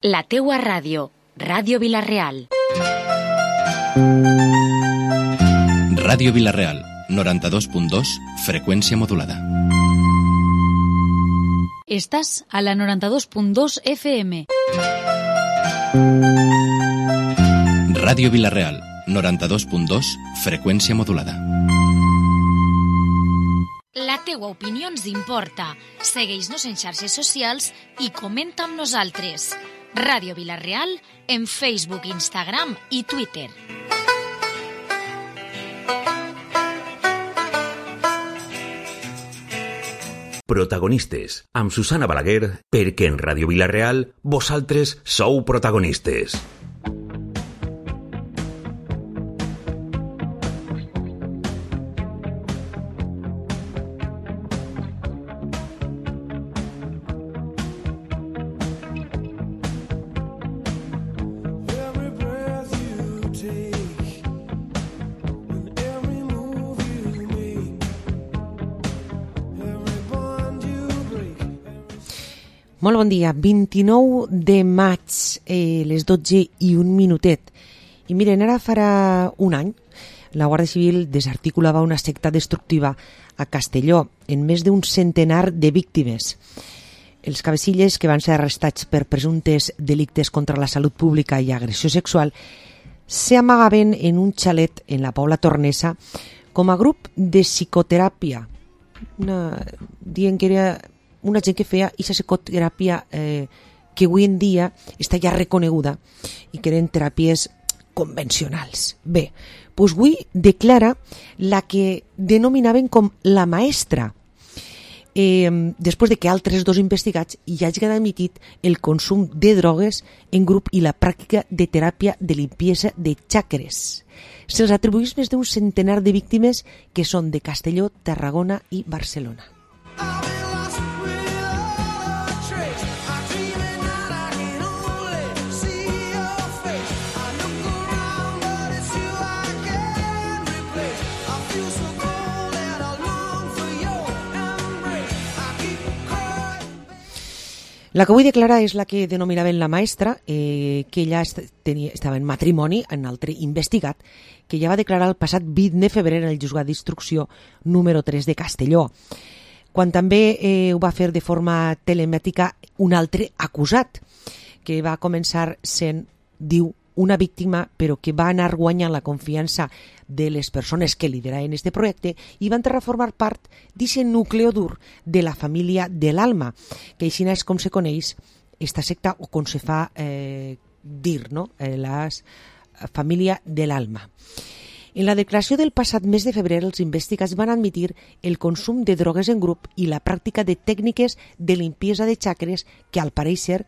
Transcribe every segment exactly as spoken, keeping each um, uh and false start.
La teua ràdio, Ràdio Vila-real. Ràdio Vila-real, noranta-dos punt dos, freqüència modulada. Estàs a la noranta-dos punt dos F M. Ràdio Vila-real, noranta-dos punt dos, freqüència modulada. La teua opinió ens importa. Segueix-nos en xarxes socials i comenta amb nosaltres. Ràdio Vila-real en Facebook, Instagram i Twitter. Protagonistes, amb Susana Balaguer, perquè en Ràdio Vila-real vosaltres sou protagonistes. Molt bon dia, vint-i-nou de maig, eh, les dotze i un minutet. I miren, ara farà un any, la Guàrdia Civil desarticulava una secta destructiva a Castelló, en més d'un centenar de víctimes. Els cabecilles, que van ser arrestats per presumptes delictes contra la salut pública i agressió sexual, s'amagaven en un xalet en la Pobla Tornesa com a grup de psicoteràpia, una, dient que era una gent que feia aquesta psicoteràpia eh, que avui en dia està ja reconeguda i que eren teràpies convencionals. Bé, doncs avui declara la que denominaven com la maestra, eh, després de que altres dos investigats ja hagin admitit el consum de drogues en grup i la pràctica de teràpia de limpiesa de xacres. Se'ls atribueix més d'un centenar de víctimes que són de Castelló, Tarragona i Barcelona. La que vull declarar és la que denominaven la maestra, eh, que ella est tenia, estava en matrimoni amb un altre investigat, que ja va declarar el passat vint de febrer en el juzgat d'instrucció número tres de Castelló, quan també eh, ho va fer de forma telemàtica un altre acusat, que va començar sent, diu, una víctima, però que va anar guanyant la confiança de les persones que lideraven este projecte i van entrar a formar part d'aquest núcleo dur de la família de l'Alma, que així és com se coneix esta secta, o com se fa eh, dir, no? Eh, la família de l'Alma. En la declaració del passat mes de febrer, els investigats van admitir el consum de drogues en grup i la pràctica de tècniques de limpiesa de xacres que, al pareixer,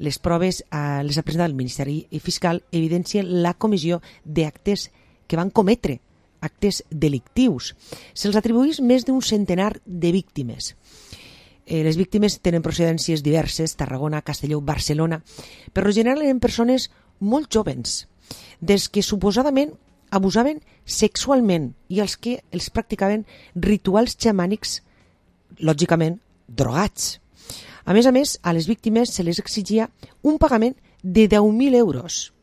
les proves eh, les ha presentat el Ministeri Fiscal evidencien la comissió d'actes que van cometre, actes delictius. Se'ls atribueix més d'un centenar de víctimes. Eh, les víctimes tenen procedències diverses, Tarragona, Castelló, Barcelona, però en general eren persones molt jovens, des que suposadament abusaven sexualment i els que els practicaven rituals xamànics, lògicament drogats. A més a més, a les víctimes se les exigia un pagament de deu mil euros.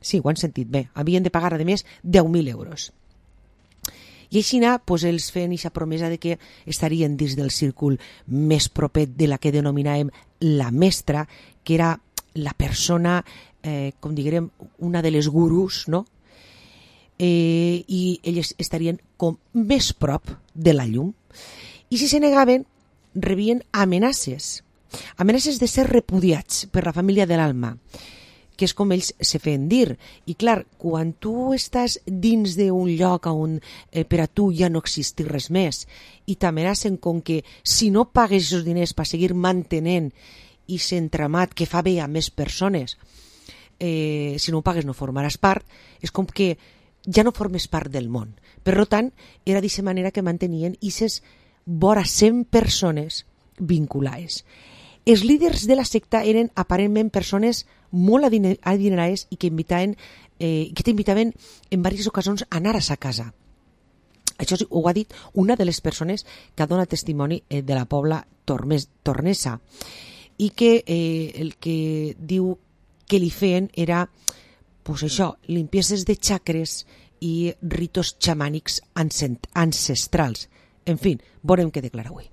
Sí, ho han sentit bé, havien de pagar, a més, deu mil euros. I així anar, doncs, els feien aquesta promesa de que estarien dins del círcul més proper de la que denominàvem la mestra, que era la persona, eh, com diguem, una de les gurus, no? Eh, i elles estarien com més prop de la llum. I si se negaven, rebien amenaces, amenaces de ser repudiats per la família de l'Alma, que és com ells se feien dir. I clar, quan tu estàs dins d'un lloc on eh, per a tu ja no existeix res més i t'amenacen com que si no pagues aquests diners per seguir mantenint i s'entramat que fa bé a més persones, eh, si no ho pagues no formaràs part, és com que ja no formes part del món. Per tant, era d'aquesta manera que mantenien aquestes vora cent persones vinculades. Els líders de la secta eren aparentment persones molt adinerades i que invitaven, eh, que t'invitaven en diverses ocasions a anar a sa casa. Això ho ha dit una de les persones que ha donat testimoni de la Pobla Tornesa. i que eh, el que diu que li feien era pues això, limpieses de xacres i ritos xamànics ancestrals. En fi, veurem què declara avui.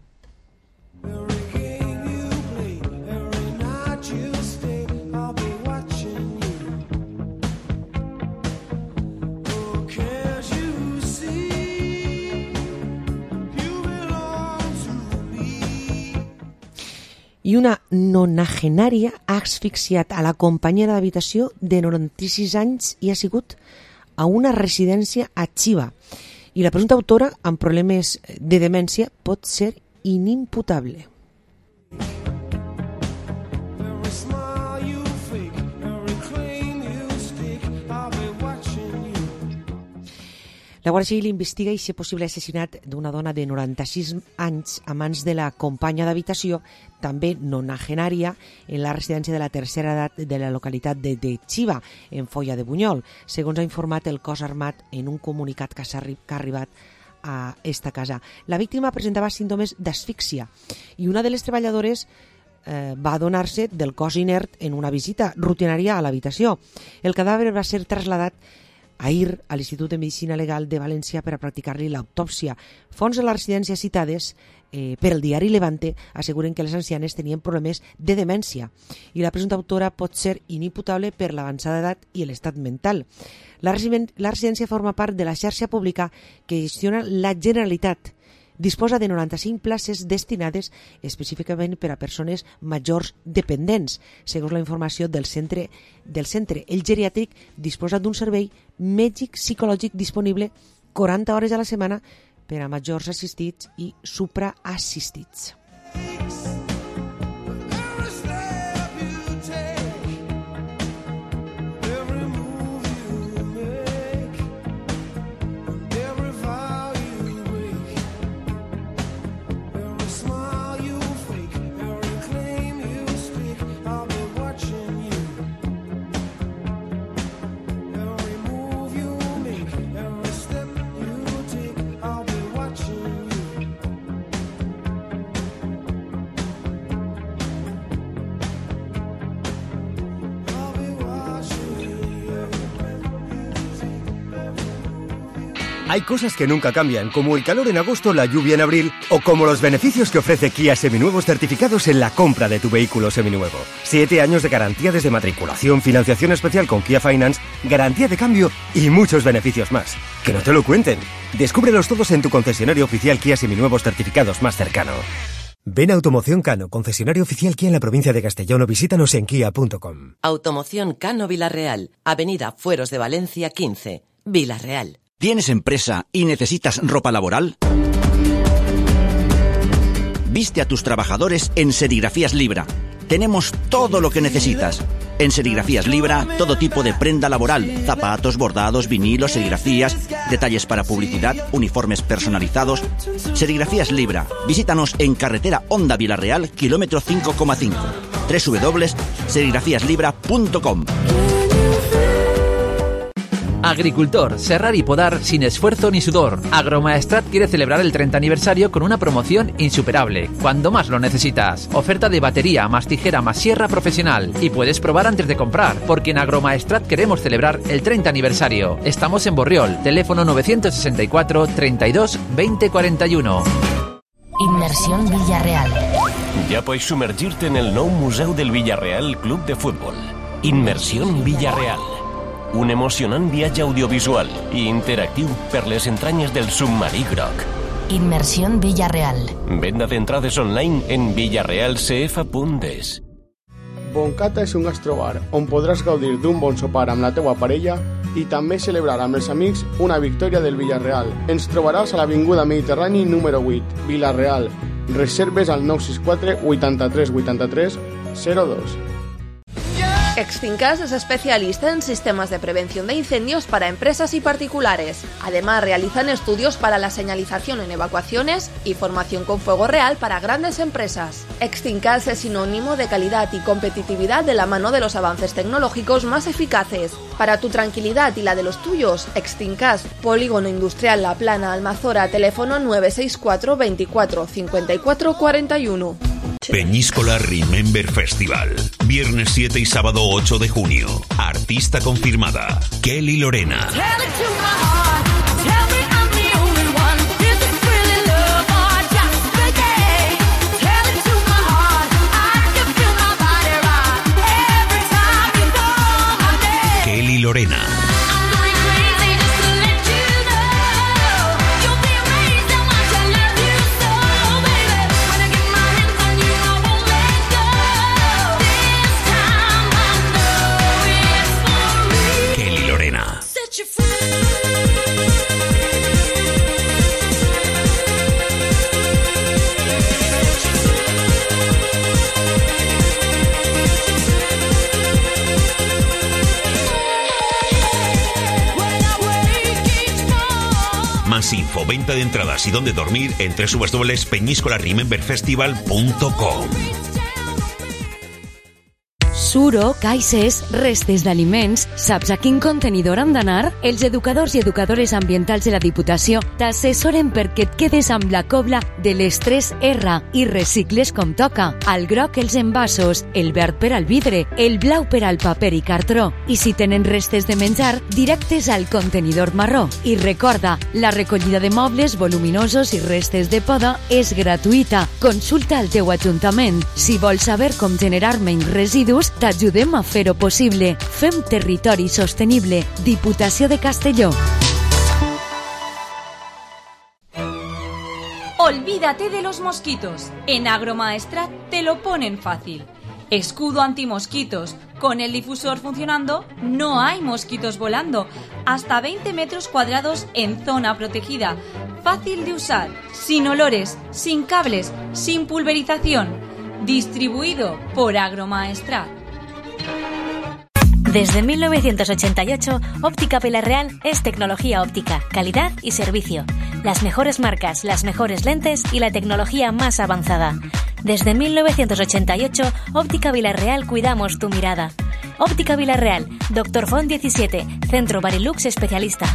I una nonagenària ha asfixiat a la companyera d'habitació de noranta-sis anys i ha sigut a una residència a Xiva. I la presumpta autora, amb problemes de demència, pot ser inimputable. La Guàrdia Civil investiga aquest possible assassinat d'una dona de noranta-sis anys a mans de la companya d'habitació, també nonagenària, en la residència de la tercera edat de la localitat de, de Xiva, en Foia de Bunyol, segons ha informat el cos armat en un comunicat que ha arribat a esta casa. La víctima presentava símptomes d'asfíxia i una de les treballadores eh, va adonar-se del cos inert en una visita rutinària a l'habitació. El cadàver va ser trasladat ahir a l'Institut de Medicina Legal de València per a practicar-li l'autòpsia. Fonts de la residència citades eh, per el diari Levante asseguren que les ancianes tenien problemes de demència i la presumpta autora pot ser inimputable per l'avançada edat i l'estat mental. La, la residència forma part de la xarxa pública que gestiona la Generalitat. Disposa de noranta-cinc places destinades específicament per a persones majors dependents. Segons la informació del centre, del centre el geriàtric disposa d'un servei mèdic psicològic disponible quaranta hores a la setmana per a majors assistits i supraassistits. Hay cosas que nunca cambian, como el calor en agosto, la lluvia en abril, o como los beneficios que ofrece Kia Seminuevos certificados en la compra de tu vehículo seminuevo. Siete años de garantía desde matriculación, financiación especial con Kia Finance, garantía de cambio y muchos beneficios más. ¡Que no te lo cuenten! Descúbrelos todos en tu concesionario oficial Kia Seminuevos certificados más cercano. Ven a Automoción Cano, concesionario oficial Kia en la provincia de Castellón, o visítanos en kia punto com. Automoción Cano Vilarreal, Avenida Fueros de Valencia quince, Vilarreal. ¿Tienes empresa y necesitas ropa laboral? Viste a tus trabajadores en Serigrafías Libra. Tenemos todo lo que necesitas. En Serigrafías Libra, todo tipo de prenda laboral, zapatos, bordados, vinilos, serigrafías, detalles para publicidad, uniformes personalizados. Serigrafías Libra. Visítanos en carretera Honda Vilarreal, kilómetro cinco coma cinco. doble u doble u doble u punto serigrafías libra punto com. Agricultor, serrar y podar sin esfuerzo ni sudor. Agromaestrat quiere celebrar el treinta aniversario con una promoción insuperable, cuando más lo necesitas. Oferta de batería, más tijera, más sierra profesional. Y puedes probar antes de comprar, porque en Agromaestrat queremos celebrar el treinta aniversario. Estamos en Borriol, teléfono novecientos sesenta y cuatro, treinta y dos, veinte cuarenta y uno. Inmersión Villarreal. Ya puedes sumergirte en el nou Museu del Villarreal Club de Fútbol. Inmersión Villarreal. Un emocionant viatge audiovisual i interactiu per les entranyes del submarí groc. Inmersión Villarreal. Venda d'entrades online en villarreal c f punt es. Boncata és un gastrobar on podràs gaudir d'un bon sopar amb la teua parella i també celebrar amb els amics una victòria del Villarreal. Ens trobaràs a l'Avinguda Mediterrani número vuit, Villarreal. Reserves al nou sis quatre, vuitanta-tres, vuitanta-tres, zero dos. Extinkas es especialista en sistemas de prevención de incendios para empresas y particulares. Además, realizan estudios para la señalización en evacuaciones y formación con fuego real para grandes empresas. Extinkas es sinónimo de calidad y competitividad de la mano de los avances tecnológicos más eficaces. Para tu tranquilidad y la de los tuyos, Extinkas, Polígono Industrial La Plana, Almazora, teléfono nueve seis cuatro, veinticuatro, cincuenta y cuatro, cuarenta y uno. Peñíscola Remember Festival. Viernes siete y sábado ocho de junio. Artista confirmada. Kelly Lorena. Kelly Lorena. Kelly Lorena. Más info, venta de entradas y dónde dormir en doble u doble u doble u punto peñíscola remember festival punto com. Suro, caixes, restes d'aliments... Saps a quin contenidor han d'anar? Els educadors i educadores ambientals de la Diputació t'assessoren perquè et quedes amb la cobla de les tres erre i recicles com toca. Al groc els envasos, el verd per al vidre, el blau per al paper i cartró. I si tenen restes de menjar, directes al contenidor marró. I recorda, la recollida de mobles voluminosos i restes de poda és gratuïta. Consulta al teu ajuntament. Si vols saber com generar menys residus, t'ajudem a fer-ho possible. Fem territori sostenible. Diputació de Castelló. Olvídate de los mosquitos. En Agromaestrat te lo ponen fácil. Escudo antimosquitos. Con el difusor funcionando, no hay mosquitos volando. Hasta veinte metros cuadrados en zona protegida. Fácil de usar, sin olores, sin cables, sin pulverización. Distribuido por Agromaestrat. Desde mil novecientos ochenta y ocho, Óptica Vilarreal es tecnología óptica, calidad y servicio. Las mejores marcas, las mejores lentes y la tecnología más avanzada. Desde mil novecientos ochenta y ocho, Óptica Vilarreal cuidamos tu mirada. Óptica Vilarreal, Doctor Font diecisiete, Centro Barilux especialista.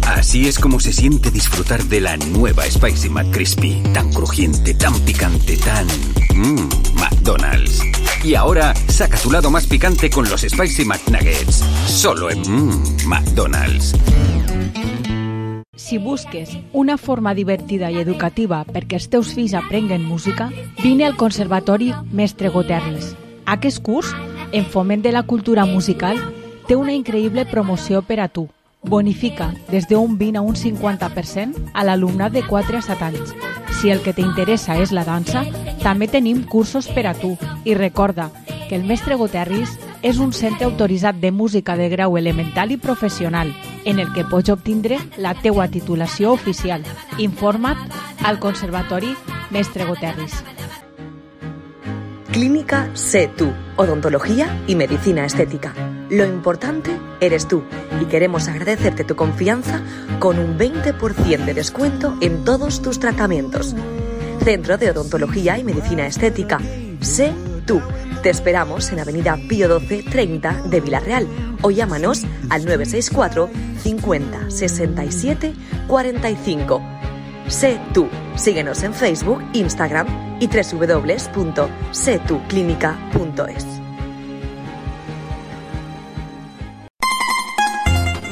Así es como se siente disfrutar de la nueva Spicy McCrispy. Tan crujiente, tan picante, tan... Mmm, McDonald's. Y ahora, saca tu lado más picante con los Spicy McNuggets. Solo en Mmm, McDonald's. Si busques una forma divertida i educativa perquè els teus fills aprenguen música, vine al Conservatori Mestre Goterris. Aquest curs, en foment de la cultura musical, té una increïble promoció per a tu. Bonifica des d'un vint a un cinquanta per cent a l'alumnat de quatre a set anys. Si el que t'interessa és la dansa, també tenim cursos per a tu. I recorda que el Mestre Goterris és un centre autoritzat de música de grau elemental i professional, en el que pots obtindre la teua titulació oficial. Informa't al Conservatori Mestre Goterris. Clínica Sé Tú, odontología y medicina estética. Lo importante eres tú y queremos agradecerte tu confianza con un veinte por ciento de descuento en todos tus tratamientos. Centro de Odontología y Medicina Estética. Sé Tú. Te esperamos en Avenida Pío doce treinta de Vilarreal o llámanos al nueve seis cuatro cincuenta sesenta y siete cuarenta y cinco. Sé Tú. Síguenos en Facebook, Instagram y doble u doble u doble u punto sé tú clínica punto es.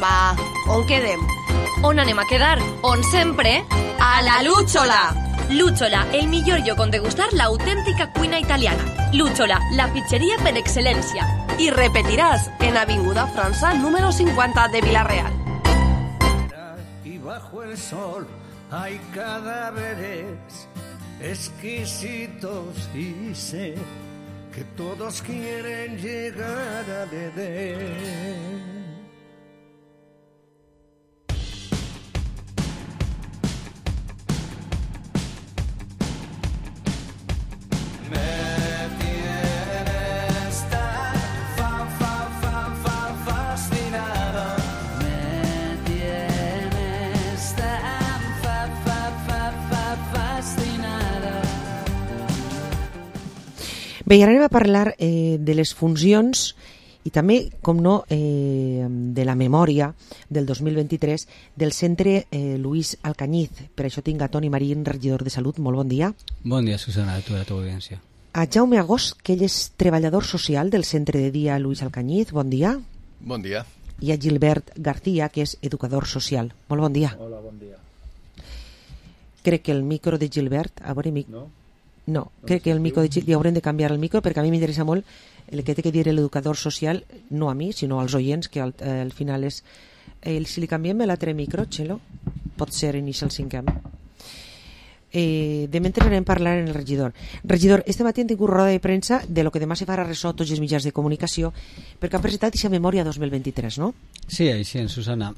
Va, on quedem? On anem a quedar? On sempre? A la Lúchola! Lúchola, el millor lloc on degustar l'autèntica cuina italiana. Lúchola, la pizzeria per excel·lència. I repetiràs en Avinguda França número cincuenta de Vilarreal. Y bajo el sol hay cadáveres exquisitos y sé que todos quieren llegar a beber. Bé, i ara anem a parlar eh, de les funcions i també, com no, eh, de la memòria del dos mil vint-i-tres del centre eh, Luis Alcañiz. Per això tinc a Toni Marín, regidor de Salut. Molt bon dia. Bon dia, Susana, a tu i a la teva audiència. A Jaume Agost, que ell és treballador social del centre de dia Luis Alcañiz. Bon dia. Bon dia. I a Gilbert García, que és educador social. Molt bon dia. Hola, bon dia. Crec que el micro de Gilbert... A veure, mic... No? No, crec que el micro de Gilbert... Li haurem de canviar el micro perquè a mi m'interessa molt el que té que dir l'educador social, no a mi, sinó als oients, que al, eh, al final és... Eh, si li canviem l'altre micro, Txelo, pot ser Initial cinquem. Eh, de mentre anem parlant en el regidor. Regidor, este matí hem tingut roda de premsa de lo que demà se farà ressò tots els mitjans de comunicació perquè han presentat aquesta memòria dos mil vint-i-tres, no? Sí, així en Susana.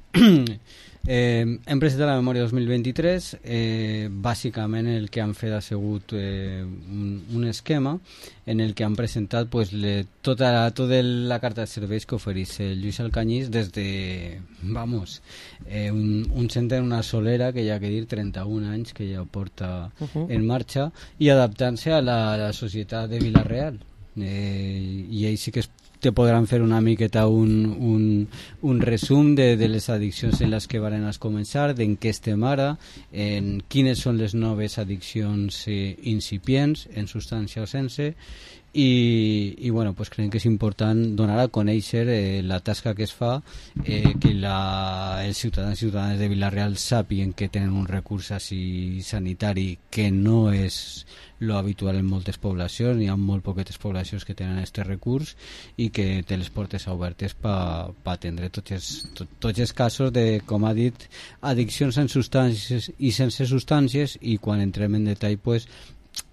eh, hem presentat la memòria dos mil vint-i-tres. Eh, bàsicament el que han fet ha sigut eh, un, un esquema en el que han presentat pues, le, tota, tota la carta de serveis que ofereix el Lluís Alcañiz des de, vamos, eh, un, un centre en una solera que hi ha que dir trenta-un anys que ja porta uh-huh. en marxa i adaptant-se a la, a la societat de Vila-real. Eh, i ells sí que es te podran fer una miqueta un, un, un resum de, de les addiccions en les que varen a començar, d'en què estem ara, en quines són les noves addiccions eh, incipients, en substància o sense, i, i bueno, pues creiem que és important donar a conèixer eh, la tasca que es fa, eh, que la, els ciutadans i ciutadanes de Vila-real sàpiguen que tenen un recurs així sanitari que no és lo habitual en moltes poblacions, hi ha molt poquetes poblacions que tenen aquest recurs i que té les portes obertes per pa atendre tots els, tot, tots els casos de, com ha dit, addiccions en substàncies i sense substàncies, i quan entrem en detall pues,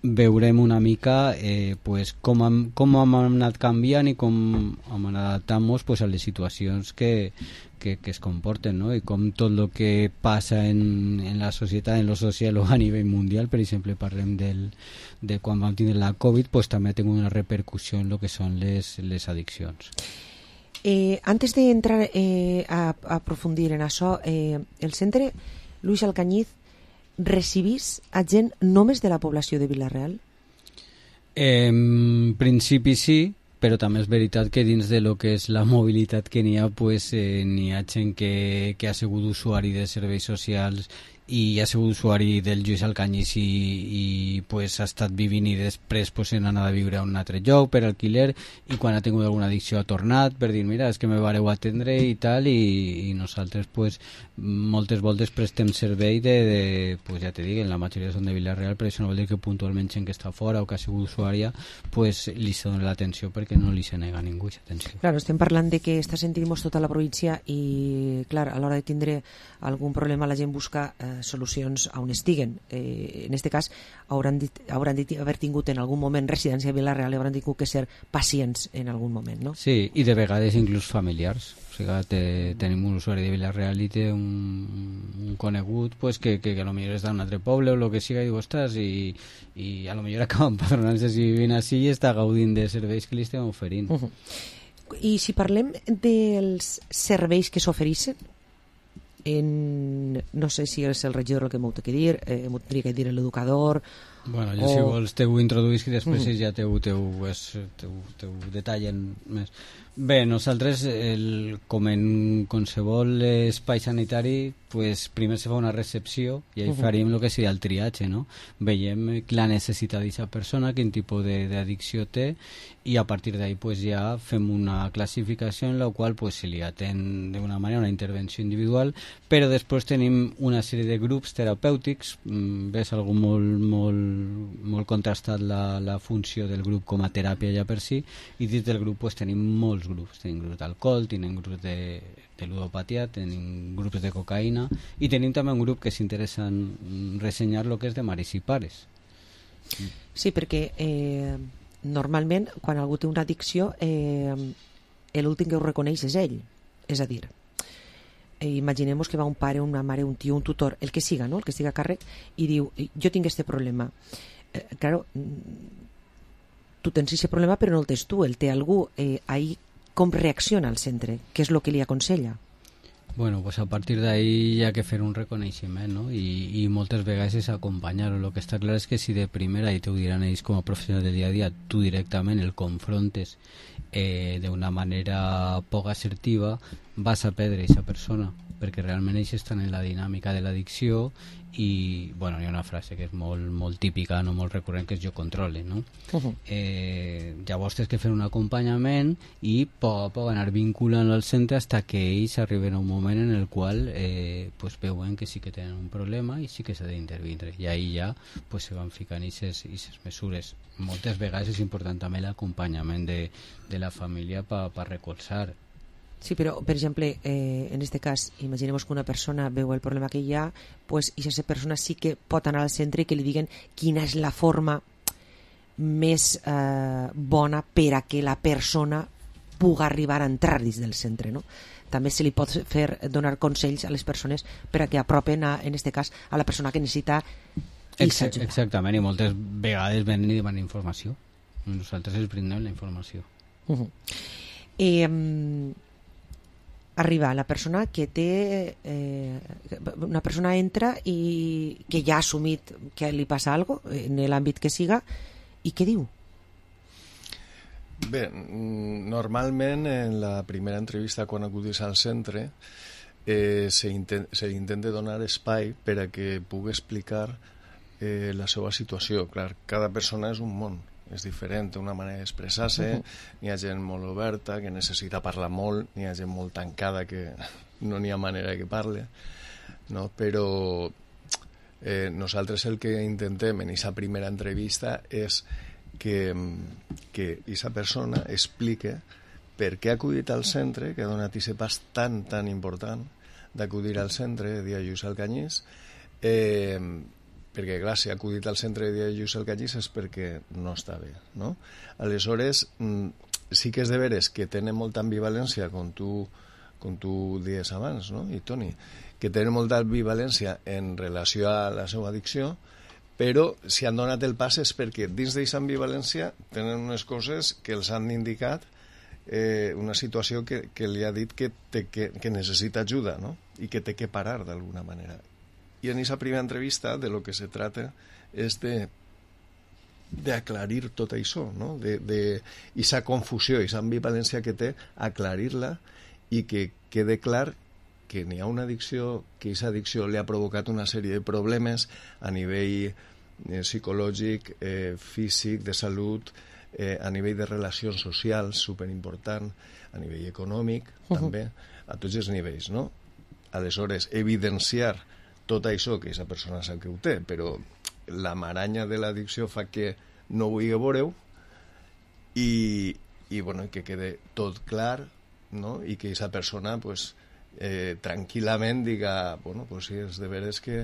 veurem una mica eh, pues, com, hem, com hem anat canviant i com hem anat adaptant-nos pues, a les situacions que, que, que es comporten, no? I com tot el que passa en, en la societat, en lo social o a nivell mundial, per exemple parlem del, de quan vam tindre la Covid, pues, també ha tingut una repercussió en el que són les, les addiccions. Eh, antes de entrar eh, a, a aprofundir en això, eh, el centre Luis Alcañiz recibís a gent només de la població de Vila-real? Eh, en principi sí, però també és veritat que dins de lo que és la mobilitat que n'hi ha, pues, eh, n'hi ha gent que, que ha sigut usuari de serveis socials i ha sigut usuari del Lluís Alcañiz i, i pues, ha estat vivint i després pues, han anat a viure a un altre lloc per alquiler, i quan ha tingut alguna addicció ha tornat per dir, mira, és que me vareu atendre i tal, i, i nosaltres pues, moltes voltes prestem servei de, de pues, ja te dic, en la majoria són de Vila-real, però això no vol dir que puntualment gent que està fora o que ha sigut usuària pues, li se dona l'atenció perquè no li se nega a ningú aquesta atenció. Claro, estem parlant de que està sentint-nos tota la província i, clar, a l'hora de tindre algun problema la gent busca eh, solucions on estiguen. Eh, en aquest cas hauran dit, hauran dit haver tingut en algun moment residència a Vila-real i hauran tingut que ser pacients en algun moment, no? Sí, i de vegades inclús familiars. O sigui, te, tenim un usuari de Vila-real i té un, un conegut pues, que, que, que a lo millor està en un altre poble o el que siga i diu, ostres, i, i a lo millor acaba empadronant-se si vivint així i està gaudint de serveis que li estem oferint. Uh -huh. I si parlem dels serveis que s'ofereixen, en, no sé si és el regidor el que m'ho té que dir, eh, m'ho tindria que dir l'educador. Bueno, jo o... si vols teu introduïsc i després Mm. ja teu, teu, és, teu, teu detallen més. Bé, nosaltres, el, com en qualsevol espai sanitari, pues, primer se fa una recepció i ahí Uh-huh. faríem el que seria el triatge, no? Veiem la necessitat d'aquesta persona, quin tipus d'addicció té, i a partir d'ahí pues, ja fem una classificació en la qual pues, se li atén d'una manera una intervenció individual, però després tenim una sèrie de grups terapèutics. Mm, ves algú molt, molt, molt contrastat la, la funció del grup com a teràpia ja per si, i dins del grup pues, tenim molts grups. Tenim grups d'alcohol, tenim grups de, de ludopatia, tenim grups de cocaïna, i tenim també un grup que s'interessa en ressenyar el que és de mares i pares. Sí, perquè eh, normalment quan algú té una addicció eh, l'últim que ho reconeix és ell. És a dir, eh, imaginem que va un pare, una mare, un tio, un tutor, el que siga, no? El que siga a càrrec, i diu, jo tinc este problema. Eh, claro, tu tens aquest problema però no el tens tu, el té algú. Eh, ahí com reacciona el centre? Què és el que li aconsella? Bueno, pues a partir d'ahí hi ha que fer un reconeixement, no? I, i moltes vegades és acompanyar-ho. El que està clar és que si de primera, i t'ho diran ells com a professionals del dia a dia, tu directament el confrontes eh, d'una manera poc assertiva, vas a perdre aquesta persona, perquè realment ells estan en la dinàmica de l'addicció i, bueno, hi ha una frase que és molt, molt típica, no molt recurrent, que és jo controle, no? Uh-huh. Eh, llavors tens que fer un acompanyament i a poc a poc anar vinculant al centre fins que ells arriben a un moment en el qual eh, pues veuen que sí que tenen un problema i sí que s'ha d'intervindre, i ahí ja pues, se van ficant aquestes mesures. Moltes vegades és important també l'acompanyament de, de la família per pa recolzar. Sí, però, per exemple, eh, en este cas, imaginem que una persona veu el problema que hi ha, pues, i aquesta persona sí que pot anar al centre i que li diguen quina és la forma més eh, bona per a que la persona pugui arribar a entrar dins del centre, no? També se li pot fer donar consells a les persones per a que apropen, a, en este cas, a la persona que necessita Exact, exactament, i moltes vegades venen i demanen informació. Nosaltres els brindem la informació. Uh-huh. Eh, arriba la persona que té eh, una persona entra i que ja ha assumit que li passa alguna cosa en l'àmbit que siga, i què diu? Bé, normalment en la primera entrevista quan acudis al centre eh, se, intent, se intenta donar espai per a que pugui explicar eh, la seva situació. Clar, cada persona és un món, és diferent, té una manera d'expressar-se, uh-huh. N'hi ha gent molt oberta que necessita parlar molt, n'hi ha gent molt tancada que no n'hi ha manera que parle, no? Però eh, nosaltres el que intentem en aquesta primera entrevista és que que aquesta persona explique per què ha acudit al centre, que ha donat aquest pas tan, tan important d'acudir al centre de dia Lluís Alcanyís, eh, perquè, clar, si ha acudit al centre de dia Lluís Alcanyís és perquè no està bé, no? Aleshores, sí que és de veres que tenen molta ambivalència, com tu, com tu dies abans, no? I Toni, que tenen molta ambivalència en relació a la seva addicció, però si han donat el pas és perquè dins d'aquesta ambivalència tenen unes coses que els han indicat, eh, una situació que, que li ha dit que, té, que, que necessita ajuda, no? I que té que parar d'alguna manera. I en aquesta primera entrevista de lo que se trata és de d'aclarir tot això, no? De, de aquesta confusió, aquesta ambivalència que té, aclarir-la i que quede clar que n'hi ha una addicció, que aquesta addicció li ha provocat una sèrie de problemes a nivell eh, psicològic, eh, físic, de salut, eh, a nivell de relacions socials, superimportant, a nivell econòmic, uh-huh. també, a tots els nivells, no? Aleshores, evidenciar tot això, que aquesta persona sap que ho té, però la maranya de l'addicció fa que no vulgui veure-ho i, i bueno, que quede tot clar, no? I que aquesta persona, pues, Eh, tranquil·lament diga, bueno, pues sí, és de veres que,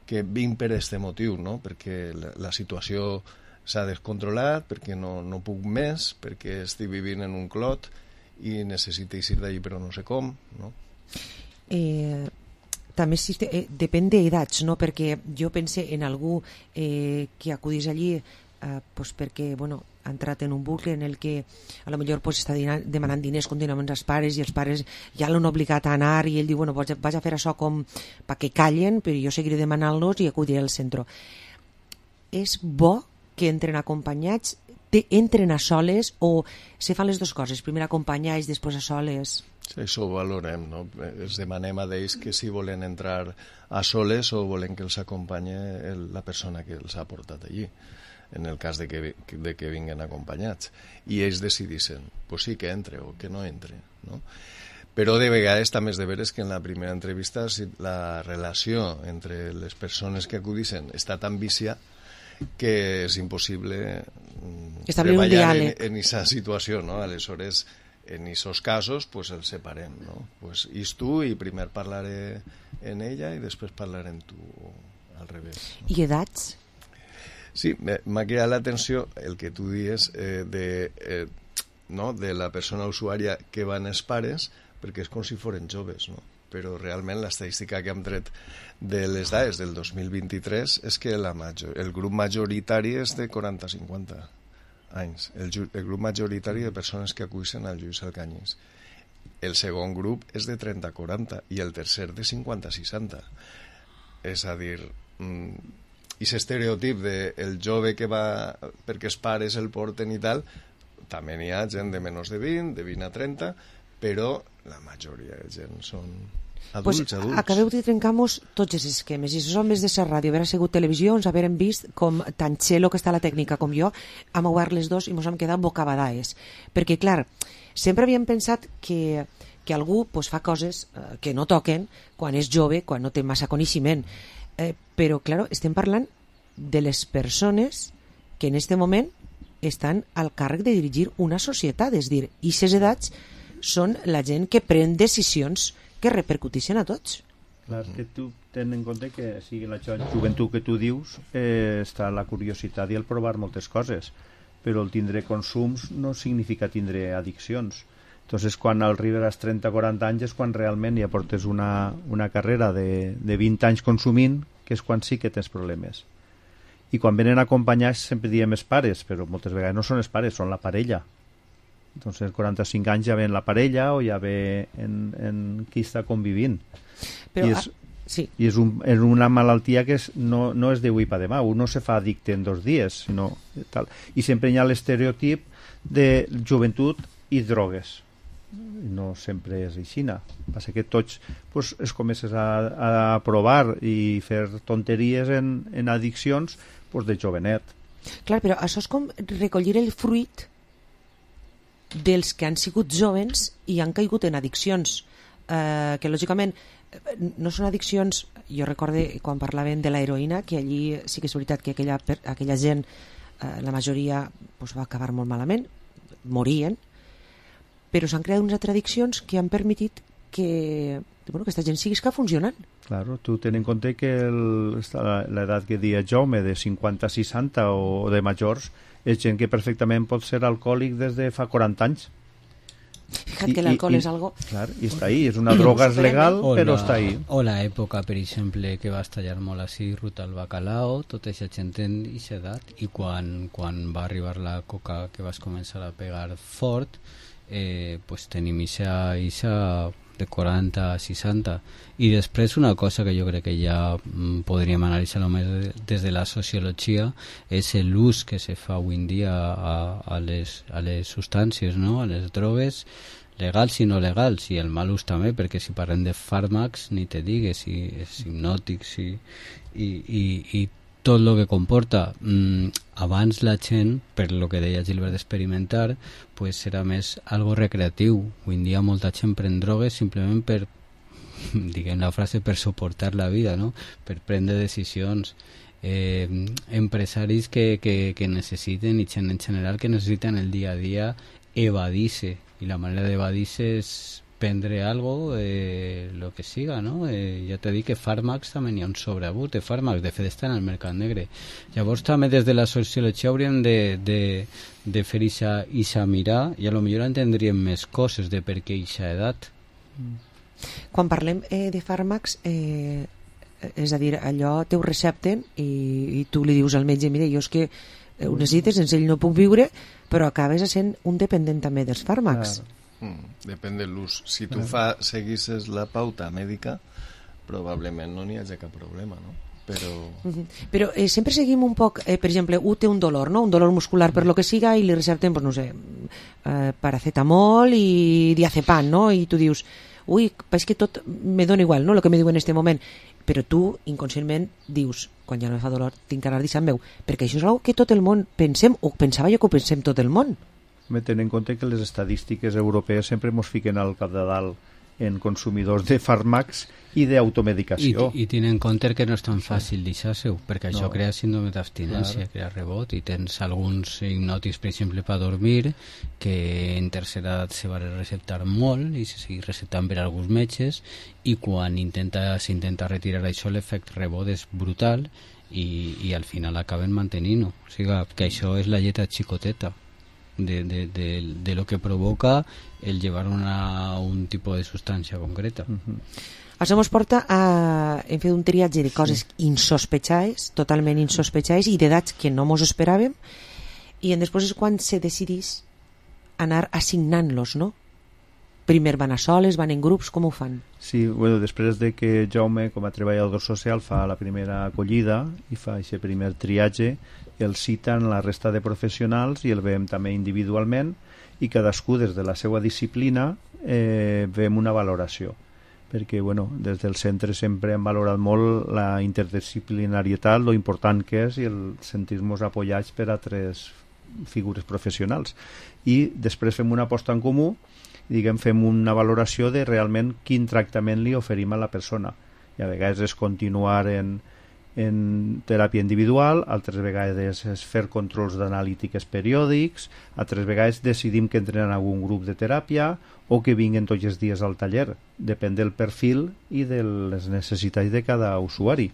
que vinc per este motiu, no? Perquè la, la situació s'ha descontrolat, perquè no, no puc més, perquè estic vivint en un clot i necessito eixir d'allí però no sé com, no? Eh, també sí, eh, depèn d'edats, no? Perquè jo pense en algú eh, que acudís allí eh, pues perquè, bueno, ha entrat en un bucle en el que a lo millor pues, està demanant diners contínuament als pares i els pares ja l'han obligat a anar i ell diu, bueno, vaig a, vaig a fer això com perquè callen, però jo seguiré demanant-los i acudiré al centre. És bo que entren acompanyats, te, entren a soles o se fan les dues coses, primer acompanyats, després a soles? Sí, això ho valorem, no? Els demanem a ells que si volen entrar a soles o volen que els acompanyi el, la persona que els ha portat allí, en el cas de que, de que vinguen acompanyats, i ells decidissin, pues sí que entre o que no entre, no? Però de vegades també és de veres que en la primera entrevista si la relació entre les persones que acudissin està tan vicia que és impossible establir un diàleg en aquesta situació, no? Aleshores, en aquests casos, pues els separem, no? Pues is tu i primer parlaré en ella i després parlaré en tu, al revés. I edats? Sí, m'ha cridat l'atenció el que tu dies eh, de, eh, no? de la persona usuària que van els pares, perquè és com si foren joves, no? Però realment l'estadística que hem tret de les dades del dos mil vint-i-tres és que la major, el grup majoritari és de quaranta a cinquanta anys, el, el grup majoritari de persones que acudeixen al Lluís Alcanyís. el segon grup és de trenta a quaranta i el tercer de cinquanta a seixanta. És a dir, i aquest estereotip del jove que va perquè els pares el porten i tal, també n'hi ha gent de menys de vint, de vint a trenta, però la majoria de gent són adults, pues, adults. Acabeu de trencar-nos tots els esquemes, i els homes de la ràdio, haver sigut televisió, ens haverem vist com tan xelo que està la tècnica com jo, hem obert les dos i ens hem quedat bocabadades. Perquè, clar, sempre havíem pensat que, que algú pues, fa coses eh, que no toquen quan és jove, quan no té massa coneixement. Eh, però, clar, estem parlant de les persones que en aquest moment estan al càrrec de dirigir una societat, és dir, i aquestes edats són la gent que pren decisions que repercuteixen a tots. Clar, que tu ten en compte que sigui la joventut que tu dius eh, està la curiositat i el provar moltes coses, però el tindre consums no significa tindre addiccions. Entonces, quan arribes als trenta a quaranta anys és quan realment ja portes una, una carrera de, de vint anys consumint, que és quan sí que tens problemes. I quan venen acompanyats sempre diem els pares, però moltes vegades no són els pares, són la parella. Entonces, quaranta-cinc anys ja ve en la parella o ja ve en, en qui està convivint. Però, I és, ah, sí. i és, un, és una malaltia que és, no, no és d'avui per demà, un no se fa addicte en dos dies, sinó tal. I sempre hi ha l'estereotip de joventut i drogues. No sempre és així. Passa que tots pues, es comences a, a provar i fer tonteries en, en addiccions pues, de jovenet. Clar, però això és com recollir el fruit dels que han sigut jovens i han caigut en addiccions, eh, que lògicament no són addiccions. Jo recorde quan parlaven de l'heroïna, que allí sí que és veritat que aquella, aquella gent, eh, la majoria pues, va acabar molt malament, morien, però s'han creat unes altres addiccions que han permetit que bueno, aquesta gent sigui que funcionant. Claro, tu ten en compte que l'edat que dia Jaume de cinquanta a seixanta o de majors és gent que perfectament pot ser alcohòlic des de fa quaranta anys. Fíjate que l'alcohol és algo... Clar, i està ahí, és una droga és legal, o però la, està ahí. O l'època, per exemple, que va estallar molt així, Ruta al Bacalao, tota aquesta gent en aquesta edat, i quan, quan va arribar la coca que vas començar a pegar fort, eh, pues tenim ixa, ixa de quaranta a seixanta. I després una cosa que jo crec que ja mm, podríem analitzar només des de la sociologia és l'ús que se fa avui en dia a, a, les, a les substàncies, no? A les drogues legals i no legals, i el mal ús també, perquè si parlem de fàrmacs ni te digues, si és hipnòtics i, i, i, i tot el que comporta. Mm, abans la gent, per lo que deia Gilbert d'experimentar, pues era més algo recreatiu. Avui en dia molta gent pren drogues simplement per, diguem la frase, per suportar la vida, no? Per prendre decisions. Eh, empresaris que, que, que necessiten, i gent en general que necessiten el dia a dia evadir-se, i la manera d'evadir-se és prendre algo, eh, lo que siga, no? Eh, ja t'he dit que fàrmacs també n'hi ha un sobreabús de fàrmacs, de fet estan al mercat negre. Llavors també des de la sociologia hauríem de, de, de fer ixa mirar, i a lo millor entendríem més coses de per què ixa edat. Quan parlem eh, de fàrmacs, eh, és a dir, allò te ho recepten i, i tu li dius al metge, mira, jo és que ho necessites, sense ell no puc viure, però acabes sent un dependent també dels fàrmacs. Claro. Mm, depèn de l'ús. Si tu fa, seguisses la pauta mèdica, probablement no n'hi hagi cap problema, no? Però, uh-huh. Però eh, sempre seguim un poc, eh, per exemple, un té un dolor, no? Un dolor muscular per lo que siga, i li recepten, pues, no sé, eh, paracetamol i diazepam, no? I tu dius, ui, és que tot me dona igual, no?, el que me diu en este moment. Però tu, inconscientment, dius, quan ja no me fa dolor, tinc que anar deixant meu, perquè això és una que tot el món pensem, o pensava jo que ho pensem tot el món. Tenint en compte que les estadístiques europees sempre ens fiquen al capdavant en consumidors de fàrmacs i d'automedicació. I, i tenint en compte que no és tan fàcil deixar-se-ho, perquè això no. crea síndrome d'abstinència, claro. Crea rebot, i tens alguns hipnòtics, per exemple, per dormir, que en tercera edat se va receptar molt i se seguir receptant per alguns metges, i quan intenta, s'intenta retirar això, l'efecte rebot és brutal, i, i al final acaben mantenint-ho. O sigui, que això és la lletra xicoteta de, de, de, de lo que provoca el llevar una, un tipus de substància concreta. Uh-huh. Això ens porta a... hem fet un triatge de coses sí. insospechades, totalment insospechades, i d'edats que no mos esperàvem, i després és quan se decidís anar assignant-los, no? primer van a soles, van en grups, com ho fan? Sí, bueno, després de que Jaume, com a treballador social, fa la primera acollida i fa aquest primer triatge, el citen la resta de professionals i el veiem també individualment i cadascú des de la seva disciplina eh, veiem una valoració, perquè bueno, des del centre sempre hem valorat molt la interdisciplinarietat, lo important que és i el sentir-nos apoyats per altres figures professionals, i després fem una aposta en comú, diguem, fem una valoració de realment quin tractament li oferim a la persona, i a vegades és continuar en, en teràpia individual, altres vegades és fer controls d'analítiques periòdics, altres vegades decidim que entren en algun grup de teràpia o que vinguen tots els dies al taller, depèn del perfil i de les necessitats de cada usuari.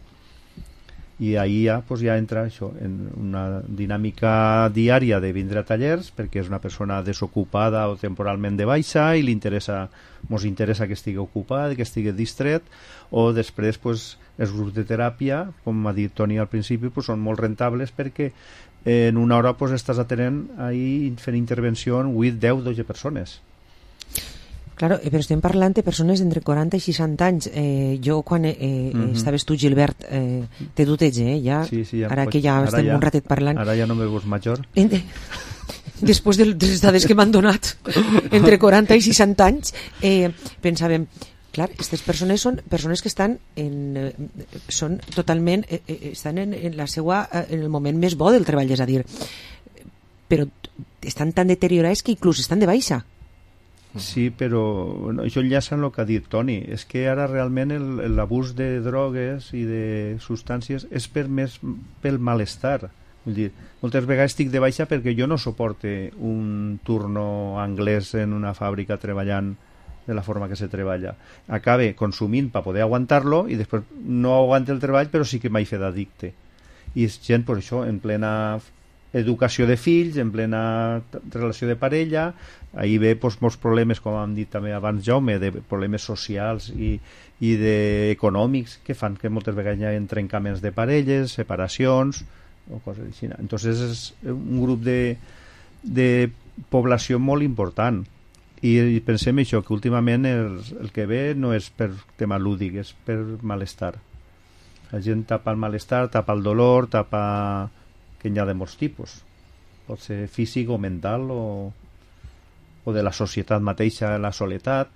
I ahir ja, pues, ja entra això en una dinàmica diària de vindre a tallers perquè és una persona desocupada o temporalment de baixa i li interessa, mos interessa que estigui ocupat, que estigui distret, o després pues, els grups de teràpia, com ha dit Toni al principi, pues, són molt rentables perquè en una hora pues, estàs atenent ahir fent intervenció en vuit, deu, dotze persones. Claro, però estem parlant de persones entre quaranta i seixanta anys. Eh, jo, quan eh, mm-hmm. estaves tu, Gilbert, eh, te duteix, eh? Ja, sí, sí, ja ara pots, que ja ara estem ja, un ratet parlant. Ara ja no me veus major. Després de les dades que m'han donat, entre quaranta i seixanta anys, eh, pensàvem, clar, aquestes persones són persones que estan en, són totalment, eh, estan en, en la seva, en el moment més bo del treball, és a dir, però estan tan deteriorats que inclús estan de baixa. Sí, però bueno, això enllaça en el que ha dit Toni, és que ara realment l'abús de drogues i de substàncies és per més pel malestar. Vull dir, moltes vegades estic de baixa perquè jo no suporte un turno anglès en una fàbrica treballant de la forma que se treballa. Acabe consumint per poder aguantar-lo i després no aguante el treball però sí que m'he fet addicte. I és gent, per això, en plena educació de fills, en plena relació de parella, ahir ve doncs, molts problemes, com hem dit també abans Jaume, de problemes socials i, i de econòmics que fan que moltes vegades hi ha trencaments de parelles, separacions o coses així. Entonces és un grup de, de població molt important i, i pensem això, que últimament el, el que ve no és per tema lúdic, és per malestar. La gent tapa el malestar, tapa el dolor, tapa que n'hi ha de molts tipus, pot ser físic o mental o, o de la societat mateixa, la soledat.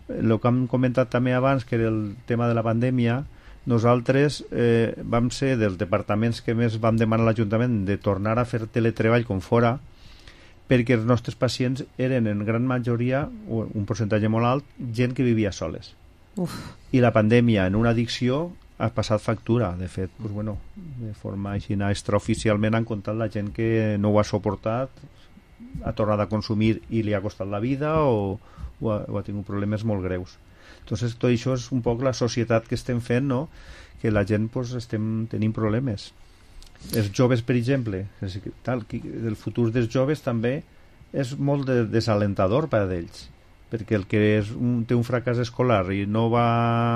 El que hem comentat també abans, que era el tema de la pandèmia, nosaltres eh, vam ser dels departaments que més vam demanar a l'Ajuntament de tornar a fer teletreball com fora, perquè els nostres pacients eren en gran majoria, un percentatge molt alt, gent que vivia soles. Uf. I la pandèmia en una addicció ha passat factura. De fet, pues, bueno, de forma així extraoficialment han contat la gent que no ho ha suportat, ha tornat a consumir i li ha costat la vida o, o, ha, o ha tingut problemes molt greus. Entonces, tot això és un poc la societat que estem fent, no? Que la gent pues, estem tenint problemes. Els joves, per exemple, tal, el futur dels joves també és molt de, desalentador per a ells, perquè el que és un, té un fracàs escolar i no va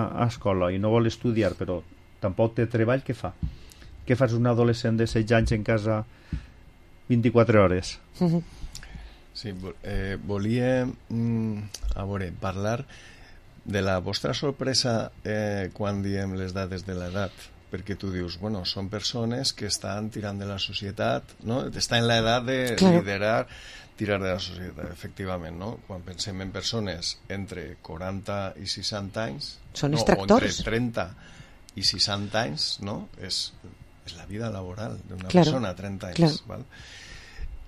a escola i no vol estudiar però tampoc té treball, què fa? Què fas un adolescent de setze anys en casa vint-i-quatre hores? Sí, eh, volia mm, a veure, parlar de la vostra sorpresa eh, quan diem les dades de l'edat, perquè tu dius, bueno, són persones que estan tirant de la societat, no? Estan en l'edat de claro. liderar, tirar de la societat, efectivament, no? Quan pensem en persones entre quaranta i seixanta anys, són no, extractors. O entre trenta i seixanta anys, no? És, és la vida laboral d'una claro. persona a trenta anys, claro. val?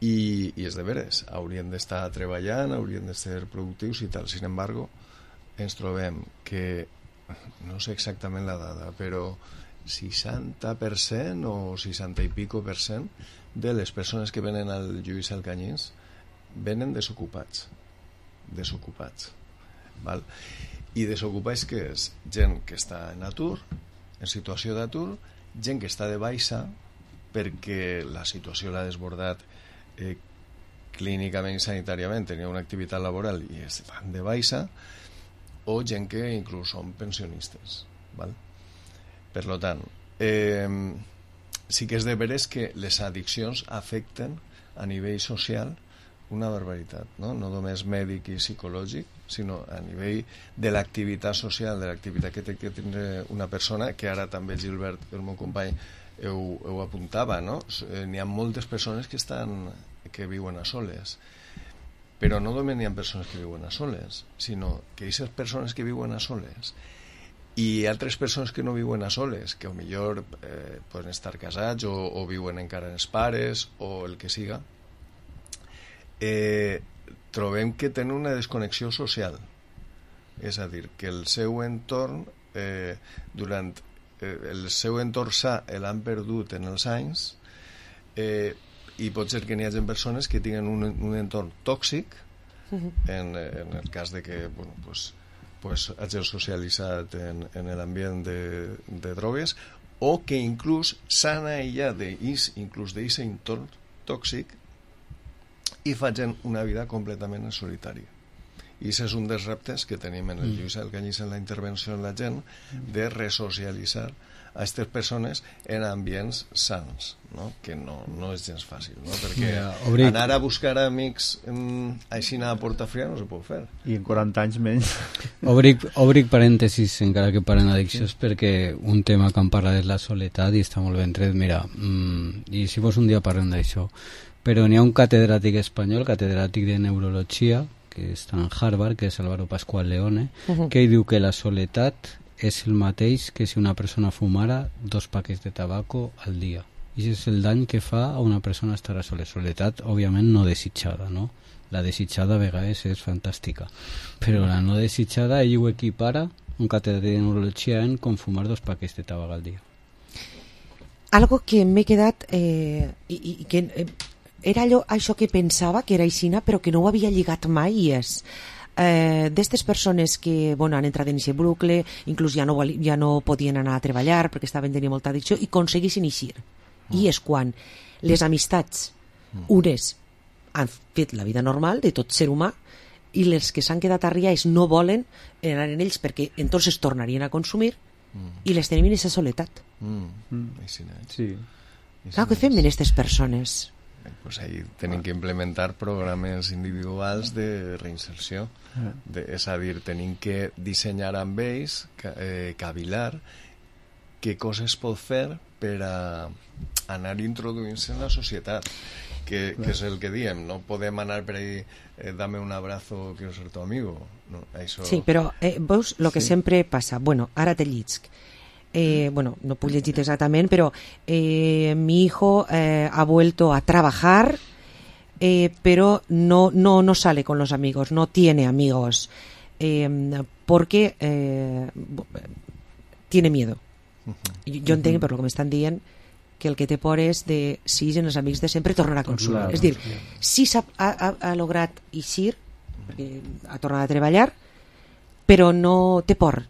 I, i és de veres, haurien d'estar treballant, haurien de ser productius i tal. Sin embargo, ens trobem que, no sé exactament la dada, però seixanta per cent o seixanta i pico per cent de les persones que venen al Lluís Alcanyís venen desocupats desocupats val? I desocupats que és gent que està en atur, en situació d'atur, gent que està de baixa perquè la situació l'ha desbordat eh, clínicament i sanitàriament, tenia una activitat laboral i es fan de baixa, o gent que inclús són pensionistes, val? Per lo tant, eh, sí que és de veres que les addiccions afecten a nivell social una barbaritat, no? No només mèdic i psicològic, sinó a nivell de l'activitat social, de l'activitat que té que tindre una persona, que ara també Gilbert, el meu company, ho, ho apuntava, no? N'hi ha moltes persones que estan que viuen a soles, però no només n'hi ha persones que viuen a soles, sinó que aquestes persones que viuen a soles i altres persones que no viuen a soles, que potser eh, poden estar casats o, o viuen encara els pares o el que siga, eh, trobem que tenen una desconnexió social. És a dir, que el seu entorn, eh, durant eh, el seu entorn sa l'han perdut en els anys, eh, i pot ser que n'hi hagi persones que tinguin un, un entorn tòxic, en, en el cas de que, bueno, pues, pues hagi socialitzat en, en l'ambient de, de drogues, o que inclús s'han aïllat inclús d'aquest entorn tòxic i facin una vida completament en solitari. I aquest és un dels reptes que tenim en el Lluís Alcanyís en la intervenció en la gent, de resocialitzar a aquestes persones en ambients sans, no? Que no, no és gens fàcil, no? Perquè ja, obric... anar a buscar amics mm, així a porta fria no se pot fer. I en quaranta anys menys. Obric, obric parèntesis, encara que paren addiccions, sí. Perquè un tema que em parla és la soledat i està molt ben tret. Mira, mm, i si fos un dia parlem d'això, però n'hi ha un catedràtic espanyol, catedràtic de neurologia, que està en Harvard, que és Álvaro Pascual Leone, uh-huh. que diu que la soledat és el mateix que si una persona fumara dos paquets de tabaco al dia. I és el dany que fa a una persona estar a sola. Soledat, òbviament, no desitjada, no? La desitjada a vegades és fantàstica. Però la no desitjada, ell ho equipara, un catedràtic de neurologia, en com fumar dos paquets de tabac al dia. Algo que m'he quedat... Eh, i, i que eh, era allò, això que pensava que era aixina, però que no ho havia lligat mai, i és... Eh, d'estes persones que bueno, han entrat en aquest bucle, inclús ja no, ja no podien anar a treballar perquè estaven tenint molta addicció i aconseguissin eixir. Mm. I és quan les amistats, mm. unes han fet la vida normal de tot ser humà i les que s'han quedat arriats no volen anar en ells perquè entonces tornarien a consumir mm. i les tenim en aquesta soledat. Mm. Mm. Sí. Clar, què fem amb aquestes persones? Pues ahí tenim que implementar programes individuals de reinserció, de, és a dir, tenim que dissenyar amb ells, eh, cavilar què coses pot fer per a anar introduint-se en la societat, que, que és el que diem, no podem anar per ahí, eh, dame un abrazo, quiero ser tu amigo, no, això... Sí, però eh, veus el que sí. sempre passa, bueno, ara te llisc. Eh, bueno, no puedo decir exactamente, pero eh, mi hijo eh, ha vuelto a trabajar, eh, pero no, no, no sale con los amigos, no tiene amigos, eh, porque eh, tiene miedo. Uh-huh. Jo entenc, per lo que m'estan dient, que el que té por és de, si en els amics de sempre, tornar a consumir. Claro, és dir, sí. Si s'ha ha, ha, ha lograt eixir, eh, ha tornat a treballar, però no té por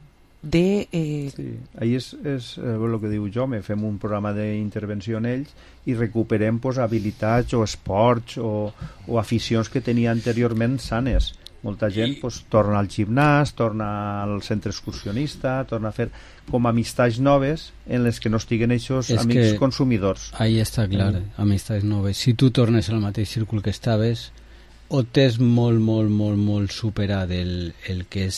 de... Eh... Sí, ahí és, és eh, el que diu Jaume, fem un programa d'intervenció en ells i recuperem pues, habilitats o esports o, o aficions que tenia anteriorment sanes. Molta gent pues, torna al gimnàs, torna al centre excursionista, torna a fer com amistats noves en les que no estiguen aquests amics consumidors. Ahí està clar, eh? Amistats noves. Si tu tornes al mateix círcul que estaves, o tens molt, molt, molt, molt superat el, el que és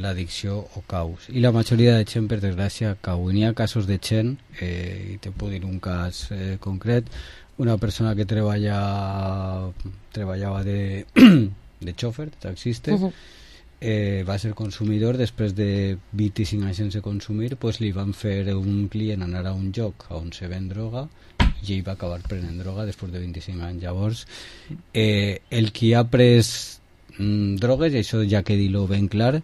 l'addicció o caus. I la majoria de gent, per desgràcia, cau. I n'hi ha casos de gent, eh, i te puc dir un cas eh, concret, una persona que treballa, treballava de, de xòfer, de taxista, uh-huh. eh, va ser consumidor, després de vint-i-cinc anys sense consumir, pues li van fer un client anar a un lloc on se ven droga, i ell va acabar prenent droga després de vint-i-cinc anys. Llavors, eh, el qui ha pres mm, drogues, i això ja que dir-ho ben clar,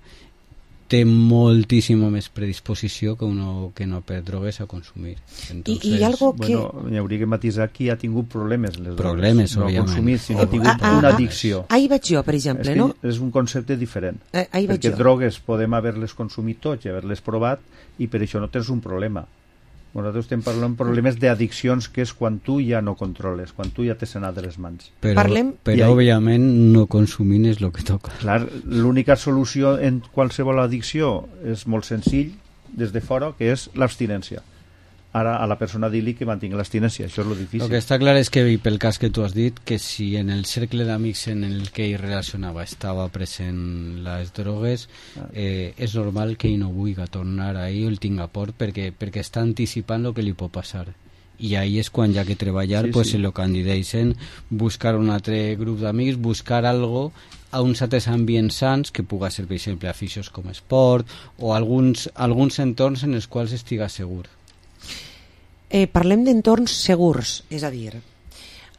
té moltíssima més predisposició que uno que no perd drogues a consumir. Entonces, I, i algo que... Bueno, hi hauria que matisar qui ha tingut problemes les problemes, drogues. No ha consumit, sinó ha tingut ah, ah, una addicció. Ahí vaig jo, per exemple, és no? És un concepte diferent. Eh, perquè jo. drogues podem haver-les consumit tots i haver-les provat i per això no tens un problema. Nosaltres estem parlant de problemes d'addiccions, que és quan tu ja no controles, quan tu ja t'has anat de les mans. Però, Parlem... però I, òbviament, no consumint és el que toca. Clar, l'única solució en qualsevol addicció és molt senzill, des de fora, que és l'abstinència. ara a la persona dir-li que mantingui l'abstinència, això és lo difícil. El que està clar és que, i pel cas que tu has dit, que si en el cercle d'amics en el que ell relacionava estava present les drogues, eh, és normal que ell no vulgui tornar ahí o el tinga por, perquè, perquè està anticipant el que li pot passar. I ahí és quan hi ha que treballar, sí, pues, sí. en el que en digueixen, buscar un altre grup d'amics, buscar algo a uns altres ambients sants, que puga ser, per exemple, aficions com esport, o alguns, alguns entorns en els quals estiga segur. Eh, parlem d'entorns segurs, és a dir,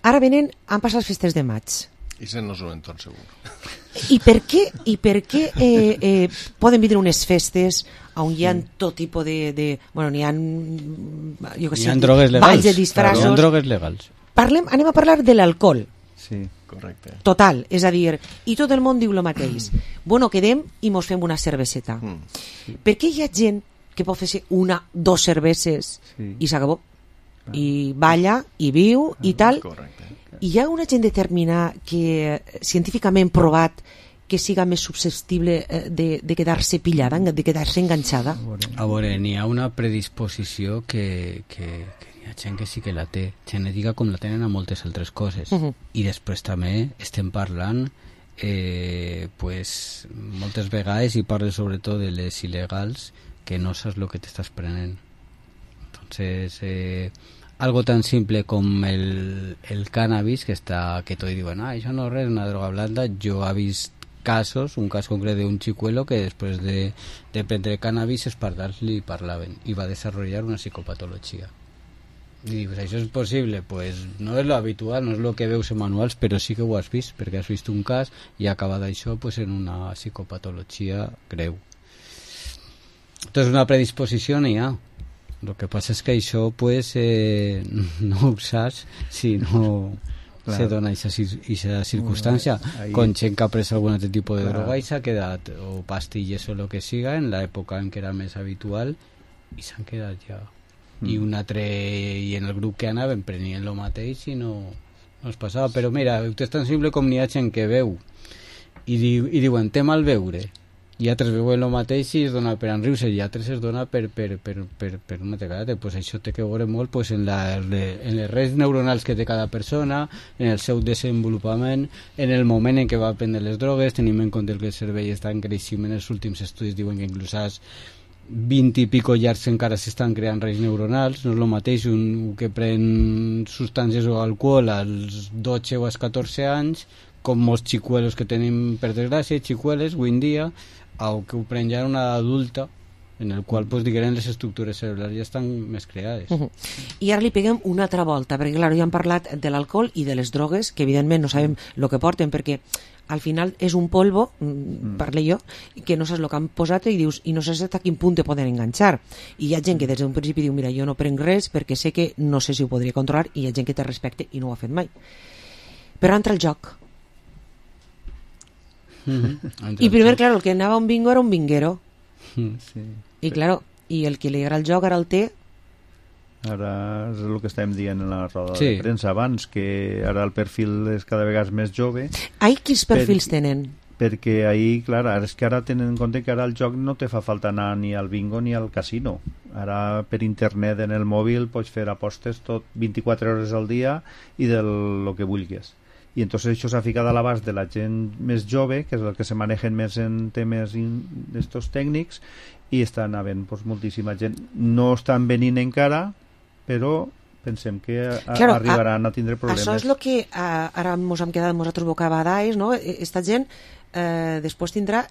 ara venen, han passat les festes de maig. I això no és un entorn segur. I per què, i per què eh, eh, poden vindre unes festes on hi ha mm. tot tipus de, de... Bueno, n'hi ha... Jo que sé, n'hi ha drogues legals. Balls de disfrazos. N'hi ha drogues legals. Parlem, anem a parlar de l'alcohol. Sí, correcte. Total, és a dir, i tot el món diu el mateix. Bueno, quedem i mos fem una cerveseta. Mm. Sí. Per què hi ha gent que pot fer una, dos cerveses sí. i s'acabó? Ah. I balla, i viu, ah, i tal. Correcte. I hi ha una gent determinada que científicament provat que siga més susceptible de, de quedar-se pillada, de quedar-se enganxada? A veure, n'hi ha una predisposició que, que, que hi ha gent que sí que la té, genètica com la tenen a moltes altres coses. Uh-huh. I després també estem parlant eh, pues, moltes vegades, i parlo sobretot de les il·legals, que no saps el que t'estàs prenent. Entonces, eh, algo tan simple com el, el cannabis, que està, que tots diuen, ah, això no és res, una droga blanda. Jo he vist casos, un cas concret d'un xicuelo que després de, de prendre cannabis els pardals li parlaven i va desenvolupar una psicopatologia. I dius, això és possible? Pues no és lo habitual, no és lo que veus en manuals, però sí que ho has vist, perquè has vist un cas i ha acabat això pues, en una psicopatologia greu. Entonces una predisposició n'hi ha. El que passa és que això pues, eh, no ho saps si no claro. se dona aquesta circumstància. Ahí... Con gent que ha pres algun altre tipus de claro. droga i s'ha quedat, o pastilles o el que siga, en l'època en què era més habitual, i s'han quedat ja. Mm. I un altre, i en el grup que anaven prenien el mateix i no, no es passava. Però mira, és tan simple com n'hi ha gent que veu i, diu, i diuen, té mal veure, i altres veuen el mateix i es dona per enriure, i altres es dona per, per, per, per, per una tecada. Pues això té que veure molt pues, en, la, en les redes neuronals que té cada persona, en el seu desenvolupament, en el moment en què va prendre les drogues. Tenim en compte que el cervell està en creixement. Els últims estudis diuen que inclús als vint i pico llargs encara s'estan creant redes neuronals. No és el mateix un que pren substàncies o alcohol als dotze o als catorze anys, com molts xicuelos que tenim, per desgràcia, xicueles avui en dia, o que ho pren ja una adulta, en el qual pues, diguem, les estructures cerebrals ja estan més creades. Uh -huh. I ara li peguem una altra volta, perquè clar, ja hem parlat de l'alcohol i de les drogues, que evidentment no sabem el que porten, perquè al final és un polvo, mm. parle jo, que no saps el que han posat i dius, i no saps a quin punt te poden enganxar. I hi ha gent que des d'un principi diu, mira, jo no prenc res perquè sé que no sé si ho podria controlar, i hi ha gent que té respecte i no ho ha fet mai. Però entra el joc. Mm-hmm. I primer, claro, el que anava a un bingo era un binguero. Mm, sí. I claro, i el que li agrada el joc ara el té. Ara és el que estàvem dient en la roda sí. de premsa abans, que ara el perfil és cada vegada més jove. Ai, quins perfils per, tenen? Perquè ahí, clar, és que ara tenen en compte que ara el joc no te fa falta anar ni al bingo ni al casino. Ara per internet en el mòbil pots fer apostes tot vint-i-quatre hores al dia i del lo que vulguis. I entonces això s'ha ficat a l'abast de la gent més jove, que és el que se manegen més en temes d'estos tècnics, i estan havent pues, moltíssima gent. No estan venint encara, però pensem que a, claro, arribaran a, a tindre problemes. Això és el que a, ara ens hem quedat nosaltres bocabadais, no? Esta gent eh, després tindrà,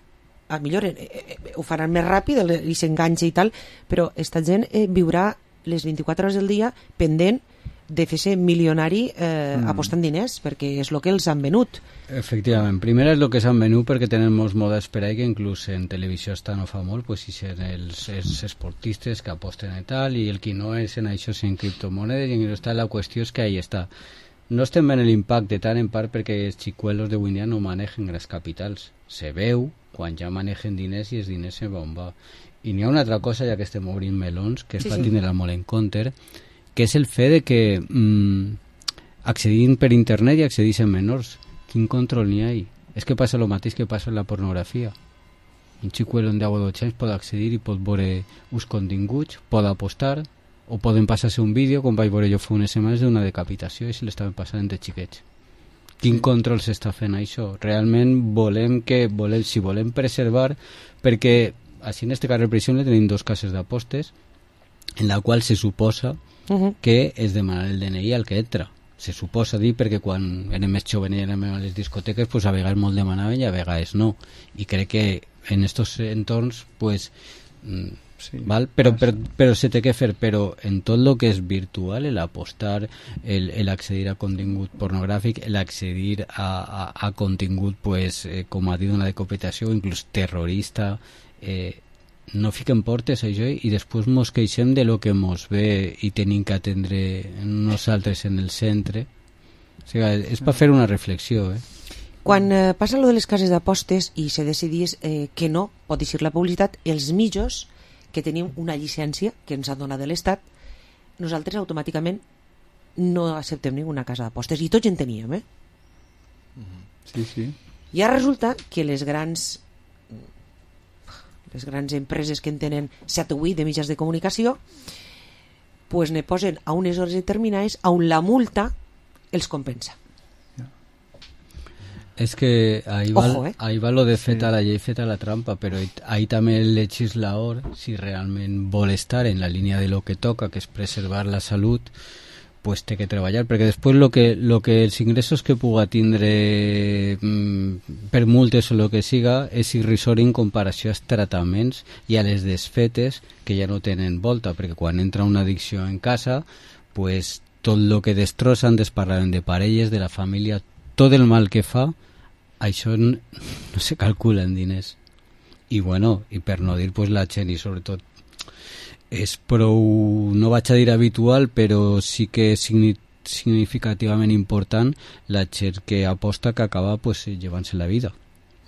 a millor eh, eh, ho faran més ràpid i s'enganxa i tal, però esta gent eh, viurà les vint-i-quatre hores del dia pendent de fer-se milionari eh, mm. apostant diners, perquè és el que els han venut. Efectivament, primer és el que s'han venut perquè tenen molts models per ahí que inclús en televisió està no fa molt, pues, si són els, els esportistes que aposten i tal, i el que no és en això és en criptomonedes, i en està la qüestió és que ahí està. No estem veient l'impacte tant en part perquè els xicuelos d'avui dia no manegen grans capitals. Se veu quan ja manegen diners i els diners se van va. I n'hi ha una altra cosa, ja que estem obrint melons, que es sí, va tindre sí. molt en compte, que és el fet de que mmm, accedint per internet i accedint en menors. Quin control n'hi ha? És que passa el mateix que passa en la pornografia. Un xicuelo de deu o dotze anys pot accedir i pot veure uns continguts, pot apostar, o poden passar-se un vídeo, com vaig veure jo fa unes setmanes, d'una decapitació i se l'estaven passant entre xiquets. Quin sí. control s'està fent això? Realment volem que, volem, si volem preservar, perquè així en este carrer, per exemple, tenim dos cases d'apostes en la qual se suposa uh-huh. que es demana el D N I al que entra. Se suposa dir perquè quan érem més joves i érem a les discoteques, pues a vegades molt demanaven i a vegades no. I crec que en estos entorns, pues, sí, val? Però, però, però se té que fer, però en tot el que és virtual, el apostar, el, el accedir a contingut pornogràfic, el accedir a, a, a contingut, pues, eh, com ha dit una decapitació, inclús terrorista, eh, no fiquem portes a això i després mos queixem de lo que mos ve i tenim que atendre nosaltres en el centre. O sigui, és per fer una reflexió, eh? Quan eh, passa lo de les cases d'apostes i se decidís eh, que no pot eixir la publicitat, els mitjos que tenim una llicència que ens ha donat l'Estat, nosaltres automàticament no acceptem ninguna casa d'apostes, i tots en teníem, eh? Sí, sí. I ara resulta que les grans les grans empreses que en tenen set o vuit de mitjans de comunicació pues ne posen a unes hores determinades on la multa els compensa. És que ahí va, Ojo, eh? ahí va lo de feta la llei, feta la trampa, però ahí també el legislador, si realment vol estar en la línia de lo que toca, que és preservar la salut, pues té que treballar, perquè després lo que, lo que els ingressos que puga tindre mm, per multes o lo que siga és irrisori en comparació als tractaments i a les desfetes que ja no tenen volta, perquè quan entra una addicció en casa, pues tot lo que destrossen, desparlaren de parelles, de la família, tot el mal que fa, això no, no se calcula en diners. I bueno, i per no dir pues la gent, i sobretot és prou, no vaig a dir habitual, però sí que és significativament important la gent que aposta que acaba pues, llevant-se la vida.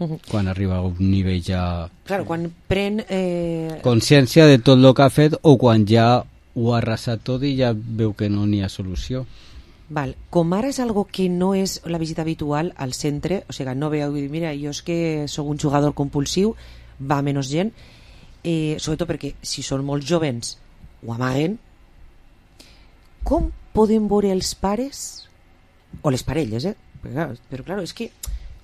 Uh-huh. Quan arriba a un nivell ja... Claro, quan pren... Eh... consciència de tot el que ha fet o quan ja ho ha arrasat tot i ja veu que no n'hi ha solució. Val. Com ara és algo que no és la visita habitual al centre, o sigui, no veu, mira, jo és que sóc un jugador compulsiu, va menys gent, eh, sobretot perquè si són molt jovens ho amaguen, com podem veure els pares o les parelles, eh? Però, clar, però clar, és que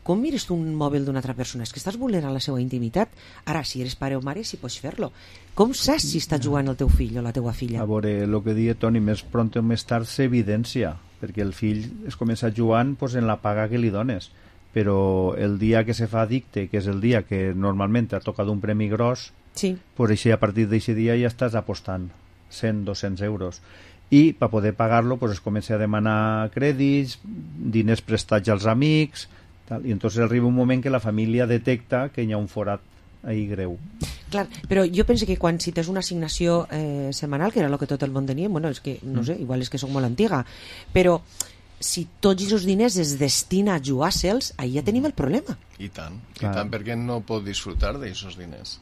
com mires tu un mòbil d'una altra persona? És que estàs vulnerant la seva intimitat. Ara, si eres pare o mare, si pots fer-lo. Com saps si està jugant el teu fill o la teua filla? A veure, el que deia Toni, més pront o més tard s'evidència, perquè el fill es comença jugant pues, en la paga que li dones, però el dia que se fa addicte, que és el dia que normalment ha tocat un premi gros, sí. pues així, a partir d'aquest dia ja estàs apostant cent a dos-cents euros. I per poder pagar-lo pues, es comença a demanar crèdits, diners prestats als amics, tal, i entonces arriba un moment que la família detecta que hi ha un forat ahí greu. Clar, però jo penso que quan si tens una assignació eh, setmanal, que era el que tot el món tenia, bueno, és que, no sé, igual és que soc molt antiga, però si tots els diners es destina a jugar-se'ls, ahí ja tenim el problema. I tant, i tant, perquè no pot disfrutar d'aquests diners.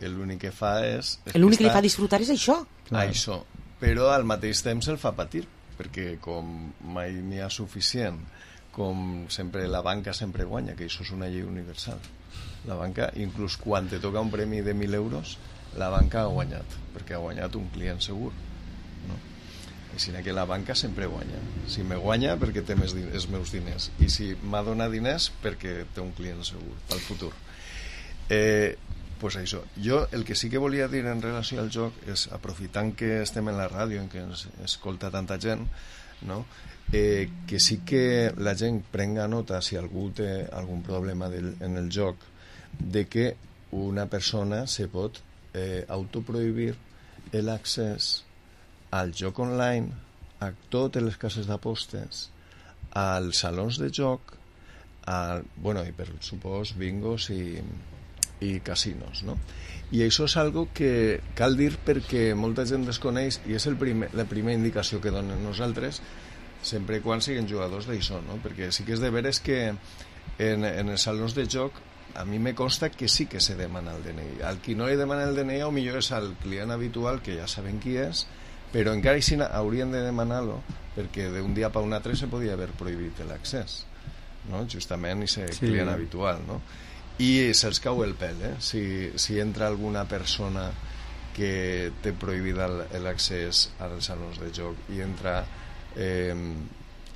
L'únic que fa és... L'únic que li fa disfrutar és això. Això, però al mateix temps el fa patir, perquè com mai n'hi ha suficient, com sempre la banca sempre guanya, que això és una llei universal. La banca, inclús quan te toca un premi de mil euros, la banca ha guanyat, perquè ha guanyat un client segur, no? Així que la banca sempre guanya. Si me guanya, perquè té més diners, els meus diners, i si m'ha donat diners, perquè té un client segur pel futur. Eh, pues això. Jo el que sí que volia dir en relació al joc és, aprofitant que estem en la ràdio, en què ens escolta tanta gent, no? Eh, que sí que la gent prenga nota, si algú té algun problema del, en el joc, de que una persona se pot eh, autoprohibir l'accés al joc online, a totes les cases d'apostes, als salons de joc, a, bueno, i per supòs bingos i, i casinos, no? I això és algo que cal dir perquè molta gent desconeix i és el primer, la primera indicació que donen nosaltres, sempre quan siguin jugadors d'això, no? Perquè sí que és de veres que en, en els salons de joc a mi me consta que sí que se demana el D N I. Al qui no li demana el D N I o millor és al client habitual, que ja saben qui és, però encara així haurien de demanar-lo perquè d'un dia per un altre se podia haver prohibit l'accés, no? Justament i ser sí. Client habitual, no? I se'ls cau el pèl, eh? Si, si entra alguna persona que té prohibit l'accés als salons de joc i entra eh,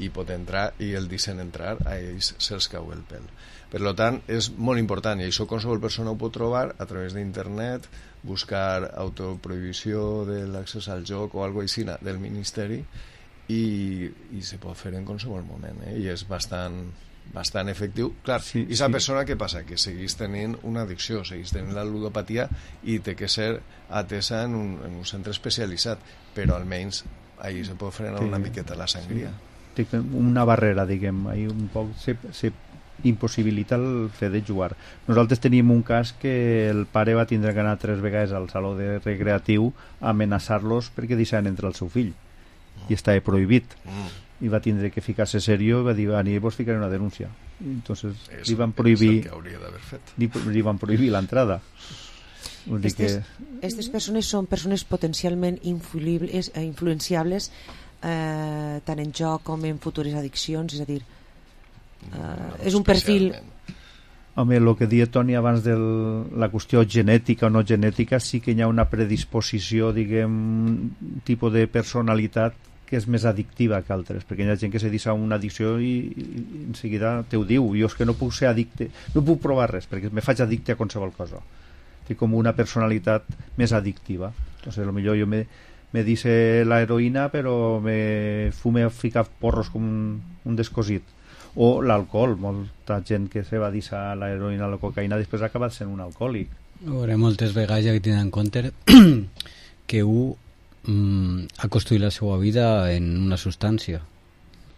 i pot entrar i el deixen entrar, a ells se'ls cau el pèl. Per tant, és molt important i això qualsevol persona ho pot trobar a través d'internet, buscar autoprohibició de l'accés al joc o alguna cosa així del Ministeri i, i se pot fer en qualsevol moment, eh? I és bastant bastant efectiu. Clar, sí, i la sí. persona què passa? Que seguís tenint una addicció, seguís tenint la ludopatia i té que ser atesa en un, en un centre especialitzat, però almenys ahí se pot frenar sí. una miqueta la sangria. Sí. Una barrera, diguem, ahí un poc se, se impossibilita el fet de jugar. Nosaltres teníem un cas que el pare va tindre que anar tres vegades al saló de recreatiu a amenaçar-los perquè deixaven entrar el seu fill mm. i estava prohibit mm. i va tindre que ficar-se serio i va dir, aniré vos ficaré una denúncia. Entonces és, li van prohibir li, li van prohibir l'entrada. Aquestes que... persones són persones potencialment influibles, influenciables eh, tant en joc com en futures addiccions, és a dir Uh, és un perfil. Home, el que deia Toni abans de la qüestió genètica o no genètica, sí que hi ha una predisposició, diguem, un tipus de personalitat que és més addictiva que altres, perquè hi ha gent que se deixa una addicció i, i en seguida te ho diu, jo és que no puc ser addicte, no puc provar res perquè me faig addicte a qualsevol cosa. Té com una personalitat més addictiva. Entonces, a lo millor jo me, me dice la heroïna però me fume a ficar porros com un, un descosit. O l'alcohol, molta gent que se va deixar l'heroïna o la cocaïna després ha acabat sent un alcohòlic. Veure, moltes vegades ja que tenen en compte que un mm, ha construït la seva vida en una substància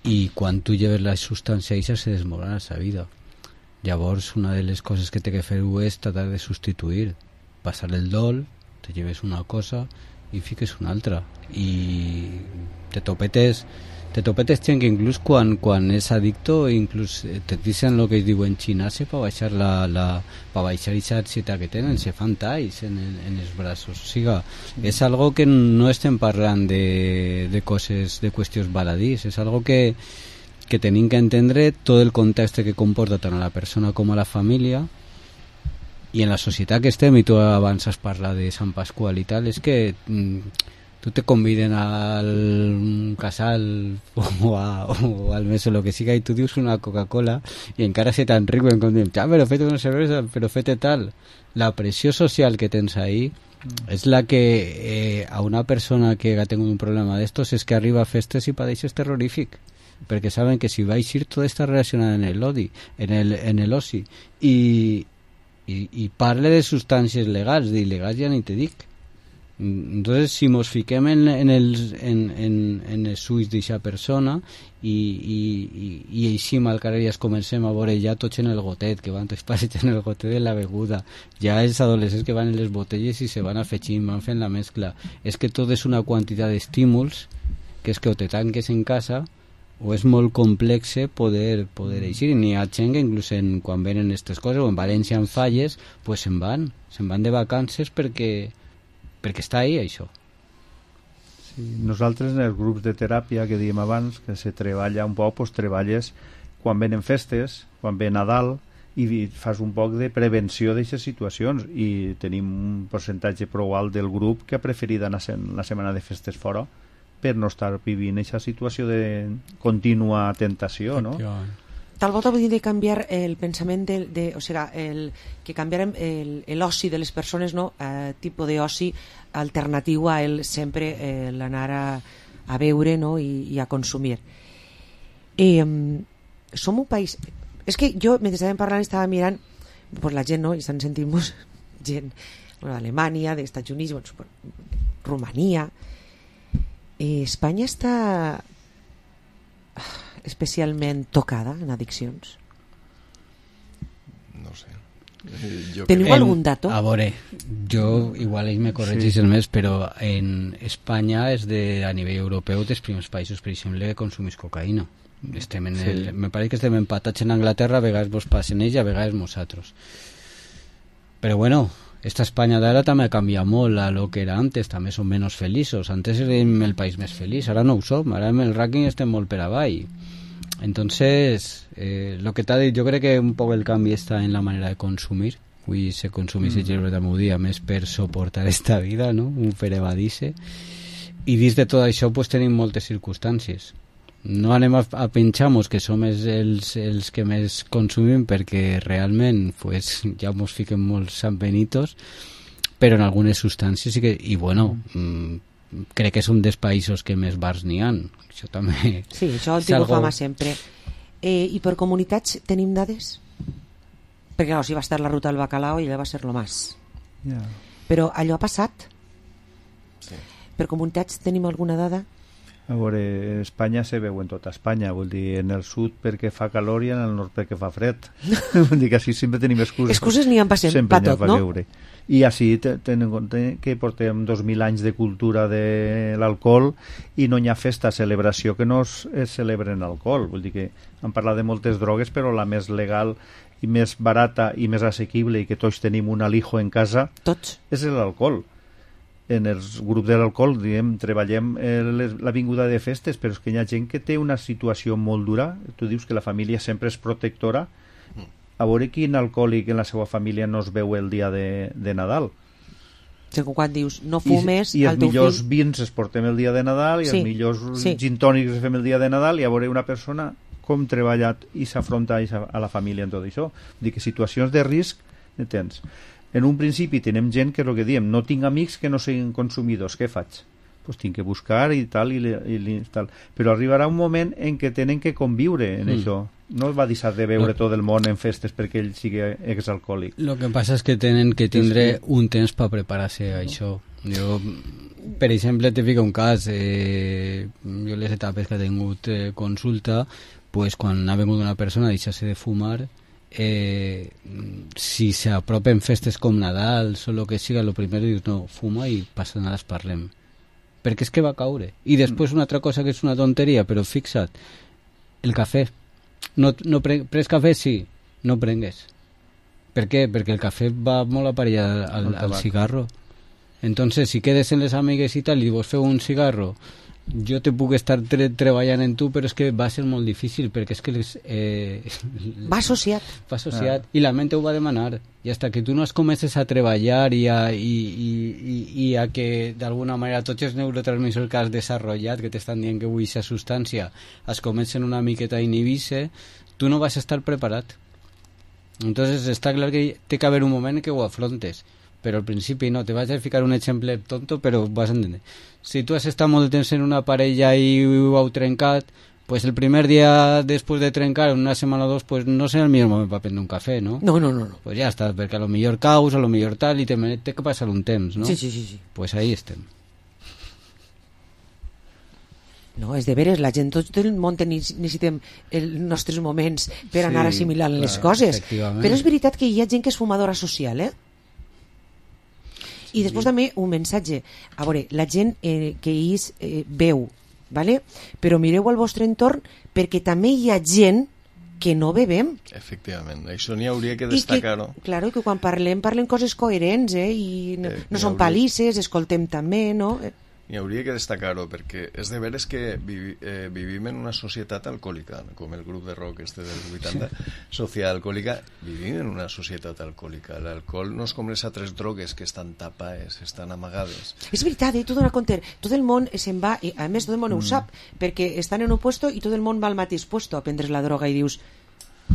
i quan tu lleves la substància això se desmorona la seva vida. Llavors una de les coses que té que fer és tratar de substituir, passar el dol, te lleves una cosa i fiques una altra i te topetes te topetes gent que inclús quan, quan és addicto inclús te dicen el que es diu en xinase per baixar la, la per baixar aquesta ansietat que tenen, se fan talls en, el, en els braços, o sigui és algo que no estem parlant de, de coses, de qüestions baladís, és algo que que tenim que entendre tot el context que comporta tant a la persona com a la família i en la societat que estem, i tu abans has parlat de Sant Pasqual i tal, és que tu te conviden al casal o, a, o al mes o lo que siga y tú dius una Coca-Cola y encara se tan rico en condición, ah, pero fete una cerveza, pero fete tal. La pressió social que tens ahí mm. és la que eh, a una persona que ha tingut un problema d'estos és que arriba a festes i padeix és terrorífic, perquè saben que si va a ir tot està relacionat en el odi, en el, en el oci i, i, i parle de substàncies legals, d'il·legals ja ni te dic. Entonces si mos fiquem en, en, els, en, en, en els ulls d'aquesta persona i, i, i, i així al carrer ja es comencem a veure ja tots en el gotet, que van tots passejant el gotet de la beguda, ja els adolescents que van en les botelles i se van afegint, van fent la mescla, és que tot és una quantitat d'estímuls que és que o te tanques en casa o és molt complex poder, poder eixir. N'hi ha gent que inclús en, quan venen aquestes coses o en València en falles, pues se'n van se'n van de vacances perquè perquè està ahí això. Sí, nosaltres en els grups de teràpia que dèiem abans, que se treballa un poc, doncs treballes quan venen festes, quan ve Nadal i fas un poc de prevenció d'aquestes situacions i tenim un percentatge prou alt del grup que ha preferit anar la setmana de festes fora per no estar vivint aquesta situació de contínua tentació, no? Tal volta vull dir de canviar el pensament de, de, o sigui, el, que canviarem l'oci de les persones, no? Eh, tipus d'oci alternatiu a el sempre eh, l'anar a, a veure, no? I, i a consumir. Eh, som un país... És que jo, mentre estàvem parlant, estava mirant pues, la gent, no? I estan sentint-nos gent bueno, d'Alemanya, d'Estats Units, bueno, Romania... Eh, Espanya està especialment tocada en addiccions? No sé. Jo Teniu en, algun dato? A veure, jo igual ells me corregís sí. el més, però en Espanya és de, a nivell europeu dels primers països, per exemple, que consumís cocaïna. Estem en el, sí. Me pareix que estem empatats en Anglaterra, a vegades vos passen ells, a vegades nosaltres. Però bueno, esta Espanya d'ara també ha canviat molt a lo que era antes, també som menys feliços. Antes érem el país més feliç, ara no ho som, ara en el rànquing estem molt per avall. Entonces, eh, lo que t'ha dit, jo crec que un poc el canvi està en la manera de consumir, avui se consumís el gerbet al meu dia més per suportar esta vida, no? Un per evadir-se. I dins de tot això pues, tenim moltes circumstàncies. No anem a, a pensar-nos que som els, els, els que més consumim perquè realment pues, ja ens fiquem molt sanbenitos, però en algunes substàncies sí que... I bueno, mm, crec que som dels països que més bars n'hi ha. Això també... Sí, això ho tinc fama sempre. Eh, I per comunitats tenim dades? Perquè clar, si va estar la ruta del bacalao i allò va ser lo más. Yeah. Però allò ha passat? Sí. Per comunitats tenim alguna dada? A veure, Espanya se veu en tota Espanya, vull dir, en el sud perquè fa calor i en el nord perquè fa fred. Vull dir que així sempre tenim excuses. Excuses n'hi ha per sempre, tot, no? Veure. I així tenen en compte que portem dos mil anys de cultura de l'alcohol i no hi ha festa, celebració que no es, es celebra en alcohol. Vull dir que hem parlat de moltes drogues, però la més legal i més barata i més assequible i que tots tenim un alijo en casa tots. És l'alcohol. En els grups de l'alcohol diguem, treballem el, la vinguda de festes, però és que hi ha gent que té una situació molt dura. Tu dius que la família sempre és protectora. A veure quin alcohòlic en la seva família no es veu el dia de, de Nadal. Segons quan dius no fumes, i, i els millors fill... vins es portem el dia de Nadal i sí, els millors sí. gin tònics es fem el dia de Nadal, i a veure una persona com treballa i s'afronta a la família en tot això. Vull dir que situacions de risc ne tens. En un principi tenem gent que és el que diem, no tinc amics que no siguin consumidors, què faig? Pues tinc que buscar i tal, i, i, i tal. Però arribarà un moment en què tenen que conviure en mm. això. No es va deixar de veure no. tot el món en festes perquè ell sigui exalcohòlic. Lo que passa és que tenen que tindre sí. un temps per preparar-se a això. Jo, per exemple, te fico un cas, eh, jo les etapes que he tingut eh, consulta, pues, quan ha vengut una persona a deixar-se de fumar, Eh, si s'apropen festes com Nadal o el que siga, lo primer dius no, fuma i passa nada, parlem, perquè és que va caure. I després una altra cosa que és una tonteria, però fixa't, el cafè no, no pre pres cafè, sí, no prengues. Per què? Perquè el cafè va molt aparellat al, al, al cigarro. Entonces si quedes en les amigues i tal i vos feu un cigarro, jo te puc estar tre treballant en tu, però és que va ser molt difícil perquè és que les, eh, va associat va associat ah. i la ment ho va demanar, i hasta que tu no es comences a treballar i a, i, i, i, i a que d'alguna manera tots els neurotransmissors que has desenvolupat, que t'estan dient que avui aquesta substància es comencen una miqueta a inhibir-se, tu no vas estar preparat. Entonces està clar que té que haver un moment en què ho afrontes, però al principi no, te vaig a ficar un exemple tonto, però vas a entendre. Si tu has estat molt de temps en una parella i ho heu trencat, pues el primer dia després de trencar, una setmana o dos, pues no serà el millor moment per prendre un cafè, no? No, no, no. no. Pues ja està, perquè a lo millor caus, a lo millor tal, i te té que passar un temps, no? Sí, sí, sí. sí. Pues ahí estem. No, és de veres, la gent, tot el món necessitem els nostres moments per sí, anar assimilant clar, les coses. Però és veritat que hi ha gent que és fumadora social, eh? I després també un missatge. A veure, la gent eh, que és eh, veu, ¿vale? Però mireu al vostre entorn perquè també hi ha gent que no bevem. Efectivament, això n'hi hauria que destacar-ho. Claro, que quan parlem, parlem coses coherents, eh? I no, eh, no són palisses, escoltem també, no? N'hi hauria que destacar-ho, perquè és de veres que vivi, eh, vivim en una societat alcohòlica, com el grup de rock este del vuitanta, social alcohòlica, vivim en una societat alcohòlica. L'alcohol no és com les altres drogues que estan tapades, estan amagades. És veritat, eh? Tu dona compte, tot el món se'n va, i a més tot el món mm. ho sap, perquè estan en un puesto i tot el món va al mateix puesto a prendre's la droga i dius,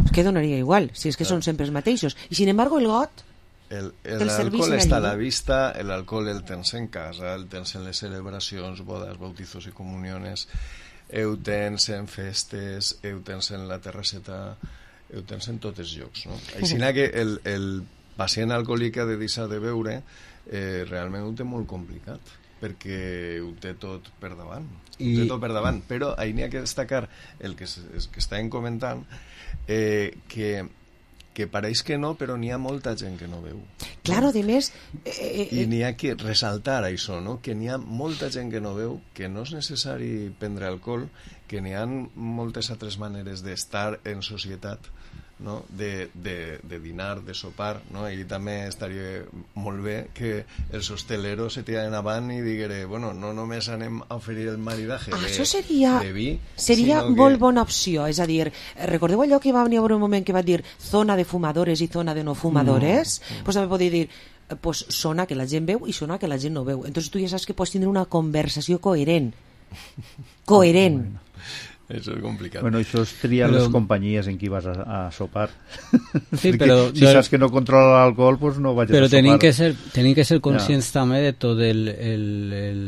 és que donaria igual, si és que són sempre els mateixos. I sin embargo el got El, el, l'alcohol està a la vista, l'alcohol el tens en casa, el tens en les celebracions, bodas, bautizos i comuniones, el tens en festes, el tens en la terrasseta, el tens en tots els llocs, no? Així que el, el pacient alcohòlic ha de deixar de beure, eh, realment ho té molt complicat, perquè ho té tot per davant, I... ho té tot per davant, però ahir n'hi ha que destacar el que, es, que estàvem comentant, eh, que que pareix que no, però n'hi ha molta gent que no veu. Claro, de més... Eh, eh, I n'hi ha que ressaltar això, no? Que n'hi ha molta gent que no veu, que no és necessari prendre alcohol, que n'hi ha moltes altres maneres d'estar en societat no? de, de, de dinar, de sopar, no? I també estaria molt bé que els hosteleros se tiren avant i diguere, bueno, no només anem a oferir el maridatge ah, de, això seria, de vi, seria sinó molt que... bona opció, és a dir, recordeu allò que va venir un moment que va dir zona de fumadores i zona de no fumadores? Mm. Pues també podria dir pues zona que la gent veu i zona que la gent no veu, entonces tu ja saps que pots tindre una conversació coherent coherent bueno. Això és complicat. Bueno, això es tria però... les companyies en qui vas a, a sopar. Sí, però... si saps que no controla l'alcohol, pues no vagis però a sopar. Però que ser, tenim que ser conscients ja. també de tot el, el, el,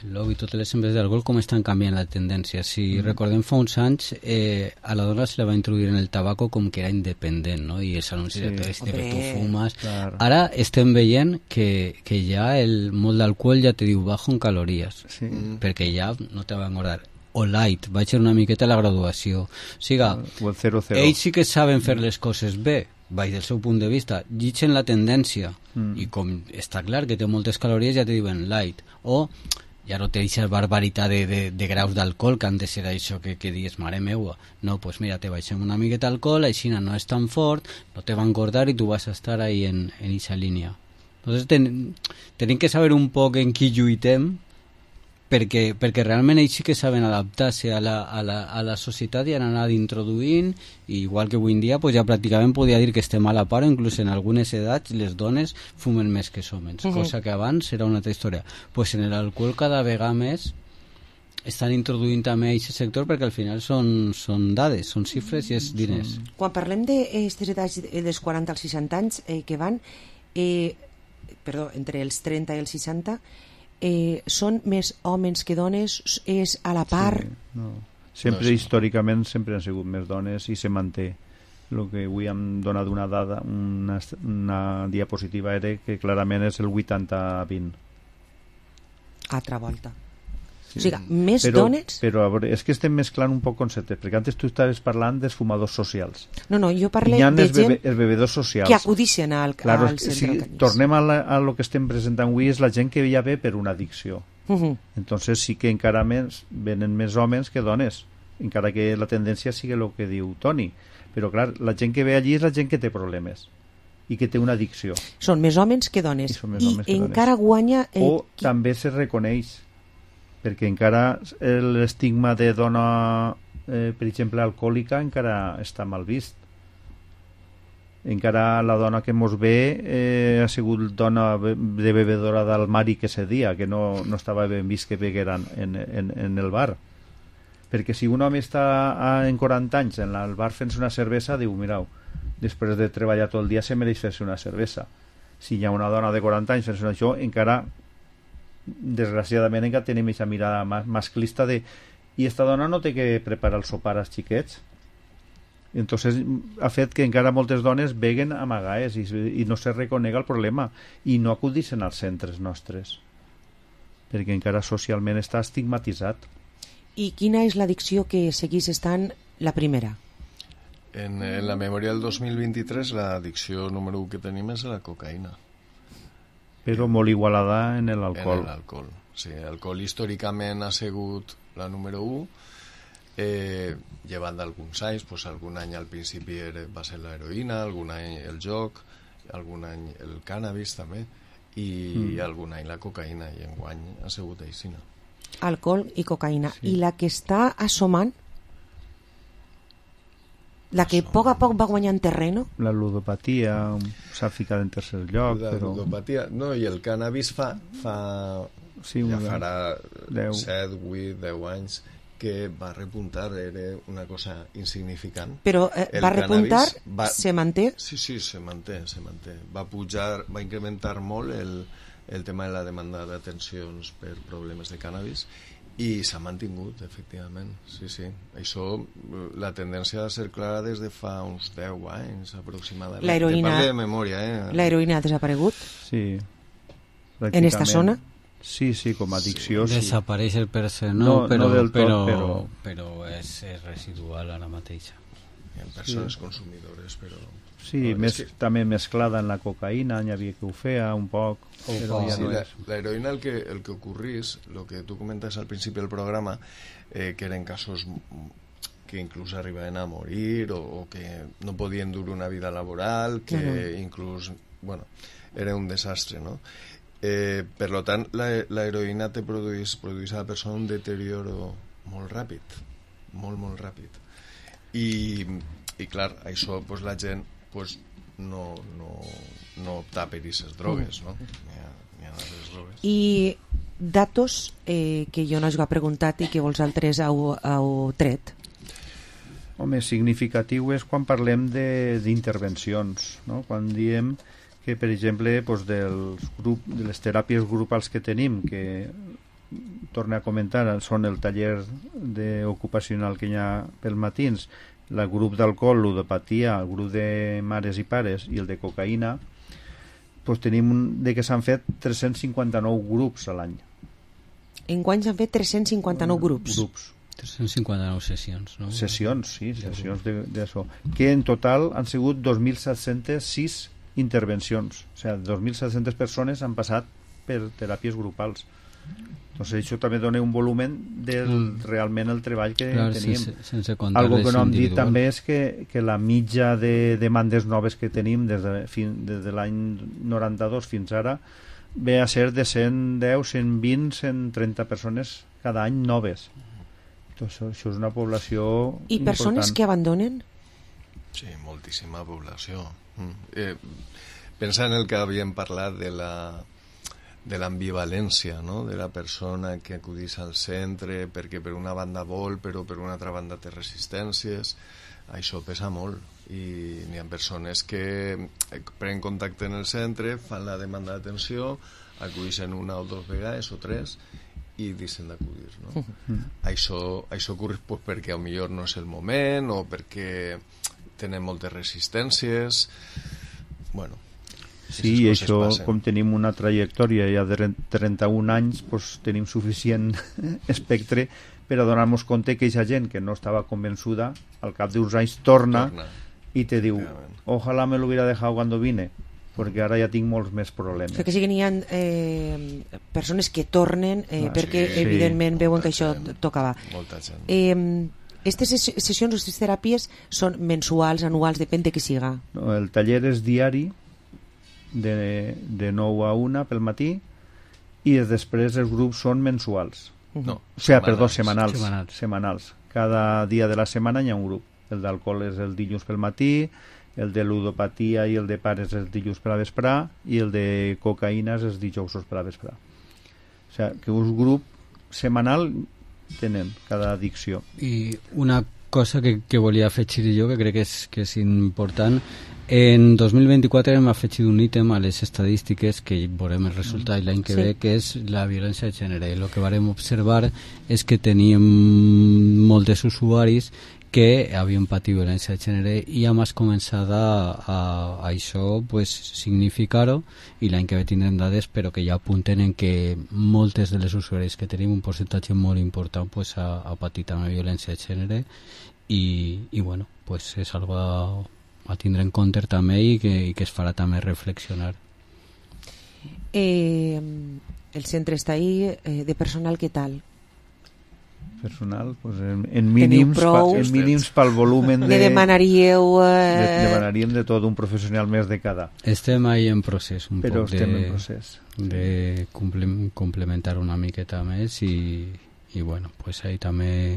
el lobby, totes les empreses d'alcohol, com estan canviant la tendència. Si mm. recordem fa uns anys, eh, a la dona se la va introduir en el tabaco com que era independent, no? I els anuncis sí. de tot este que tu fumes. Claro. Ara estem veient que, que ja el molt d'alcohol ja te diu bajo en calories, sí. perquè ja no te va engordar. O light, vaig ser una miqueta a la graduació. O sigui, o el zero zero. Ells sí que saben fer les coses bé, vaig del seu punt de vista, llitgen la tendència, mm. i com està clar que té moltes calories, ja te diuen light, o ja no té aquesta barbaritat de, de, de graus d'alcohol, que han de ser això que, que dius, mare meua, no, pues mira, te baixem una miqueta d'alcohol, així no és tan fort, no te va engordar i tu vas a estar ahí en, en eixa línia. Entonces ten, tenim que saber un poc en qui lluitem, perquè, perquè realment ells sí que saben adaptar-se a la, a, la, a la societat i han anat introduint, i igual que avui en dia pues ja pràcticament podria dir que estem a la part, o inclús en algunes edats les dones fumen més que els homes, uh-huh. cosa que abans era una altra història. Pues en l'alcohol cada vegada més estan introduint també a aquest sector, perquè al final són, són dades, són xifres i és diners. Quan parlem d'aquestes edats dels quaranta als seixanta anys eh, que van eh, perdó, entre els trenta i els seixanta, Eh, són més homes que dones, és a la part sí, no. sempre no, sí. històricament sempre han sigut més dones i se manté. El que avui hem donat una dada, una, una diapositiva era que clarament és el vuitanta vint. Altra volta. Sí. O sigui, més però, dones... Però a veure, és que estem mesclant un poc conceptes, perquè antes tu estaves parlant dels fumadors socials. No, no, jo parlo de els gent bebe, els bebedors socials que acudixen al, claro, al centre. Si tornem a, la, a lo que estem presentant avui, és la gent que ja ve per una addicció. Uh-huh. Entonces sí que encara més venen més homes que dones, encara que la tendència sigui el que diu Toni. Però clar, la gent que ve allí és la gent que té problemes i que té una addicció. Són més homes que dones. I, I homes que encara dones. Guanya... Eh, o qui... també se reconeix, perquè encara l'estigma de dona, eh, per exemple, alcohòlica, encara està mal vist. Encara la dona que mos ve eh, ha sigut dona de bebedora del mari que se dia, que no, no estava ben vist que begueren en, en, en el bar. Perquè si un home està en quaranta anys en el bar fent-se una cervesa, diu, mirau, després de treballar tot el dia se mereix fer-se una cervesa. Si hi ha una dona de quaranta anys fent-se això, encara desgraciadament encara tenim aquesta mirada masclista de i esta dona no té que preparar el sopar als xiquets. Entonces ha fet que encara moltes dones beguen amagaes i, i no se reconega el problema i no acudixen als centres nostres perquè encara socialment està estigmatitzat. I quina és l'addicció que seguís estant la primera? En, en la memòria del dos mil vint-i-tres l'addicció número u que tenim és la cocaïna, però molt igualada en l'alcohol. En l'alcohol, sí. L'alcohol històricament ha sigut la número u, eh, llevant d'alguns anys, pues, algun any al principi era, va ser l'heroïna, algun any el joc, algun any el cànnabis també, i mm. algun any la cocaïna, i enguany ha sigut aixina. Alcohol i cocaïna. Sí. I la que està assomant, la que a poc a poc va guanyant terreno? La ludopatia s'ha ficat en tercer lloc. La però... ludopatia, no, i el cànnabis fa, fa sí, ja farà set, vuit, deu anys que va repuntar, era una cosa insignificant. Però eh, va repuntar, va... se manté? Sí, sí, se manté, se manté. Va pujar, va incrementar molt el, el tema de la demanda d'atencions per problemes de cànnabis i s'ha mantingut, efectivament. Sí, sí. Això, la tendència ha de ser clara des de fa uns deu anys, aproximadament. L'heroïna... Te parlo de memòria, eh? L'heroïna ha desaparegut? Sí. En esta zona? Sí, sí, com a addicció, sí. Desapareix el per se, no, no, però, no del tot, però, però... però és, és residual ara mateixa. Hi ha persones sí. consumidores, però... Sí, no, més, que... també mesclada en la cocaïna, n'hi havia que ho feia un poc. Però ja sí, no l'heroïna el que, el que ocorrís, el que tu comentes al principi del programa, eh, que eren casos que inclús arribaven a morir o, o que no podien dur una vida laboral, que uh-huh. inclús, bueno, era un desastre, no? Eh, per lo tant, la, la heroïna te produeix, produeix a la persona un deterioro molt ràpid, molt, molt ràpid. I, i clar, això pues, la gent pues, no, no, no opta per aquestes drogues, no? N'hi ha, n'hi ha altres drogues. I datos eh, que jo no us he preguntat i que vosaltres heu, heu tret. Home, significatiu és quan parlem d'intervencions, no? Quan diem que, per exemple, doncs dels grup, de les teràpies grupals que tenim, que torno a comentar, són el taller de ocupacional que hi ha pel matins, el grup d'alcohol, ludopatia, el grup de mares i pares i el de cocaïna, doncs tenim de que s'han fet tres-cents cinquanta-nou grups a l'any. Enguany s'han fet tres-cents cinquanta-nou grups. Grups. tres-cents cinquanta-nou sessions, no? Sessions, sí, sessions d'això. Que en total han sigut dos mil set-cents sis intervencions. O sigui, dos mil set-centes persones han passat per teràpies grupals. Doncs això també dona un volumen del mm. realment el treball que Clar, tenim. Sense, sense comptar Algo que no hem dit individual. també és que, que la mitja de demandes noves que tenim des de, fin, des de l'any noranta-dos fins ara ve a ser de cent deu, cent vint, cent trenta persones cada any noves. Doncs això és una població I persones important. que abandonen? Sí, moltíssima població. Mm. Eh, pensa en el que havíem parlat de la de l'ambivalència, no? De la persona que acudís al centre perquè per una banda vol però per una altra banda té resistències. Això pesa molt i n'hi ha persones que prenen contacte en el centre, fan la demanda d'atenció, acudixen una o dues vegades o tres i deixen d'acudir, no? Mm. Això, això ocorre pues, perquè potser no és el moment o perquè tenen moltes resistències. Bueno, sí, i això, passen. Com tenim una trajectòria ja de trenta-un anys, pues, tenim suficient espectre per a donar-nos compte que aquesta gent que no estava convençuda al cap d'uns anys torna, torna. i te diu, ojalá me lo hubiera dejado cuando vine, perquè ara ja tinc molts més problemes. O sigui que sí que n'hi ha eh, persones que tornen eh, ah, perquè sí, evidentment sí, veuen que això gent, tocava. Molta gent. Eh, Aquestes sessions, aquestes teràpies són mensuals, anuals, depèn de qui siga. No, el taller és diari de, de nou a una pel matí i després els grups són mensuals. No, o sigui, perdó, setmanals, setmanals. setmanals. Cada dia de la setmana hi ha un grup. El d'alcohol és el dilluns pel matí, el de ludopatia i el de pares és el dilluns per a vesprar i el de cocaïna és els dijousos per a vesprar. O sigui, que un grup setmanal tenen cada addicció. I una cosa que, que volia afegir jo, que crec que és, que és important, en dos mil vint-i-quatre hem afegit un ítem a les estadístiques que veurem el resultat l'any que sí. ve, que és la violència de gènere. El que vam observar és que teníem molts usuaris que havien patit violència de gènere i hem començat a, a, a això pues, significar-ho i l'any que ve tindrem dades però que ja apunten en que moltes de les usuaris que tenim un percentatge molt important pues, ha, ha patit també violència de gènere i, i bueno, pues, és algo a, a tindre en compte també i que, i que es farà també reflexionar. Eh, el centre està ahí, eh, de personal què tal? Personal, pues en, en mínims pa, en mínims pel volumen de... Ne demanaríeu... Eh... De, demanaríem de tot un professional més de cada. Estem ahí en procés, un Però poc estem de, en procés. de complementar una miqueta més i, i bueno, pues ahí també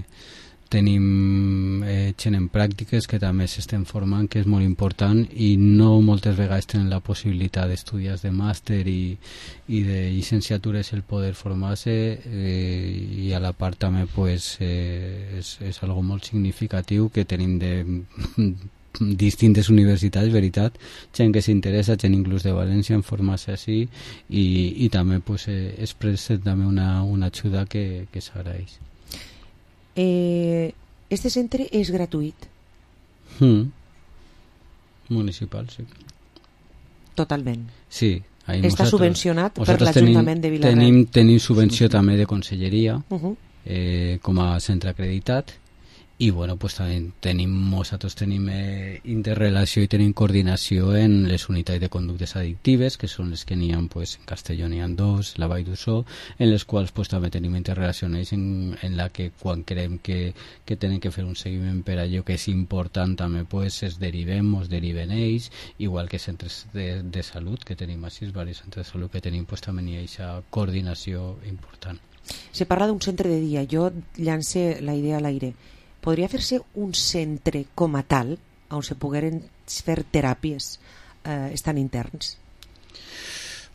tenim eh, gent en pràctiques que també s'estem formant, que és molt important i no moltes vegades tenen la possibilitat d'estudiar de màster i, i de llicenciatures el poder formar-se eh, i a la part també pues, eh, és, és algo molt significatiu que tenim de distintes universitats, veritat, gent que s'interessa, gent inclús de València en formar-se així i, i també pues, eh, es presenta també una, una ajuda que, que s'agraeix. Eh, este centre és gratuït? Mm. Municipal, sí. Totalment. Sí. Està nosaltres, subvencionat per l'Ajuntament de Vila-real. Tenim, tenim subvenció sí. també de conselleria, uh -huh. eh, com a centre acreditat, i bueno, pues també tenim, nosaltres tenim eh, interrelació i tenim coordinació en les unitats de conductes addictives, que són les que n'hi ha, pues, en Castelló n'hi ha dos, la Vall d'Ussó, en les quals pues, també tenim interrelacions en, en la que quan creiem que, que tenen que fer un seguiment per allò que és important també pues, es derivem, es deriven ells, igual que centres de, de salut que tenim així, diversos centres de salut que tenim, pues, també hi ha aquesta coordinació important. Se parla d'un centre de dia, jo llance la idea a l'aire. Podria fer-se un centre com a tal on se pogueren fer teràpies eh, estan interns?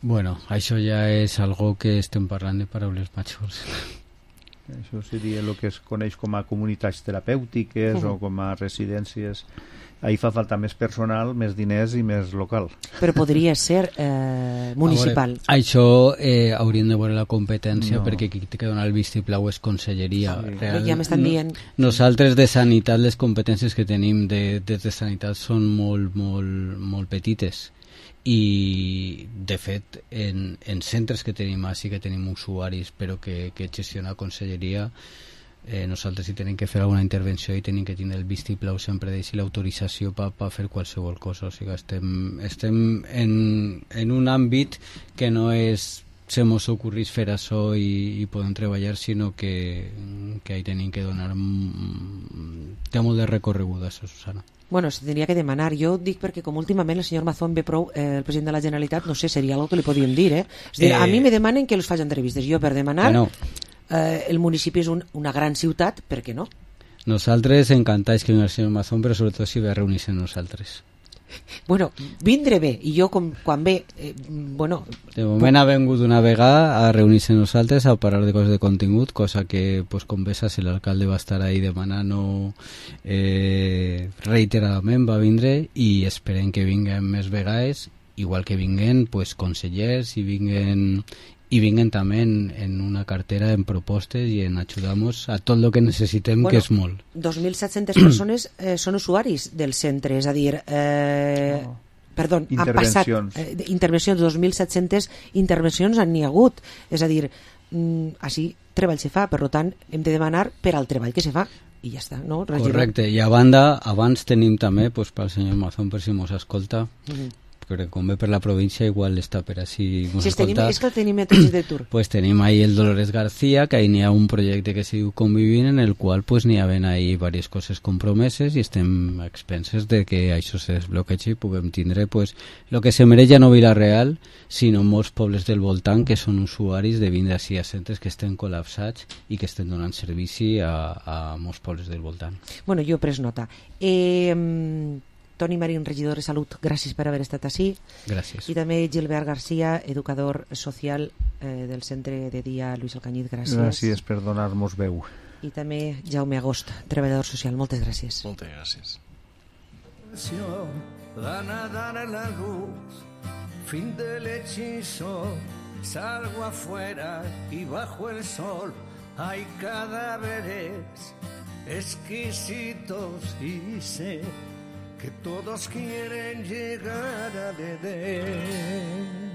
Bueno, això ja és algo que estem parlant de paraules majors. Això seria el que es coneix com a comunitats terapèutiques uh -huh. o com a residències. Ahí fa falta més personal, més diners i més local. Però podria ser eh, municipal. Veure, això eh, hauríem de veure la competència, no. perquè qui té que donar el vistiplau és conselleria. Sí. Real, ja m'estan dient. Nosaltres de sanitat, les competències que tenim de, des de sanitat són molt, molt, molt petites. I de fet en, en centres que tenim així que tenim usuaris però que, que gestiona conselleria, eh, nosaltres si tenim que fer alguna intervenció i tenim que tindre el vistiplau sempre d'ells i l'autorització per pa fer qualsevol cosa, o sigui estem, estem en, en un àmbit que no és se mos ocorrís fer això i, i podem treballar, sinó que, que hi tenim que donar té molt de recorregut això, Susana. Bueno, se tindria que demanar. Jo dic perquè com últimament el senyor Mazón ve prou, eh, el president de la Generalitat, no sé, seria algo que li podíem dir, eh? És dir, eh... a mi me demanen que els faci entrevistes. Jo per demanar, bueno, eh, el municipi és un, una gran ciutat, per què no? Nosaltres encantats que vingui el senyor Mazón, però sobretot si ve a reunir-se amb nosaltres. Bueno, vindre bé, i jo com, quan ve eh, bueno... De moment ha vengut una vegada a reunir-se amb nosaltres a parlar de coses de contingut, cosa que, pues, com ves, si l'alcalde va estar ahí demanant eh, reiteradament va vindre i esperem que vinguen més vegades, igual que vinguen pues, consellers i vinguen i vinguen també en, en una cartera en propostes i en ajudar-nos a tot el que necessitem, bueno, que és molt. dos mil set-centes persones eh, són usuaris del centre, és a dir, eh, no. perdó, han passat eh, intervencions, dos mil set-centes intervencions han n'hi hagut, és a dir, mm, així treball se fa, per tant hem de demanar per al treball que se fa i ja està, no? Regidor. Correcte, i a banda, abans tenim també, pues, pel senyor Mazón, per si mos escolta, mm-hmm. perquè com ve per la província igual està per així mos si escolta. És que el tenim a tots de tour. Pues tenim ahí el Dolores García, que ahí n'hi ha un projecte que se diu Convivint, en el qual pues n'hi ha ahí diverses coses compromeses i estem a expenses de que això se desbloquegi i puguem tindre pues el que se mereix ja no Vila-real, sinó molts pobles del voltant que són usuaris de vindre així a centres que estem col·lapsats i que estem donant servici a, a molts pobles del voltant. Bueno, jo he pres nota. Eh... Toni Marín, regidor de Salut, gràcies per haver estat així. Gràcies. I també Gilbert García, educador social eh, del Centre de Dia Lluís Alcañiz, gràcies. Gràcies per donar-nos veu. I també Jaume Agost, treballador social, moltes gràcies. Moltes gràcies. Van a dar la luz, fin del hechizo, salgo afuera y bajo el sol hay cadáveres exquisitos y sé que todos quieren llegar a Edén.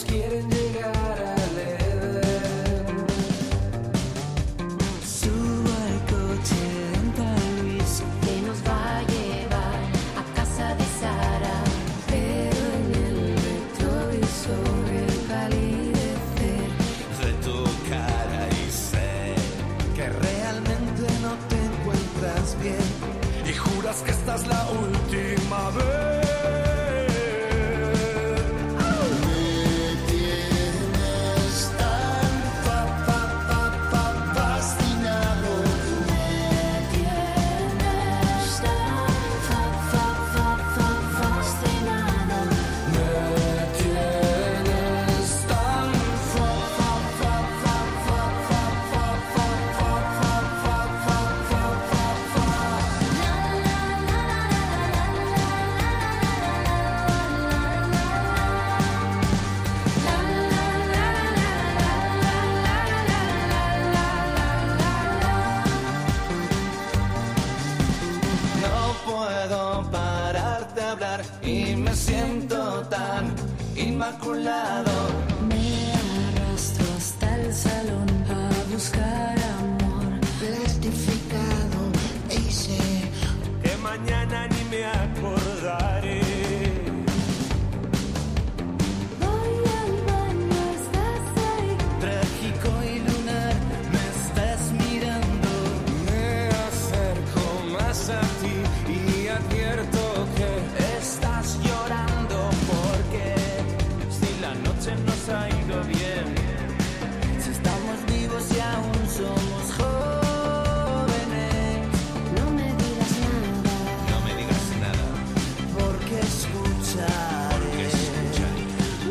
Quieren llegar al Edén. Subo al coche en San Luis que nos va a llevar a casa de Sara, pero en el retrovisor el palidecer de tu cara y sé que realmente no te encuentras bien y juras que esta es la última vez. tan inmaculado. Me arrastro hasta el salón a buscar amor plastificado y sé que mañana ni me acordaré. Voy al baño, estás ahí. Trágico y lunar, me estás mirando. Me acerco más a ti y advierto que estás llorando porque si la noche nos ha ido bien, si estamos vivos y aún somos jóvenes, No me digas nada, no me digas nada, porque escucharé porque escucharé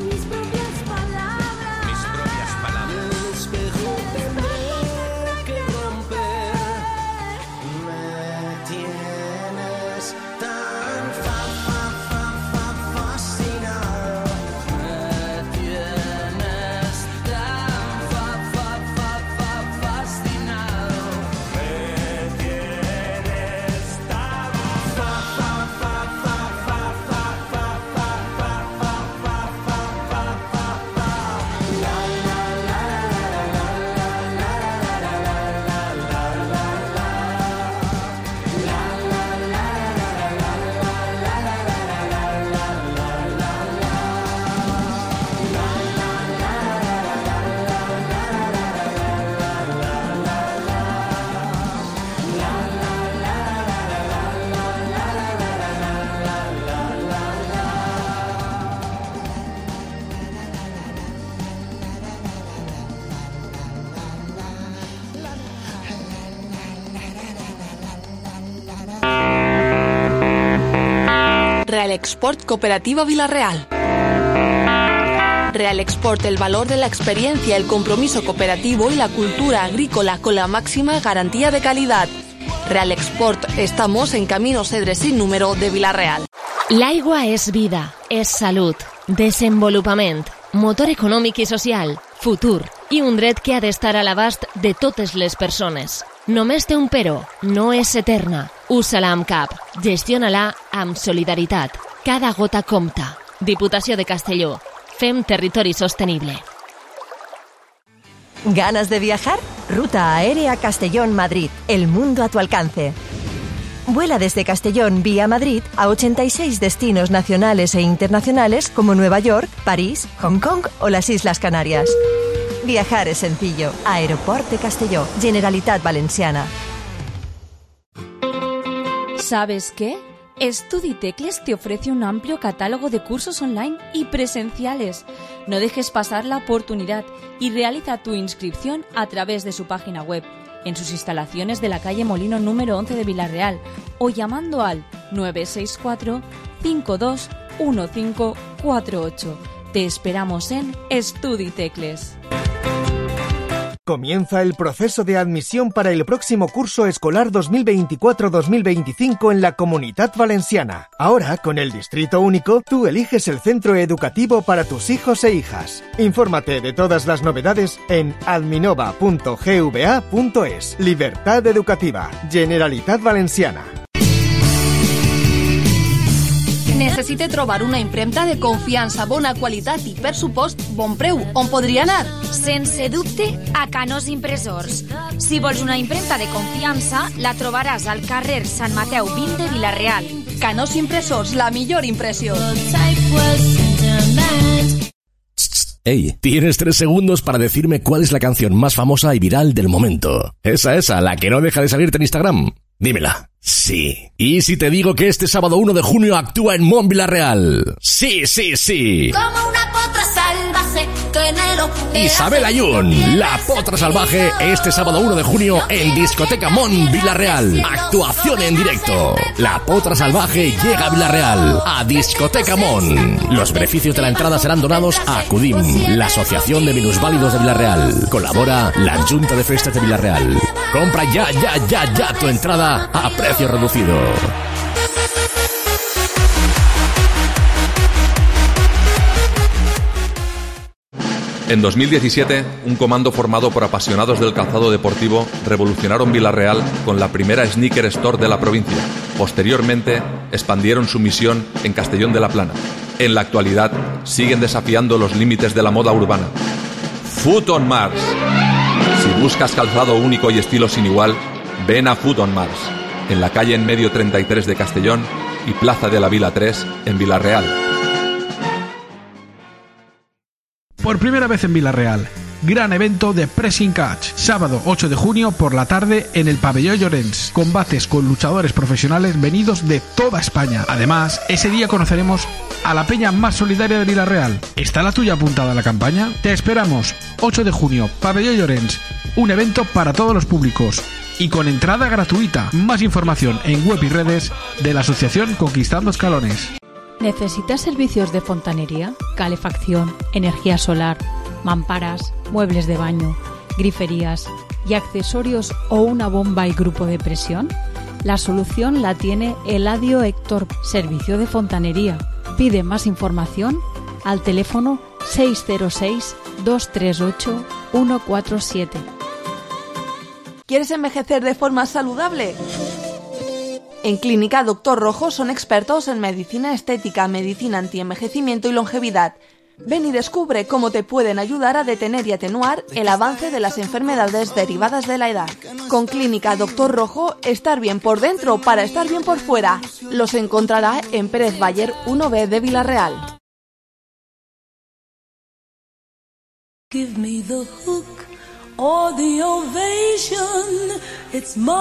mis propias palabras. mis propias palabras. El espejo tendré que romper. Me tienes tan fa, fa, fa, fa, fascinado. Me tienes tan fa, fa, fa, fa, fascinado. Me tienes tan fa, fa, fa, fa, fa, fa, fa, fa, fa, fa, fa, fa, fa, fa, fa. La, la, la, la, la, la, la, la, la, la, la, la, la. La, la, la, la, la, la, la, la, la, la, la, la. Real Export Cooperativa Villarreal. Real Export, el valor de la experiencia, el compromiso cooperativo y la cultura agrícola con la máxima garantía de calidad. Real Export, estamos en Camino Cedre sin número de Villarreal. L'aigua és vida, és salut, desenvolupament, motor econòmic i social, futur i un dret que ha d'estar a l'abast de totes les persones. Només té un però, no és eterna. Usa-la amb cap, gestiona-la amb solidaritat. Cada gota compta. Diputació de Castelló. Fem territori sostenible. ¿Ganas de viajar? Ruta Aérea Castellón-Madrid. El mundo a tu alcance. Vuela desde Castellón vía Madrid a ochenta y seis destinos nacionales e internacionales como Nueva York, París, Hong Kong o las Islas Canarias. Viajar es sencillo. Aeroport de Castelló, Generalitat Valenciana. ¿Sabes qué? StudiTecles te ofrece un amplio catálogo de cursos online y presenciales. No dejes pasar la oportunidad y realiza tu inscripción a través de su página web, en sus instalaciones de la calle Molino número once de Villarreal o llamando al nueve seis cuatro, cinco dos uno cinco cuatro ocho. Te esperamos en StudiTecles. Comienza el proceso de admisión para el próximo curso escolar dos mil veinticuatro dos mil veinticinco en la Comunitat Valenciana. Ahora, con el Distrito Único, tú eliges el centro educativo para tus hijos e hijas. Infórmate de todas las novedades en adminova punto g v a punto es. Libertad educativa. Generalitat Valenciana. Necessite trobar una impremta de confiança, bona qualitat i, per supost, bon preu. On podria anar? Sense dubte, a Canós Impressors. Si vols una impremta de confiança, la trobaràs al carrer Sant Mateu vint de Villarreal. Canós Impressors, la millor impressió. Hey, tienes tres segundos para decirme cuál es la canción más famosa y viral del momento. Esa, esa, la que no deja de salirte en Instagram. Dímela. Sí. ¿Y si te digo que este sábado uno de junio actúa en Mont Villarreal? Sí, sí, sí. Como una potra salvaje que en el Isabel Ayun, la potra salvaje, este sábado uno de junio en Discoteca Mont Villarreal. Actuación en directo. La potra salvaje llega a Villarreal, a Discoteca Mont. Los beneficios de la entrada serán donados a Acudim, la Asociación de Minusválidos de Villarreal. Colabora la Junta de Festas de Villarreal. Compra ya, ya, ya, ya tu entrada a precio reducido. En dos mil diecisiete, un comando formado por apasionados del calzado deportivo revolucionaron Vila-real con la primera sneaker store de la provincia. Posteriormente, expandieron su misión en Castellón de la Plana. En la actualidad, siguen desafiando los límites de la moda urbana. Foot on Mars. Si buscas calzado único y estilo sin igual, ven a Foot on Mars, en la calle en medio treinta y tres de Castellón y Plaza de la Vila tres en Vila-real. Por primera vez en Vila-real, gran evento de Pressing Catch, sábado ocho de junio por la tarde en el Pabellón Llorens, combates con luchadores profesionales venidos de toda España. Además, ese día conoceremos a la peña más solidaria de Vila-real. ¿Está la tuya apuntada a la campaña? Te esperamos, ocho de junio, Pabellón Llorens, un evento para todos los públicos y con entrada gratuita. Más información en web y redes de la asociación Conquistando Escalones. ¿Necesitas servicios de fontanería, calefacción, energía solar, mamparas, muebles de baño, griferías y accesorios o una bomba y grupo de presión? La solución la tiene Eladio Héctor, servicio de fontanería. Pide más información al teléfono seis cero seis, dos tres ocho, uno cuatro siete. ¿Quieres envejecer de forma saludable? En Clínica Doctor Rojo son expertos en medicina estética, medicina antienvejecimiento y longevidad. Ven y descubre cómo te pueden ayudar a detener y atenuar el avance de las enfermedades derivadas de la edad. Con Clínica Doctor Rojo, estar bien por dentro para estar bien por fuera. Los encontrará en Pérez Bayer uno B de Vila-real. Give me the hook or the ovation. It's my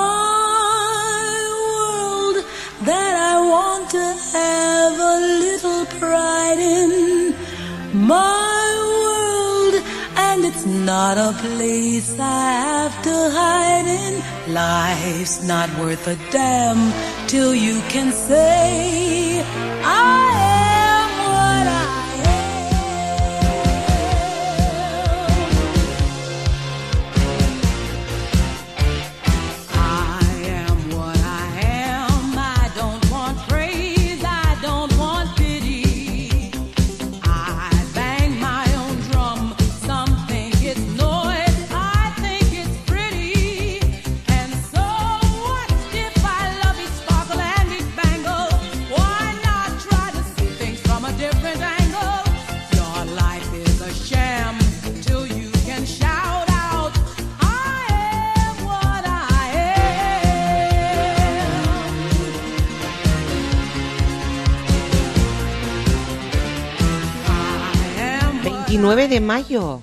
world that I want to have a little pride in. My world, and it's not a place I have to hide in. Life's not worth a damn till you can say I am what I veintinueve de mayo.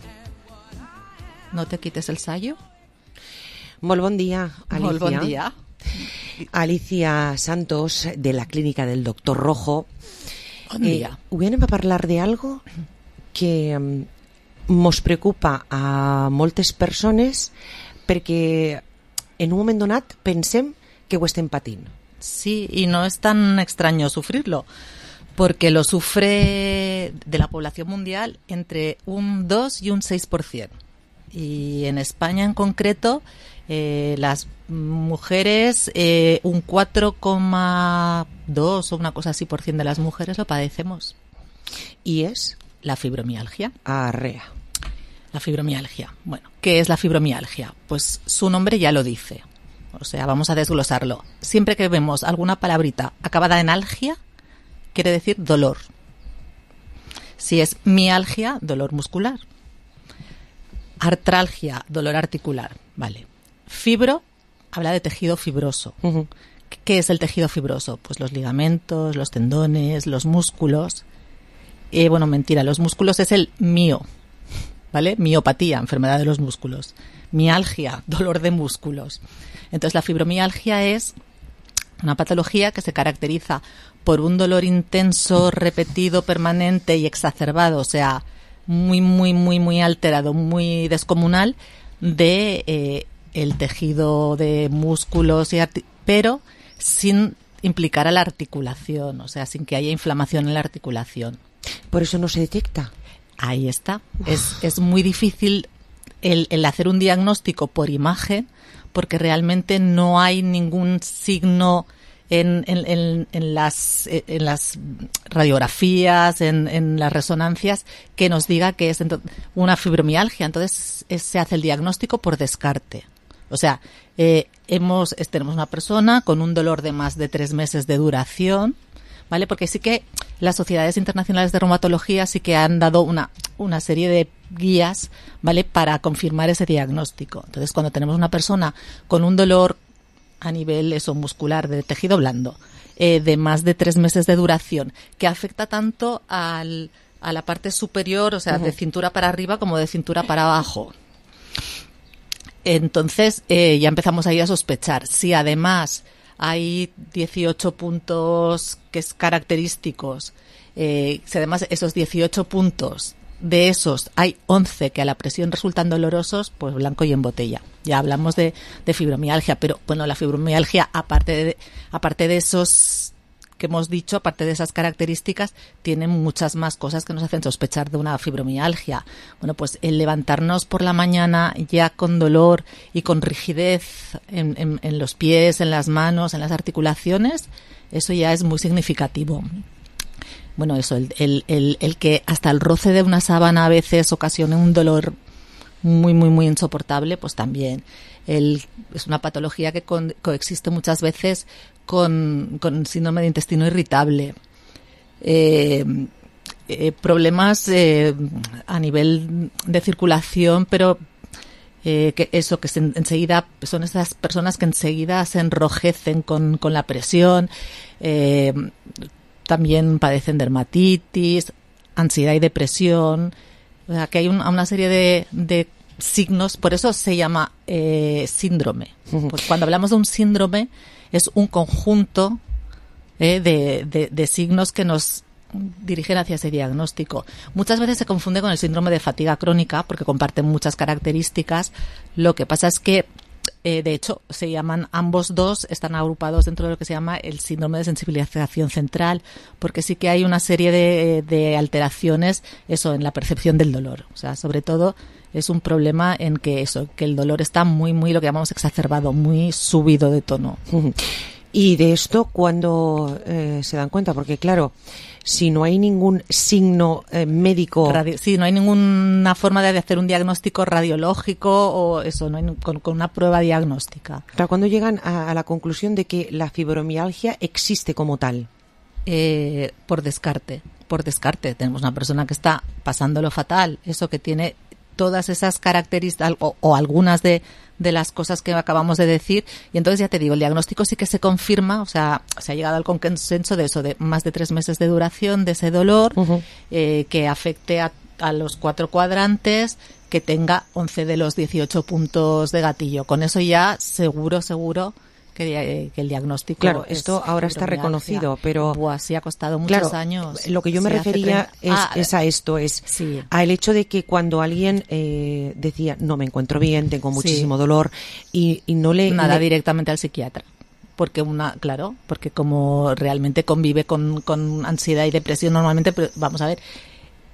No te quites el sayo. Molt bon dia, Alicia. Molt bon dia. Alicia Santos, de la clínica del Doctor Rojo. Bon dia. Eh, avui anem a parlar de algo que um, mos preocupa a moltes persones perquè en un moment donat pensem que ho estem patint. Sí, y no es tan extraño sufrirlo, porque lo sufre de la población mundial entre un dos y un seis por ciento. Y en España en concreto, eh, las mujeres, eh, un cuatro coma dos o una cosa así por ciento de las mujeres lo padecemos. ¿Y es? La fibromialgia. Arrea. La fibromialgia. Bueno, ¿qué es la fibromialgia? Pues su nombre ya lo dice. O sea, vamos a desglosarlo. Siempre que vemos alguna palabrita acabada en algia, quiere decir dolor. Si es mialgia, dolor muscular. Artralgia, dolor articular. Vale. Fibro, habla de tejido fibroso. Uh-huh. ¿Qué es el tejido fibroso? Pues los ligamentos, los tendones, los músculos. Eh, bueno, mentira, los músculos es el mio, ¿vale? Miopatía, enfermedad de los músculos. Mialgia, dolor de músculos. Entonces la fibromialgia es una patología que se caracteriza por un dolor intenso, repetido, permanente y exacerbado, o sea, muy, muy, muy, muy alterado, muy descomunal de eh, el tejido de músculos, y arti- pero sin implicar a la articulación, o sea, sin que haya inflamación en la articulación. ¿Por eso no se detecta? Ahí está. Es, es muy difícil el, el hacer un diagnóstico por imagen, porque realmente no hay ningún signo en, en, en, en, las, en las radiografías, en, en las resonancias, que nos diga que es una fibromialgia. Entonces es, se hace el diagnóstico por descarte. O sea, eh, hemos, tenemos una persona con un dolor de más de tres meses de duración, ¿vale? Porque sí que las sociedades internacionales de reumatología sí que han dado una, una serie de guías, ¿vale? Para confirmar ese diagnóstico. Entonces, cuando tenemos una persona con un dolor a nivel eso, muscular de tejido blando, eh, de más de tres meses de duración, que afecta tanto al, a la parte superior, o sea, uh-huh. de cintura para arriba como de cintura para abajo. Entonces, eh, ya empezamos ahí a sospechar. Si además hay dieciocho puntos que es característicos, eh, si además esos dieciocho puntos, de esos hay once que a la presión resultan dolorosos, pues blanco y en botella. Ya hablamos de, de fibromialgia, pero bueno, la fibromialgia, aparte de, aparte de esos que hemos dicho, aparte de esas características, tienen muchas más cosas que nos hacen sospechar de una fibromialgia. Bueno, pues el levantarnos por la mañana ya con dolor y con rigidez en, en, en los pies, en las manos, en las articulaciones, eso ya es muy significativo. Bueno, eso, el, el, el, el que hasta el roce de una sábana a veces ocasione un dolor muy, muy, muy insoportable, pues también. El, es una patología que con, coexiste muchas veces con, con síndrome de intestino irritable. Eh, eh, problemas eh, a nivel de circulación, pero eh, que eso, que se, enseguida son esas personas que enseguida se enrojecen con, con la presión, eh, también padecen dermatitis, ansiedad y depresión. O sea, que hay un, una serie de, de signos, por eso se llama eh, síndrome. Pues cuando hablamos de un síndrome, es un conjunto eh, de, de, de signos que nos dirigen hacia ese diagnóstico. Muchas veces se confunde con el síndrome de fatiga crónica, porque comparten muchas características. Lo que pasa es que Eh, de hecho, se llaman ambos dos, están agrupados dentro de lo que se llama el síndrome de sensibilización central, porque sí que hay una serie de, de alteraciones, eso, en la percepción del dolor. O sea, sobre todo es un problema en que eso, que el dolor está muy, muy, lo que llamamos exacerbado, muy subido de tono. Y de esto, ¿cuándo eh, se dan cuenta? Porque claro, si no hay ningún signo eh, médico... Radio, sí, no hay ninguna forma de hacer un diagnóstico radiológico o eso, no hay, con, con una prueba diagnóstica. Claro, ¿cuándo llegan a, a la conclusión de que la fibromialgia existe como tal? Eh, por descarte, por descarte. Tenemos una persona que está pasándolo fatal, eso que tiene todas esas características o, o algunas de, de las cosas que acabamos de decir, y entonces ya te digo, el diagnóstico sí que se confirma, o sea, se ha llegado al consenso de eso, de más de tres meses de duración de ese dolor, uh-huh. eh, que afecte a, a los cuatro cuadrantes, que tenga once de los dieciocho puntos de gatillo. Con eso ya seguro, seguro que, que el diagnóstico... Claro, esto ahora está reconocido, pero... Buah, sí ha costado muchos claro, años. Lo que yo me refería es, ah, es a esto, es sí. al hecho de que cuando alguien eh, decía, no me encuentro bien, tengo muchísimo sí. dolor, y, y no le... Nada, le... directamente al psiquiatra. Porque una, claro, porque como realmente convive con, con ansiedad y depresión normalmente, pero vamos a ver...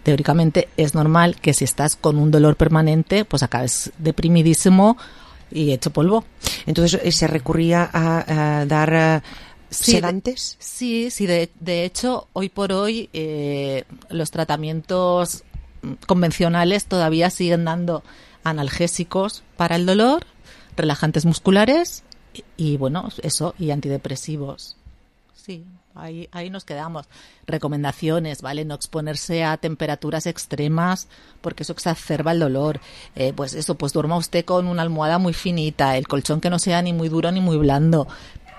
Teóricamente es normal que si estás con un dolor permanente, pues acabes deprimidísimo y hecho polvo. Entonces, ¿se recurría a, a dar uh, sí, sedantes? De, sí, sí. De, de hecho, hoy por hoy eh, los tratamientos convencionales todavía siguen dando analgésicos para el dolor, relajantes musculares y, y bueno, eso, y antidepresivos. Sí. Ahí, ahí nos quedamos. Recomendaciones, ¿vale? No exponerse a temperaturas extremas porque eso exacerba el dolor. Eh, pues eso, pues duerma usted con una almohada muy finita, el colchón que no sea ni muy duro ni muy blando,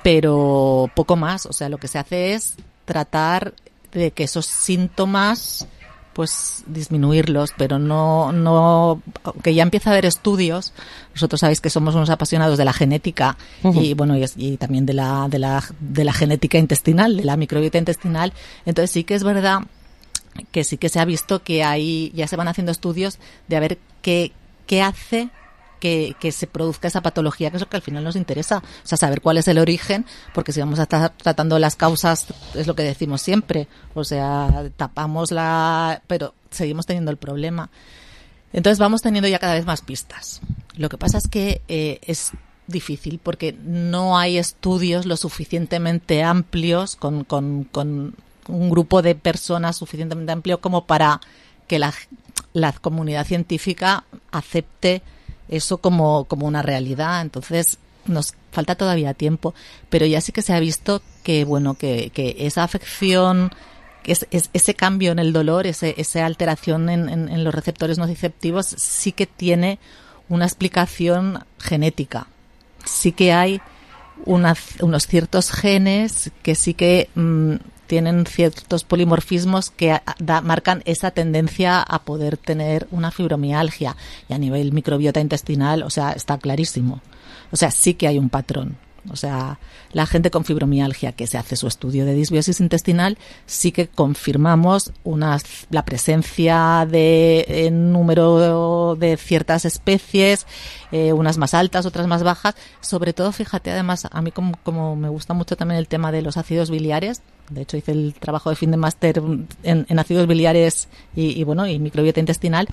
pero poco más. O sea, lo que se hace es tratar de que esos síntomas pues disminuirlos, pero no, no, aunque ya empieza a haber estudios, nosotros sabéis que somos unos apasionados de la genética uh-huh. y bueno, y, y también de la, de la, de la genética intestinal, de la microbiota intestinal, entonces sí que es verdad que sí que se ha visto que hay, ya se van haciendo estudios de a ver qué, qué hace que, que se produzca esa patología, que es lo que al final nos interesa, o sea, saber cuál es el origen, porque si vamos a estar tratando las causas, es lo que decimos siempre, o sea, tapamos la... pero seguimos teniendo el problema. Entonces vamos teniendo ya cada vez más pistas. Lo que pasa es que eh, es difícil porque no hay estudios lo suficientemente amplios con, con, con un grupo de personas suficientemente amplio como para que la, la comunidad científica acepte eso como, como una realidad. Entonces nos falta todavía tiempo, pero ya sí que se ha visto que bueno que, que esa afección, que es, es, ese cambio en el dolor, ese, esa alteración en, en, en los receptores nociceptivos sí que tiene una explicación genética. Sí que hay una, unos ciertos genes que sí que mmm, tienen ciertos polimorfismos que da, marcan esa tendencia a poder tener una fibromialgia. Y a nivel microbiota intestinal, o sea, está clarísimo. O sea, sí que hay un patrón. O sea, la gente con fibromialgia que se hace su estudio de disbiosis intestinal, sí que confirmamos una, la presencia de en número de ciertas especies, eh, unas más altas, otras más bajas. Sobre todo, fíjate, además, a mí como, como me gusta mucho también el tema de los ácidos biliares. De hecho, hice el trabajo de fin de máster en, en ácidos biliares y, y, bueno, y microbiota intestinal.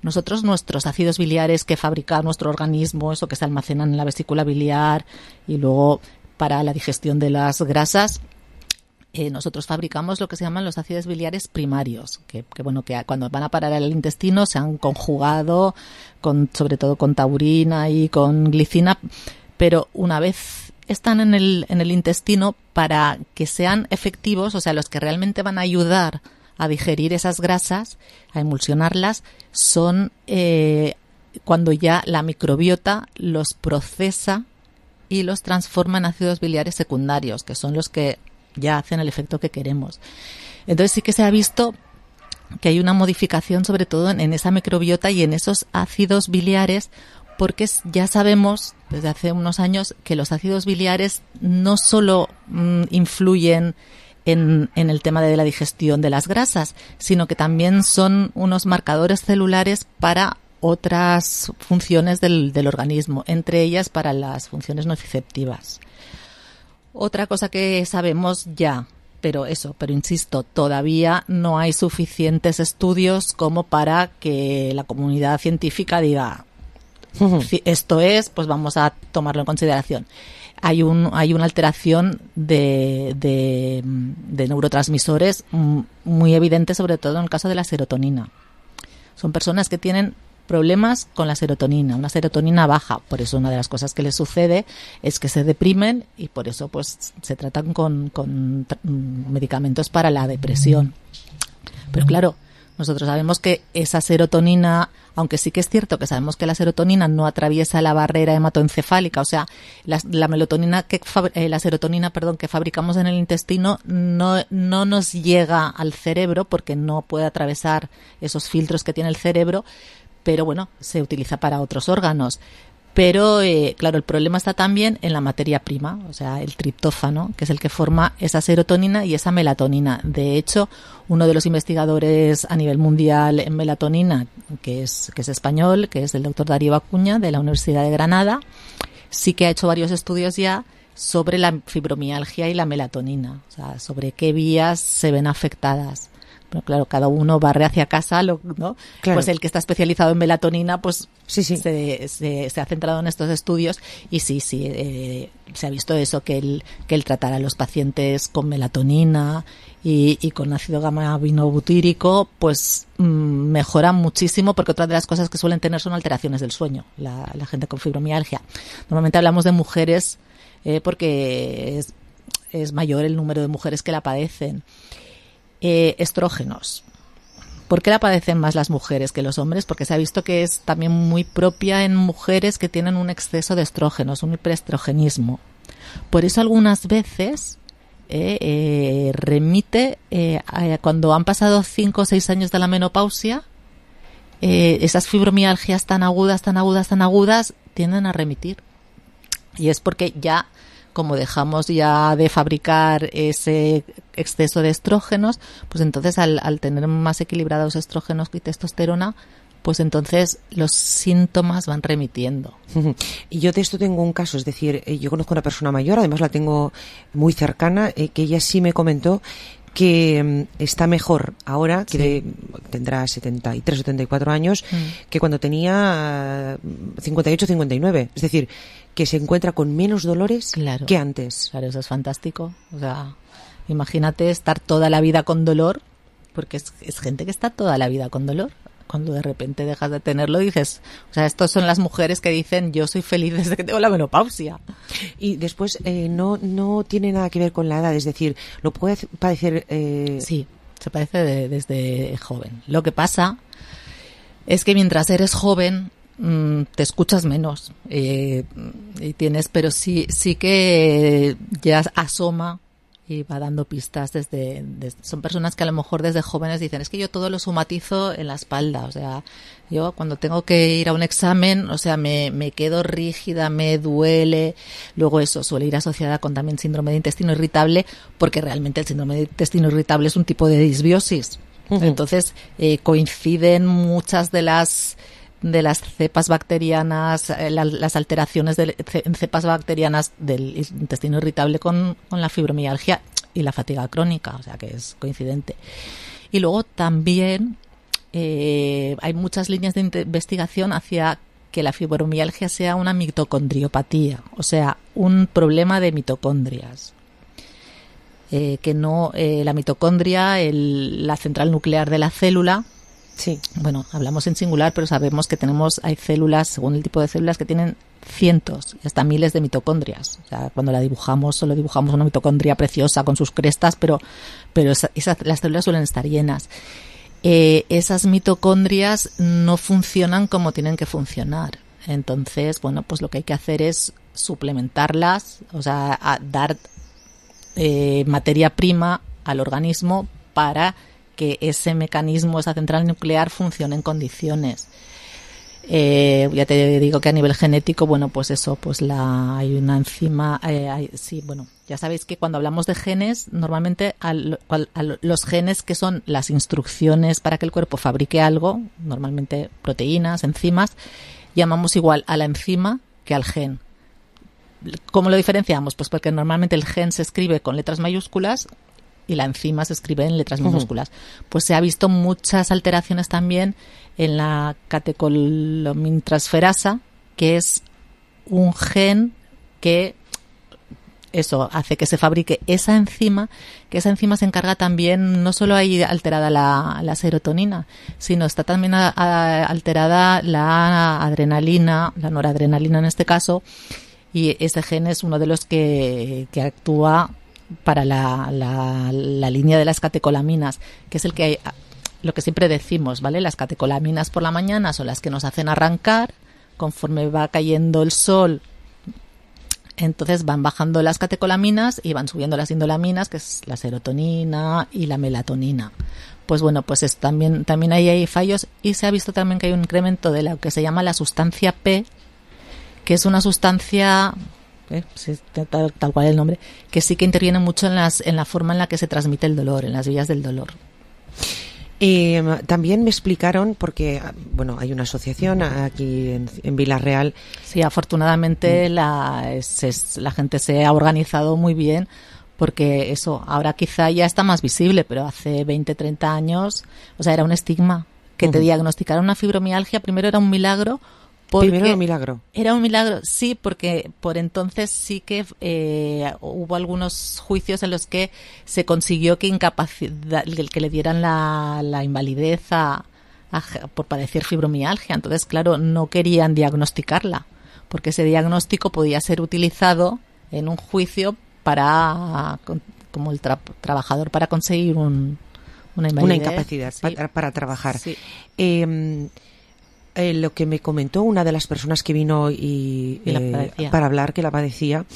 Nosotros, nuestros ácidos biliares que fabrica nuestro organismo, eso que se almacenan en la vesícula biliar y luego para la digestión de las grasas, eh, nosotros fabricamos lo que se llaman los ácidos biliares primarios, que, que bueno, que cuando van a parar al intestino se han conjugado, con, sobre todo con taurina y con glicina, pero una vez están en el, en el intestino, para que sean efectivos, o sea, los que realmente van a ayudar a digerir esas grasas, a emulsionarlas, son eh, cuando ya la microbiota los procesa y los transforma en ácidos biliares secundarios, que son los que ya hacen el efecto que queremos. Entonces sí que se ha visto que hay una modificación sobre todo en, en esa microbiota y en esos ácidos biliares, porque ya sabemos desde hace unos años que los ácidos biliares no solo mm, influyen en, en el tema de la digestión de las grasas, sino que también son unos marcadores celulares para otras funciones del, del organismo, entre ellas para las funciones nociceptivas. Otra cosa que sabemos ya, pero eso, pero insisto, todavía no hay suficientes estudios como para que la comunidad científica diga esto es, pues vamos a tomarlo en consideración. Hay un hay una alteración de, de, de neurotransmisores muy evidente, sobre todo en el caso de la serotonina. Son personas que tienen problemas con la serotonina, una serotonina baja. Por eso una de las cosas que les sucede es que se deprimen y por eso pues se tratan con, con medicamentos para la depresión. Pero claro, nosotros sabemos que esa serotonina, aunque sí que es cierto que sabemos que la serotonina no atraviesa la barrera hematoencefálica, o sea, la, la melatonina que eh, la serotonina, perdón, que fabricamos en el intestino no no nos llega al cerebro porque no puede atravesar esos filtros que tiene el cerebro, pero bueno, se utiliza para otros órganos. Pero, eh, claro, el problema está también en la materia prima, o sea, el triptófano, que es el que forma esa serotonina y esa melatonina. De hecho, uno de los investigadores a nivel mundial en melatonina, que es, que es español, que es el doctor Darío Acuña, de la Universidad de Granada, sí que ha hecho varios estudios ya sobre la fibromialgia y la melatonina, o sea, sobre qué vías se ven afectadas. Pero claro, cada uno barre hacia casa, lo, ¿no? Claro. Pues el que está especializado en melatonina, pues sí, sí. Se, se, se ha centrado en estos estudios y sí, sí, eh, se ha visto eso, que el, que el tratar a los pacientes con melatonina y, y con ácido gamma-aminobutírico, pues mmm, mejora muchísimo, porque otra de las cosas que suelen tener son alteraciones del sueño, la, la gente con fibromialgia. Normalmente hablamos de mujeres eh, porque es, es mayor el número de mujeres que la padecen. Eh, estrógenos. ¿Por qué la padecen más las mujeres que los hombres? Porque se ha visto que es también muy propia en mujeres que tienen un exceso de estrógenos, un hiperestrogenismo. Por eso algunas veces eh, eh, remite, eh, a, cuando han pasado cinco o seis años de la menopausia, eh, esas fibromialgias tan agudas, tan agudas, tan agudas, tienden a remitir. Y es porque ya, como dejamos ya de fabricar ese exceso de estrógenos, pues entonces al, al tener más equilibrados estrógenos y testosterona, pues entonces los síntomas van remitiendo. Y yo de esto tengo un caso, es decir, yo conozco a una persona mayor, además la tengo muy cercana, eh, que ella sí me comentó que mm, está mejor ahora, que de- tendrá setenta y tres, setenta y cuatro años, Mm. que cuando tenía eh, cincuenta y ocho, cincuenta y nueve. Es decir, que se encuentra con menos dolores Claro. que antes. Claro, eso es fantástico. O sea, imagínate estar toda la vida con dolor, porque es, es gente que está toda la vida con dolor. Cuando de repente dejas de tenerlo, dices, o sea, estos son las mujeres que dicen, yo soy feliz desde que tengo la menopausia. Y después eh, no, no tiene nada que ver con la edad, es decir, lo puede padecer... Eh... Sí, se padece de- desde joven. Lo que pasa es que mientras eres joven mm, te escuchas menos eh, y tienes, pero sí sí que ya asoma y va dando pistas desde, desde- son personas que a lo mejor desde jóvenes dicen, es que yo todo lo somatizo en la espalda, o sea, yo cuando tengo que ir a un examen, o sea, me, me quedo rígida, me duele, luego eso suele ir asociada con también síndrome de intestino irritable, porque realmente el síndrome de intestino irritable es un tipo de disbiosis. Ujú. Entonces, eh, coinciden muchas de las de las cepas bacterianas, eh, la- las alteraciones de, ce- en cepas bacterianas del intestino irritable con, con la fibromialgia y la fatiga crónica, o sea que es coincidente. Y luego también eh, hay muchas líneas de inte- investigación hacia que la fibromialgia sea una mitocondriopatía, o sea, un problema de mitocondrias. Eh, que no, eh, la mitocondria, el- la central nuclear de la célula. Sí. Bueno, hablamos en singular, pero sabemos que tenemos, hay células, según el tipo de células, que tienen cientos y hasta miles de mitocondrias. O sea, cuando la dibujamos, solo dibujamos una mitocondria preciosa con sus crestas, pero, pero esa- esas, las células suelen estar llenas. Eh, esas mitocondrias no funcionan como tienen que funcionar. Entonces, bueno, pues lo que hay que hacer es suplementarlas, o sea, a dar eh, materia prima al organismo para que ese mecanismo, esa central nuclear funcione en condiciones. Eh, ya te digo que a nivel genético, bueno, pues eso, pues la hay una enzima, eh, hay- sí, bueno, ya sabéis que cuando hablamos de genes, normalmente al- cual- a lo- los genes que son las instrucciones para que el cuerpo fabrique algo, normalmente proteínas, enzimas, llamamos igual a la enzima que al gen. ¿Cómo lo diferenciamos? Pues porque normalmente el gen se escribe con letras mayúsculas y la enzima se escribe en letras Ujú. minúsculas. Pues se ha visto muchas alteraciones también en la catecolomintransferasa, que es un gen que eso hace que se fabrique esa enzima, que esa enzima se encarga también, no solo hay alterada la, la serotonina, sino está también a- a- alterada la adrenalina, la noradrenalina en este caso, y ese gen es uno de los que, que actúa para la, la, la línea de las catecolaminas, que es el que hay, lo que siempre decimos, ¿vale? Las catecolaminas por la mañana son las que nos hacen arrancar, conforme va cayendo el sol, entonces van bajando las catecolaminas y van subiendo las indolaminas, que es la serotonina y la melatonina. Pues bueno, pues es, también, también ahí hay fallos y se ha visto también que hay un incremento de lo que se llama la sustancia P, que es una sustancia, eh, sí, tal, tal cual el nombre, que sí que interviene mucho en, las, en la forma en la que se transmite el dolor, en las vías del dolor. Eh, también me explicaron, porque bueno, hay una asociación aquí en, en Vila-real. Sí, afortunadamente la, es, es- la gente se ha organizado muy bien, porque eso ahora quizá ya está más visible, pero hace veinte, treinta años, o sea, era un estigma. Que te Ujú. diagnosticaran una fibromialgia, primero era un milagro. Porque Primero era un milagro. Era un milagro, sí, porque por entonces sí que eh, hubo algunos juicios en los que se consiguió que incapacidad, que le dieran la, la invalidez a, a- por padecer fibromialgia. Entonces, claro, no querían diagnosticarla, porque ese diagnóstico podía ser utilizado en un juicio para, con- como el tra- trabajador para conseguir un, una invalidez. Una incapacidad Sí. para, para trabajar. Sí. Eh, eh, lo que me comentó una de las personas que vino y, Y la eh, padecía. para hablar, que la padecía,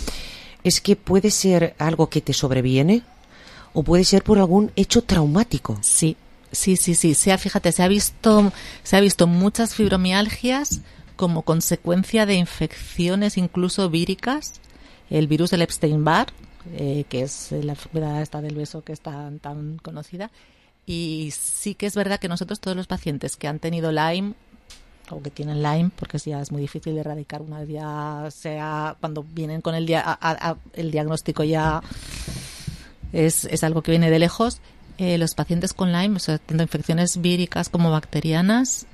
es que puede ser algo que te sobreviene o puede ser por algún hecho traumático. Sí, sí, sí, sí. Se ha, fíjate, se ha visto, se ha visto muchas fibromialgias como consecuencia de infecciones incluso víricas. El virus del Epstein-Barr, eh, que es la enfermedad esta del beso que es tan, tan conocida. Y sí que es verdad que nosotros, todos los pacientes que han tenido Lyme, o que tienen Lyme, porque ya es muy difícil de erradicar una vez ya sea cuando vienen con el, dia- a- a- a- el diagnóstico ya es, es algo que viene de lejos. Eh, los pacientes con Lyme, o sea, tanto infecciones víricas como bacterianas,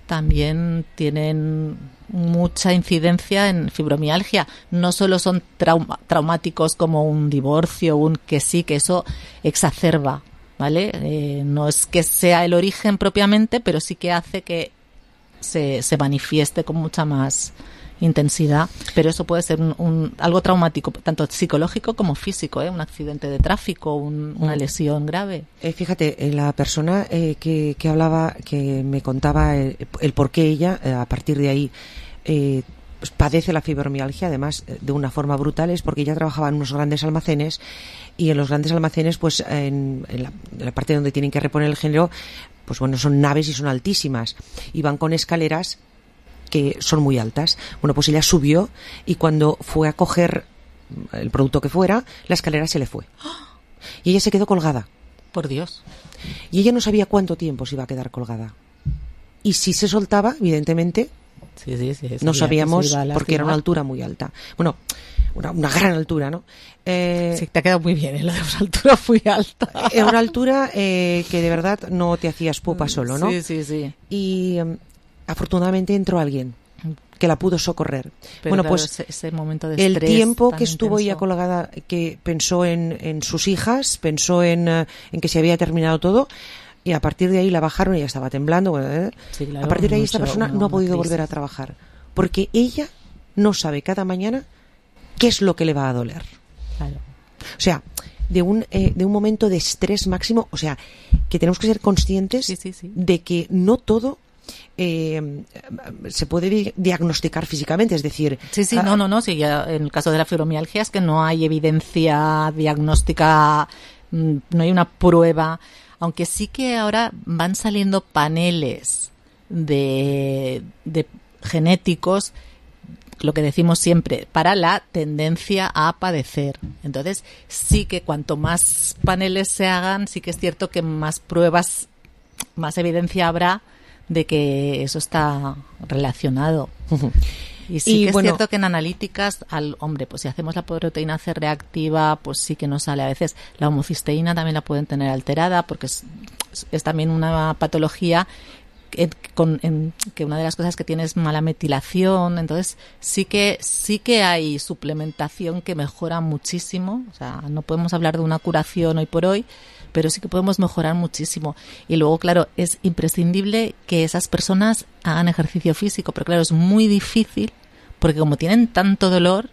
también tienen mucha incidencia en fibromialgia. No solo son trauma, traumáticos como un divorcio, un que sí, que eso exacerba, ¿vale? Eh, no es que sea el origen propiamente, pero sí que hace que se, se manifieste con mucha más intensidad, pero eso puede ser un, un, algo traumático, tanto psicológico como físico, ¿eh? Un accidente de tráfico, un, una lesión grave. Eh, fíjate, eh, la persona eh, que, que hablaba, que me contaba el, el por qué ella, eh, a partir de ahí, eh, pues padece la fibromialgia, además eh, de una forma brutal, es porque ella trabajaba en unos grandes almacenes, y en los grandes almacenes, pues en, en, la, en la parte donde tienen que reponer el género, pues bueno, son naves y son altísimas, y van con escaleras que son muy altas. Bueno, pues ella subió y cuando fue a coger el producto que fuera, la escalera se le fue. Y ella se quedó colgada. Por Dios. Y ella no sabía cuánto tiempo se iba a quedar colgada. Y si se soltaba, evidentemente, sí, sí, sí, no sabíamos porque porque era una altura muy alta. Bueno, una, una gran altura, ¿no? Eh, sí, te ha quedado muy bien, ¿eh? Lo de una altura muy alta. Era una altura eh, que de verdad no te hacías pupa solo, ¿no? Sí, sí, sí. Y um, afortunadamente entró alguien que la pudo socorrer. Pero bueno, claro, pues ese, ese momento de el estrés tiempo tan que estuvo intenso. ella colgada, que pensó en, en sus hijas, pensó en, uh, en que se había terminado todo, y a partir de ahí la bajaron y ella estaba temblando. Bueno, ¿eh? Sí, claro, a partir de ahí mucho, esta persona una, no ha podido una volver a trabajar, porque ella no sabe cada mañana qué es lo que le va a doler. Claro. O sea, de un eh, de un momento de estrés máximo, o sea, que tenemos que ser conscientes sí, sí, sí. de que no todo eh, se puede di- diagnosticar físicamente, es decir... Sí, sí, ah, no, no, no, sí, ya en el caso de la fibromialgia es que no hay evidencia diagnóstica, mm, no hay una prueba, aunque sí que ahora van saliendo paneles de, de genéticos, lo que decimos siempre, para la tendencia a padecer. Entonces, sí que cuanto más paneles se hagan, sí que es cierto que más pruebas, más evidencia habrá de que eso está relacionado. Y sí Y que es bueno, cierto que en analíticas, al hombre, pues si hacemos la proteína C reactiva, pues sí que nos sale a veces. La homocisteína también la pueden tener alterada porque es, es también una patología que, con, en, que una de las cosas que tiene es mala metilación. Entonces sí que sí que hay suplementación que mejora muchísimo. O sea, no podemos hablar de una curación hoy por hoy, pero sí que podemos mejorar muchísimo. Y luego, claro, es imprescindible que esas personas hagan ejercicio físico, pero claro, es muy difícil porque como tienen tanto dolor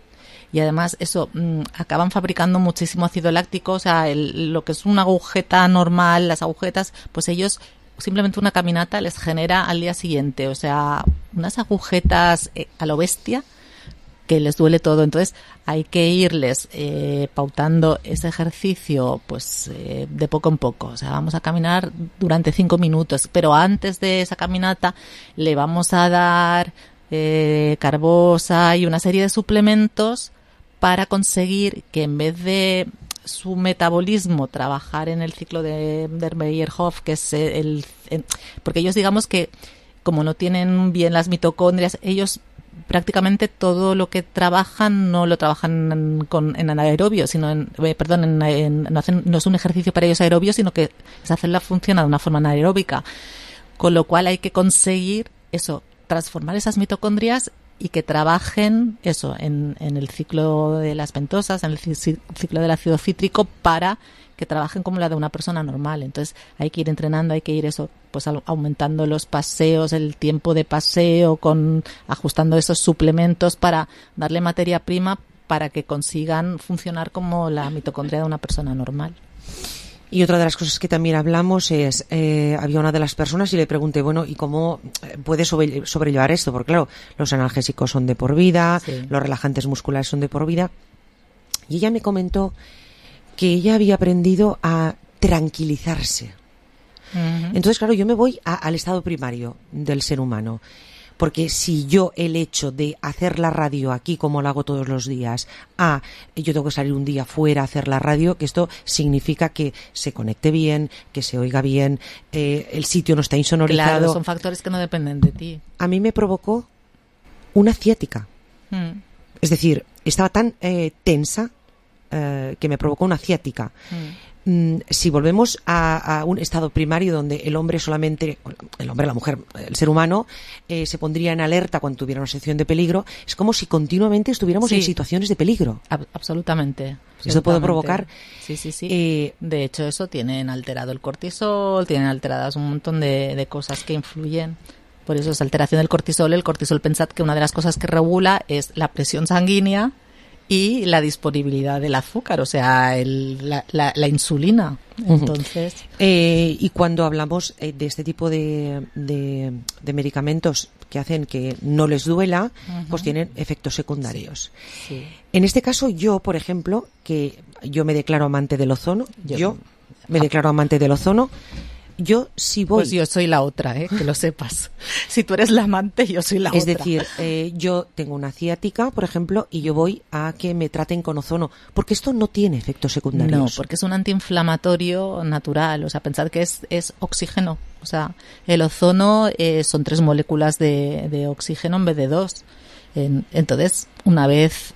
y además eso, mmm, acaban fabricando muchísimo ácido láctico, o sea, el, lo que es una agujeta normal, las agujetas, pues ellos simplemente una caminata les genera al día siguiente, o sea, unas agujetas eh, a lo bestia que les duele todo. Entonces hay que irles eh, pautando ese ejercicio pues eh, de poco en poco. O sea, vamos a caminar durante cinco minutos, pero antes de esa caminata le vamos a dar eh, carbosa y una serie de suplementos para conseguir que en vez de su metabolismo trabajar en el ciclo de, de Meyerhof, que es el, el... Porque ellos digamos que como no tienen bien las mitocondrias, ellos prácticamente todo lo que trabajan no lo trabajan en, con, en anaerobio, sino en, eh, perdón, en, en, no, hacen, no es un ejercicio para ellos aerobio, sino que esa célula funciona de una forma anaeróbica, con lo cual hay que conseguir eso, transformar esas mitocondrias y que trabajen eso en, en el ciclo de las pentosas, en el ciclo del ácido cítrico, para que trabajen como la de una persona normal. Entonces hay que ir entrenando, hay que ir eso, pues aumentando los paseos, el tiempo de paseo, con ajustando esos suplementos para darle materia prima para que consigan funcionar como la mitocondria de una persona normal. Y otra de las cosas que también hablamos es, eh, había una de las personas y le pregunté, bueno, ¿y cómo puedes sobre, sobrellevar esto? Porque claro, los analgésicos son de por vida, sí, los relajantes musculares son de por vida. Y ella me comentó que ella había aprendido a tranquilizarse. Uh-huh. Entonces, claro, yo me voy a, al estado primario del ser humano. Porque si yo el hecho de hacer la radio aquí como lo hago todos los días, ah, yo tengo que salir un día fuera a hacer la radio, que esto significa que se conecte bien, que se oiga bien, eh, el sitio no está insonorizado. Claro, son factores que no dependen de ti. A mí me provocó una ciática. Hmm. Es decir, estaba tan eh, tensa eh, que me provocó una ciática. Mm. Mm, si volvemos a, a un estado primario donde el hombre solamente, el hombre, la mujer, el ser humano, eh, se pondría en alerta cuando tuviera una situación de peligro, es como si continuamente estuviéramos Sí. en situaciones de peligro. Ab- absolutamente. Eso puede absolutamente. provocar... Sí, sí, sí. Eh, de hecho, eso tienen alterado el cortisol, tienen alteradas un montón de, de cosas que influyen. Por eso es alteración del cortisol. El cortisol, pensad que una de las cosas que regula es la presión sanguínea y la disponibilidad del azúcar, o sea, el, la, la, la insulina. Entonces, Eh, y cuando hablamos eh, de este tipo de, de, de medicamentos que hacen que no les duela, Ujú. pues tienen efectos secundarios. sí. En este caso, yo, por ejemplo, que yo me declaro amante del ozono, yo, Yo- me declaro amante del ozono, yo si voy... Pues yo soy la otra, ¿eh? Que lo sepas. Si tú eres la amante, yo soy la es otra. decir, eh, yo tengo una ciática, por ejemplo, y yo voy a que me traten con ozono, porque esto no tiene efectos secundarios. No, porque es un antiinflamatorio natural. O sea, pensad que es, es oxígeno. O sea, el ozono eh, son tres moléculas de, de oxígeno en vez de dos. En- entonces, una vez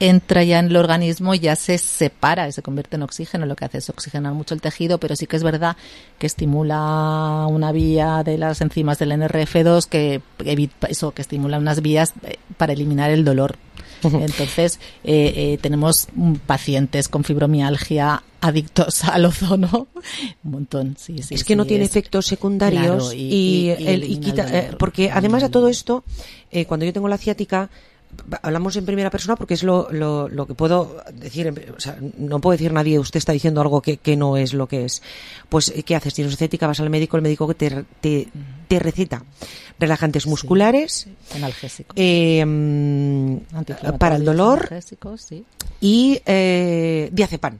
entra ya en el organismo, ya se separa y se convierte en oxígeno. Lo que hace es oxigenar mucho el tejido, pero sí que es verdad que estimula una vía de las enzimas del N R F dos que evita eso, que estimula unas vías eh, para eliminar el dolor. Entonces, eh, eh, tenemos mm, pacientes con fibromialgia adictos al ozono, un montón, sí, sí. es que sí, no tiene es- efectos secundarios Claro, y, y- y- y el- y elimina quita, el eh, dolor. porque además a todo esto, eh, cuando yo tengo la ciática, hablamos en primera persona porque es lo, lo, lo que puedo decir, en- o sea, no puede decir nadie, usted está diciendo algo que, que no es lo que es. Pues, ¿qué haces? Tienes ciática, vas al médico, el médico que te, te, te receta relajantes musculares, Analgésico. eh, mm, para el dolor Analgésicos, sí. y eh, diazepam.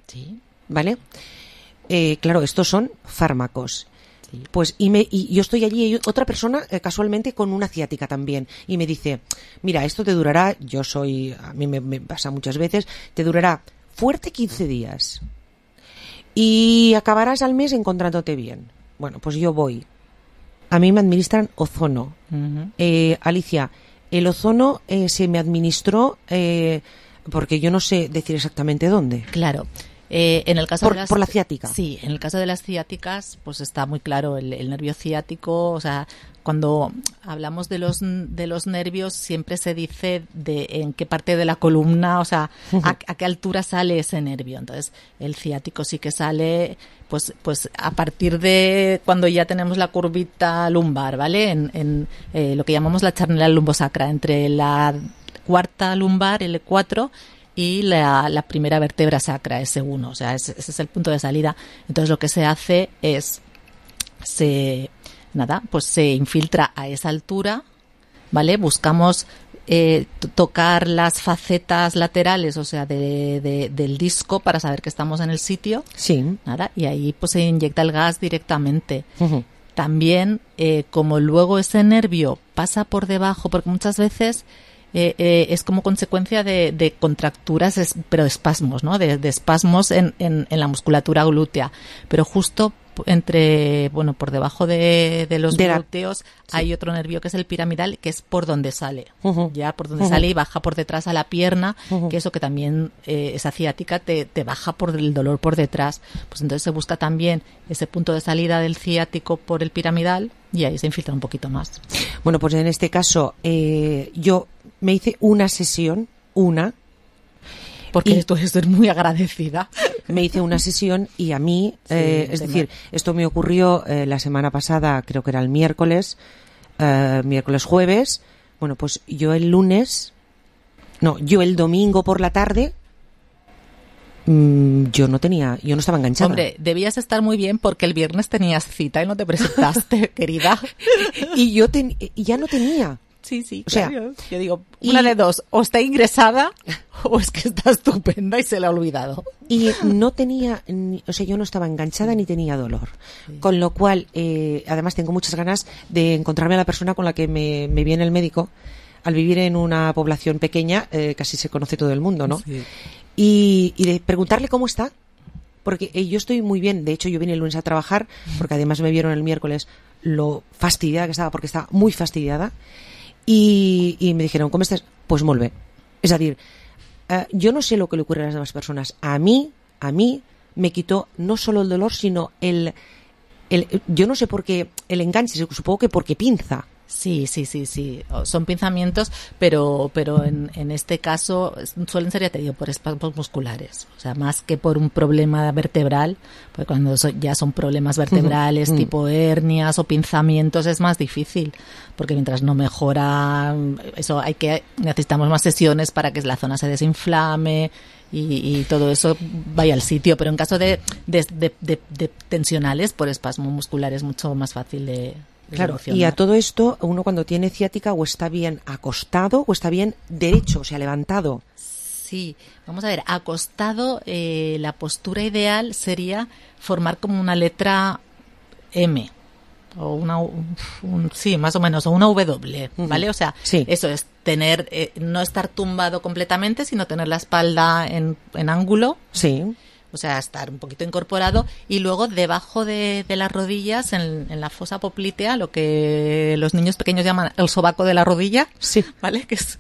Sí. ¿Vale? Eh, claro, estos son fármacos. Pues y, me, y yo estoy allí y otra persona eh, casualmente con una ciática también y me dice, mira, esto te durará, yo soy, a mí me, me pasa muchas veces, te durará fuerte quince días y acabarás al mes encontrándote bien. Bueno, pues yo voy. A mí me administran ozono. Ujú. Eh, Alicia, el ozono eh, se me administró eh, porque yo no sé decir exactamente dónde. Claro. Eh, en el caso Por- de las, por la ciática. Sí, en el caso de las ciáticas, pues está muy claro el, el nervio ciático. O sea, cuando hablamos de los de los nervios, siempre se dice de en qué parte de la columna, o sea, a, a qué altura sale ese nervio. Entonces, el ciático sí que sale, pues, pues a partir de cuando ya tenemos la curvita lumbar, ¿vale? En, en eh, lo que llamamos la charnela lumbosacra, entre la cuarta lumbar, L cuatro, y la, la primera vértebra sacra, ese uno, o sea, ese, ese es el punto de salida. Entonces lo que se hace es, se, nada, pues se infiltra a esa altura, ¿vale? Buscamos eh, t- tocar las facetas laterales, o sea, de, de- del disco para saber que estamos en el sitio. Sí. Nada, y ahí pues se inyecta el gas directamente. También, eh, como luego ese nervio pasa por debajo, porque muchas veces eh, eh, es como consecuencia de, de contracturas, es- pero espasmos, ¿no? De, de espasmos en, en, en la musculatura glútea. Pero justo p- entre, bueno, por debajo de, de los De la- glúteos hay otro nervio que es el piramidal, que es por donde sale. Ujú. Ya, por donde Ujú. sale y baja por detrás a la pierna, Ujú. que eso que también, eh, esa ciática te, te baja por el dolor por detrás. Pues entonces se busca también ese punto de salida del ciático por el piramidal y ahí se infiltra un poquito más. Bueno, pues en este caso eh, yo me hice una sesión, una. Porque esto es ser muy agradecida. Me hice una sesión y a mí, Sí, eh, es te decir, esto me ocurrió eh, la semana pasada, creo que era el miércoles, eh, miércoles jueves. Bueno, pues yo el lunes, no, yo el domingo por la tarde, mm, yo no tenía, yo no estaba enganchada. Hombre, debías estar muy bien porque el viernes tenías cita y no te presentaste, querida. Y yo ten- y ya no tenía. Sí, sí, O sea, claro. Yo digo, una de dos, o está ingresada o es que está estupenda y se le ha olvidado. Y no tenía, ni- o sea, yo no estaba enganchada ni tenía dolor. Con lo cual, eh, además tengo muchas ganas de encontrarme a la persona con la que me, me viene el médico. Al vivir en una población pequeña, eh, casi se conoce todo el mundo, ¿no? Sí. Y, y de preguntarle cómo está. Porque eh, yo estoy muy bien. De hecho, yo vine el lunes a trabajar, porque además me vieron el miércoles lo fastidiada que estaba, porque estaba muy fastidiada. Y, y me dijeron, ¿cómo estás? Pues molt bé. És a dir, Uh, yo no sé lo que le ocurre a las demás personas. A mí, a mí me quitó no solo el dolor, sino el, el yo no sé por qué el enganche, supongo que porque pinza. Sí, sí, sí, sí. Son pinzamientos, pero pero en, en este caso suelen ser, ya te digo, por espasmos musculares. O sea, más que por un problema vertebral, porque cuando so, ya son problemas vertebrales, uh-huh. tipo hernias o pinzamientos, es más difícil. Porque mientras no mejora, eso hay que, necesitamos más sesiones para que la zona se desinflame y, y todo eso vaya al sitio. Pero en caso de, de, de, de, de tensionales, por espasmo muscular es mucho más fácil de... Claro, y a todo esto, uno cuando tiene ciática o está bien acostado o está bien derecho, o sea, levantado. Sí, vamos a ver, acostado, eh, la postura ideal sería formar como una letra M, o una, un, sí, más o menos, o una W, ¿vale? Uh-huh. O sea, sí. Eso es tener, eh, no estar tumbado completamente, sino tener la espalda en, en ángulo. Sí. O sea, estar un poquito incorporado y luego debajo de, de las rodillas, en, en la fosa poplitea, lo que los niños pequeños llaman el sobaco de la rodilla, sí, ¿vale? Que es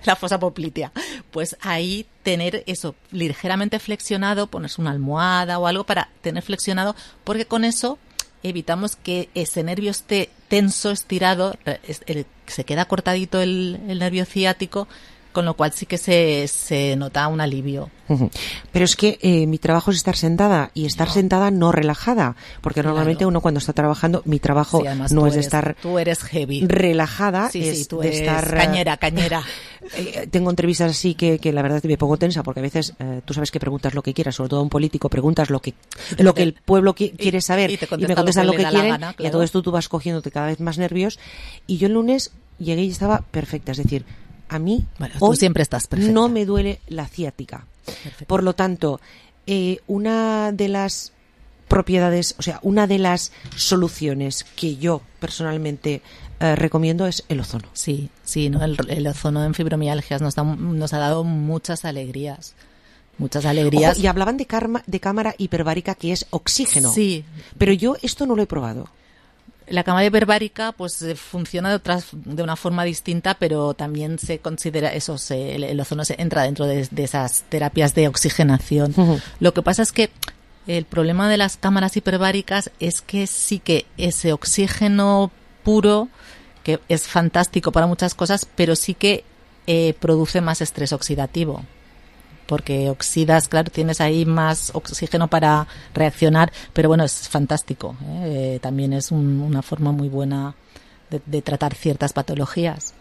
la fosa poplitea. Pues ahí tener eso ligeramente flexionado, ponerse una almohada o algo para tener flexionado, porque con eso evitamos que ese nervio esté tenso, estirado, el, se queda cortadito el, el nervio ciático, con lo cual sí que se, se nota un alivio. Uh-huh. Pero es que eh, mi trabajo es estar sentada y estar no. sentada no relajada, porque claro. normalmente uno cuando está trabajando, mi trabajo sí, no es eres, de estar tú eres heavy. relajada, sí, es sí, tú de eres estar cañera, cañera. eh, tengo entrevistas así que, que la verdad me pongo tensa, porque a veces eh, tú sabes que preguntas lo que quieras, sobre todo a un político, preguntas lo que lo que el pueblo qui- quiere saber y, y, y me contestan lo que, lo que quieren, gana, claro. Y a todo esto tú vas cogiéndote cada vez más nervios. Y yo el lunes llegué y estaba perfecta, es decir, a mí bueno, hoy tú siempre estás perfecta. No me duele la ciática. Perfecto. Por lo tanto, eh, una de las propiedades, o sea, una de las soluciones que yo personalmente eh, recomiendo es el ozono. Sí, sí, ¿no? el, el ozono en fibromialgias nos, da, nos ha dado muchas alegrías. Muchas alegrías. Ojo, y hablaban de, karma, de cámara hiperbárica, que es oxígeno. Sí. Pero yo esto no lo he probado. La cámara hiperbárica pues funciona de otras de una forma distinta, pero también se considera eso, se, el, el ozono se entra dentro de, de esas terapias de oxigenación. Uh-huh. Lo que pasa es que el problema de las cámaras hiperbáricas es que sí que ese oxígeno puro, que es fantástico para muchas cosas, pero sí que eh, produce más estrés oxidativo. Porque oxidas, claro, tienes ahí más oxígeno para reaccionar, pero bueno, es fantástico, ¿eh? Eh, también es un, una forma muy buena de, de tratar ciertas patologías.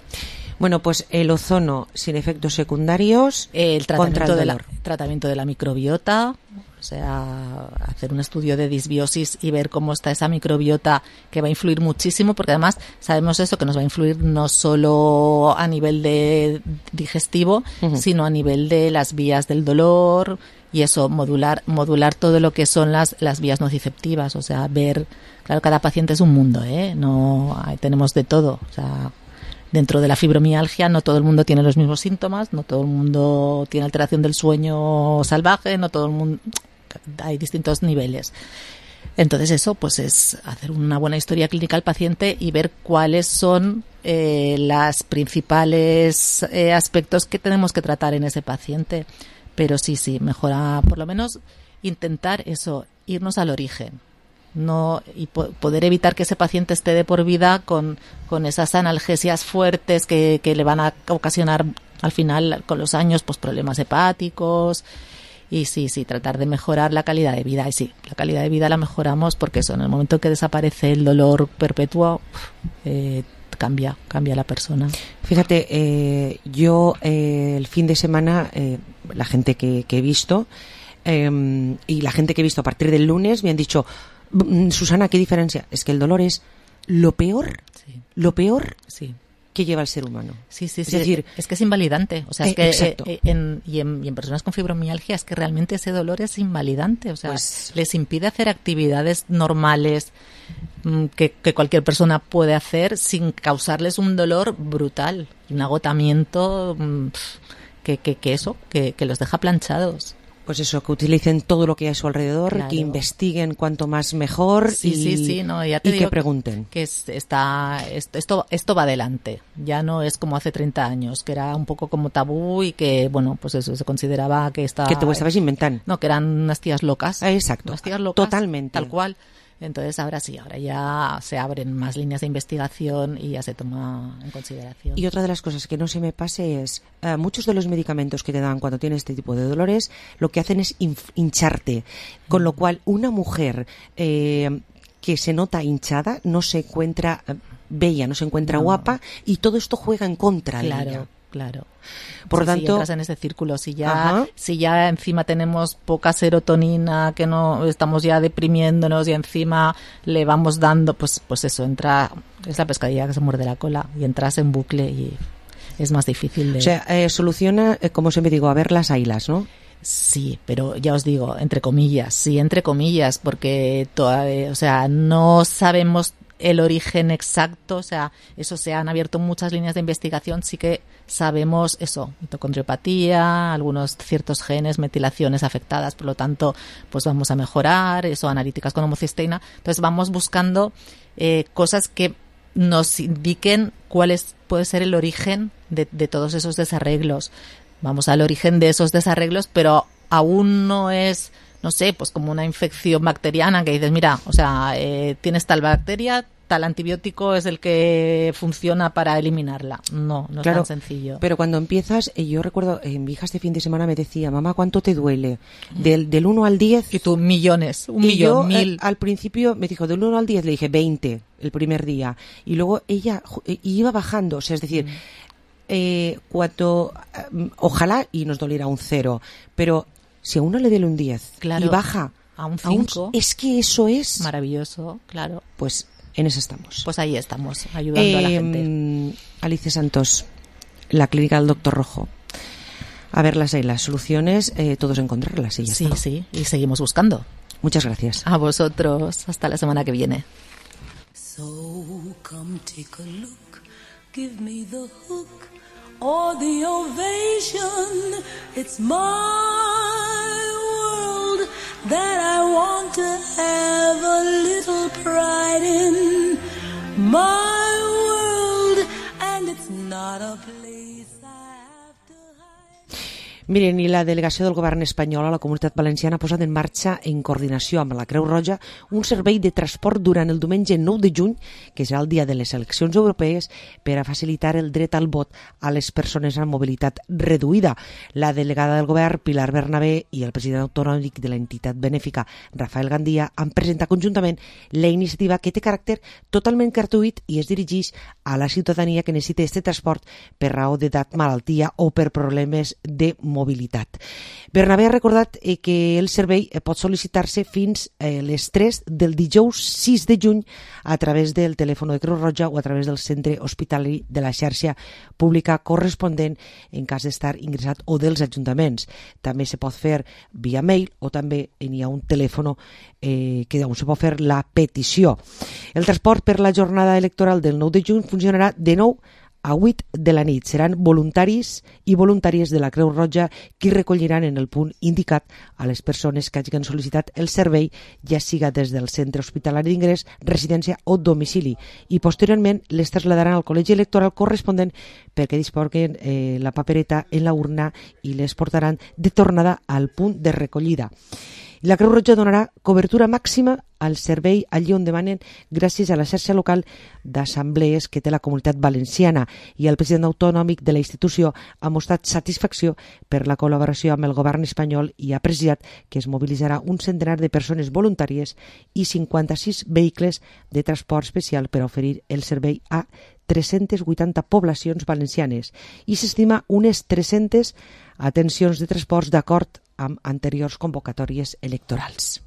Bueno, pues el ozono sin efectos secundarios, el tratamiento, contra el de la, dolor. tratamiento de la microbiota, o sea, hacer un estudio de disbiosis y ver cómo está esa microbiota, que va a influir muchísimo, porque además sabemos eso, que nos va a influir no solo a nivel de digestivo, uh-huh. sino a nivel de las vías del dolor y eso, modular modular todo lo que son las, las vías nociceptivas, o sea, ver, claro, cada paciente es un mundo, ¿eh? No, tenemos de todo, o sea, dentro de la fibromialgia no todo el mundo tiene los mismos síntomas, no todo el mundo tiene alteración del sueño salvaje, no todo el mundo, hay distintos niveles. Entonces eso pues es hacer una buena historia clínica al paciente y ver cuáles son eh, las principales eh, aspectos que tenemos que tratar en ese paciente. Pero sí, sí, mejora, por lo menos intentar eso, irnos al origen. No y po- poder evitar que ese paciente esté de por vida con, con esas analgesias fuertes que, que le van a ocasionar al final con los años pues problemas hepáticos y sí, sí, tratar de mejorar la calidad de vida. Y sí, la calidad de vida la mejoramos porque eso, en el momento que desaparece el dolor perpetuo, eh, cambia, cambia la persona. Fíjate, eh, yo eh, el fin de semana, eh, la gente que, que he visto eh, y la gente que he visto a partir del lunes me han dicho: Susana, ¿qué diferencia? Es que el dolor es lo peor, sí. lo peor sí. que lleva el ser humano. Sí, sí, es sí. decir, es que es invalidante. O sea, es eh, que exacto. eh, en, y, en, y en personas con fibromialgia es que realmente ese dolor es invalidante. O sea, pues, les impide hacer actividades normales mmm, que, que cualquier persona puede hacer sin causarles un dolor brutal, un agotamiento mmm, que, que, que eso, que, que los deja planchados. Pues eso, que utilicen todo lo que hay a su alrededor, Claro. que investiguen cuanto más mejor Sí, y, sí, sí, no, ya te y digo que pregunten. Que es- está, esto, esto, esto va adelante. Ya no es como hace treinta años, que era un poco como tabú y que, bueno, pues eso, se consideraba que está... Que te ho estaves inventant. No, que eran unas tías locas. Exacto. Unas tías locas. Totalmente. Tal cual. Entonces ahora sí, ahora ya se abren más líneas de investigación y ya se toma en consideración. Y otra de las cosas que no se me pase es, eh, muchos de los medicamentos que te dan cuando tienes este tipo de dolores, lo que hacen es inf- hincharte. Con lo cual, una mujer eh, que se nota hinchada no se encuentra eh, bella, no se encuentra No. guapa, y todo esto juega en contra de Claro, ella. claro. Por lo Sí, sí, tanto, entras en ese círculo. Si ya, Ajá. si ya encima tenemos poca serotonina, que no estamos ya deprimiéndonos y encima le vamos dando, pues, pues eso, entra, es la pescadilla que se muerde la cola y entras en bucle y es más difícil de... o sea, eh, soluciona, eh, como siempre digo, a ver las ailas, ¿no? Sí, pero ya os digo, entre comillas, sí, entre comillas, porque todavía, o sea, no sabemos el origen exacto, o sea, eso se han abierto muchas líneas de investigación, sí que sabemos eso, mitocondriopatía, algunos ciertos genes, metilaciones afectadas, por lo tanto, pues vamos a mejorar, eso, analíticas con homocisteína, entonces vamos buscando eh, cosas que nos indiquen cuál es, puede ser el origen de, de todos esos desarreglos. Vamos al origen de esos desarreglos, pero aún no es, no sé, pues como una infección bacteriana que dices, mira, o sea, eh, tienes tal bacteria, tal antibiótico es el que funciona para eliminarla. No, no es Claro, tan sencillo. pero cuando empiezas, eh, yo recuerdo, eh, mi hija este fin de semana me decía, mamá, ¿cuánto te duele? Del, del uno al diez. Y tú, millones, un y millón, yo, eh, mil. al principio me dijo, del uno al diez, le dije veinte el primer día. Y luego ella ju- eh, iba bajando, o sea, es decir, eh, cuando, eh, ojalá y nos doliera un cero, pero si a uno le duele un diez Claro, y baja a un cinco, es que eso es maravilloso, claro. Pues en eso estamos. Pues ahí estamos, ayudando a la Eh, gente. Alicia Santos, la clínica del Doctor Rojo. A ver las, las soluciones, eh, todos encontrarlas. Y ya Sí, está. sí, y seguimos buscando. Muchas gracias. A vosotros, hasta la semana que viene. So come take a look, give me the hook or the ovation. It's my world that I want to have a little pride in. My world, and it's not a place Miren, i la delegació del govern espanyol a la Comunitat Valenciana ha posat en marxa, en coordinació amb la Creu Roja, un servei de transport durant el diumenge nou de juny, que serà el dia de les eleccions europees, per a facilitar el dret al vot a les persones amb mobilitat reduïda. La delegada del govern, Pilar Bernabé, i el president autonòmic de l'entitat benèfica, Rafael Gandia, han presentat conjuntament la iniciativa, que té caràcter totalment gratuït i es dirigeix a la ciutadania que necessita aquest transport per raó d'edat, malaltia o per problemes de mobilitat. Bernabé ha recordat eh, que el servei eh, pot sol·licitar-se fins a eh, les tres del dijous sis de juny a través del telèfon de Creu Roja o a través del centre hospitalari de la xarxa pública corresponent en cas d'estar ingressat o dels ajuntaments. També se pot fer via mail o també n'hi ha un telèfon eh, que on se pot fer la petició. El transport per la jornada electoral del nou de juny funcionarà de nou a vuit de la nit. Seran voluntaris i voluntàries de la Creu Roja qui recolliran en el punt indicat a les persones que hagin sol·licitat el servei, ja siga des del centre hospitalari d'ingrés, residència o domicili, i posteriorment les traslladaran al col·legi electoral corresponent perquè disposen eh, la papereta en la urna i les portaran de tornada al punt de recollida. La Creu Roja donarà cobertura màxima al servei allí on demanen gràcies a la xarxa local d'assemblees que té la Comunitat Valenciana, i el president autonòmic de la institució ha mostrat satisfacció per la col·laboració amb el govern espanyol i ha precisat que es mobilitzarà un centenar de persones voluntàries i cinquanta-sis vehicles de transport especial per a oferir el servei a tres-centes vuitanta poblacions valencianes i s'estima unes tres-centes atencions de transports d'acord amb anteriors convocatòries electorals.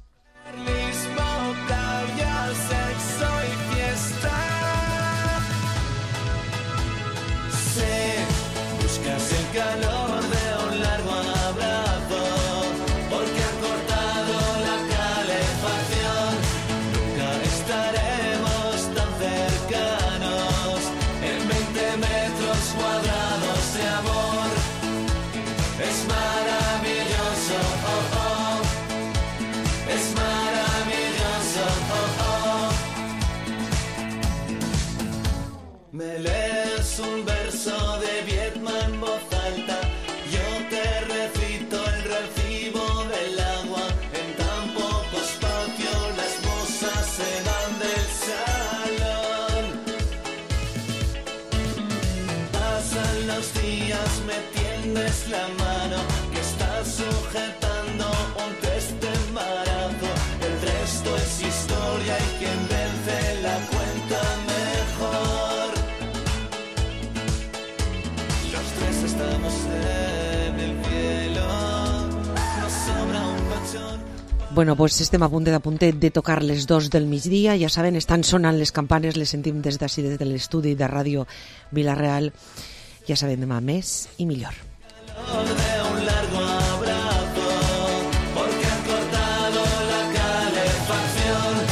Buscas el calor de un largo abrazo, porque han cortado la calefacción. Nunca estaremos tan cercanos en veinte metros cuadrados de amor. Es maravilloso. Oh, oh. Me lees un verso de Viedma en voz alta, yo te recito el recibo del agua. En tan poco espacio las mozas se van del salón. Pasan los días, me tiendes la mano, que estás sujetando un test de embarazo. El resto es historia y quien vence la cuenta mejor. Los tres estamos en el cielo, nos sobra un colchón. Bueno, pues estem a punt de, a punt de tocar les dos del migdia. Ja saben, estan sonant les campanes, les sentim des d'ací, des de l'estudi de Ràdio Vila-real. Ja saben, demà més i millor.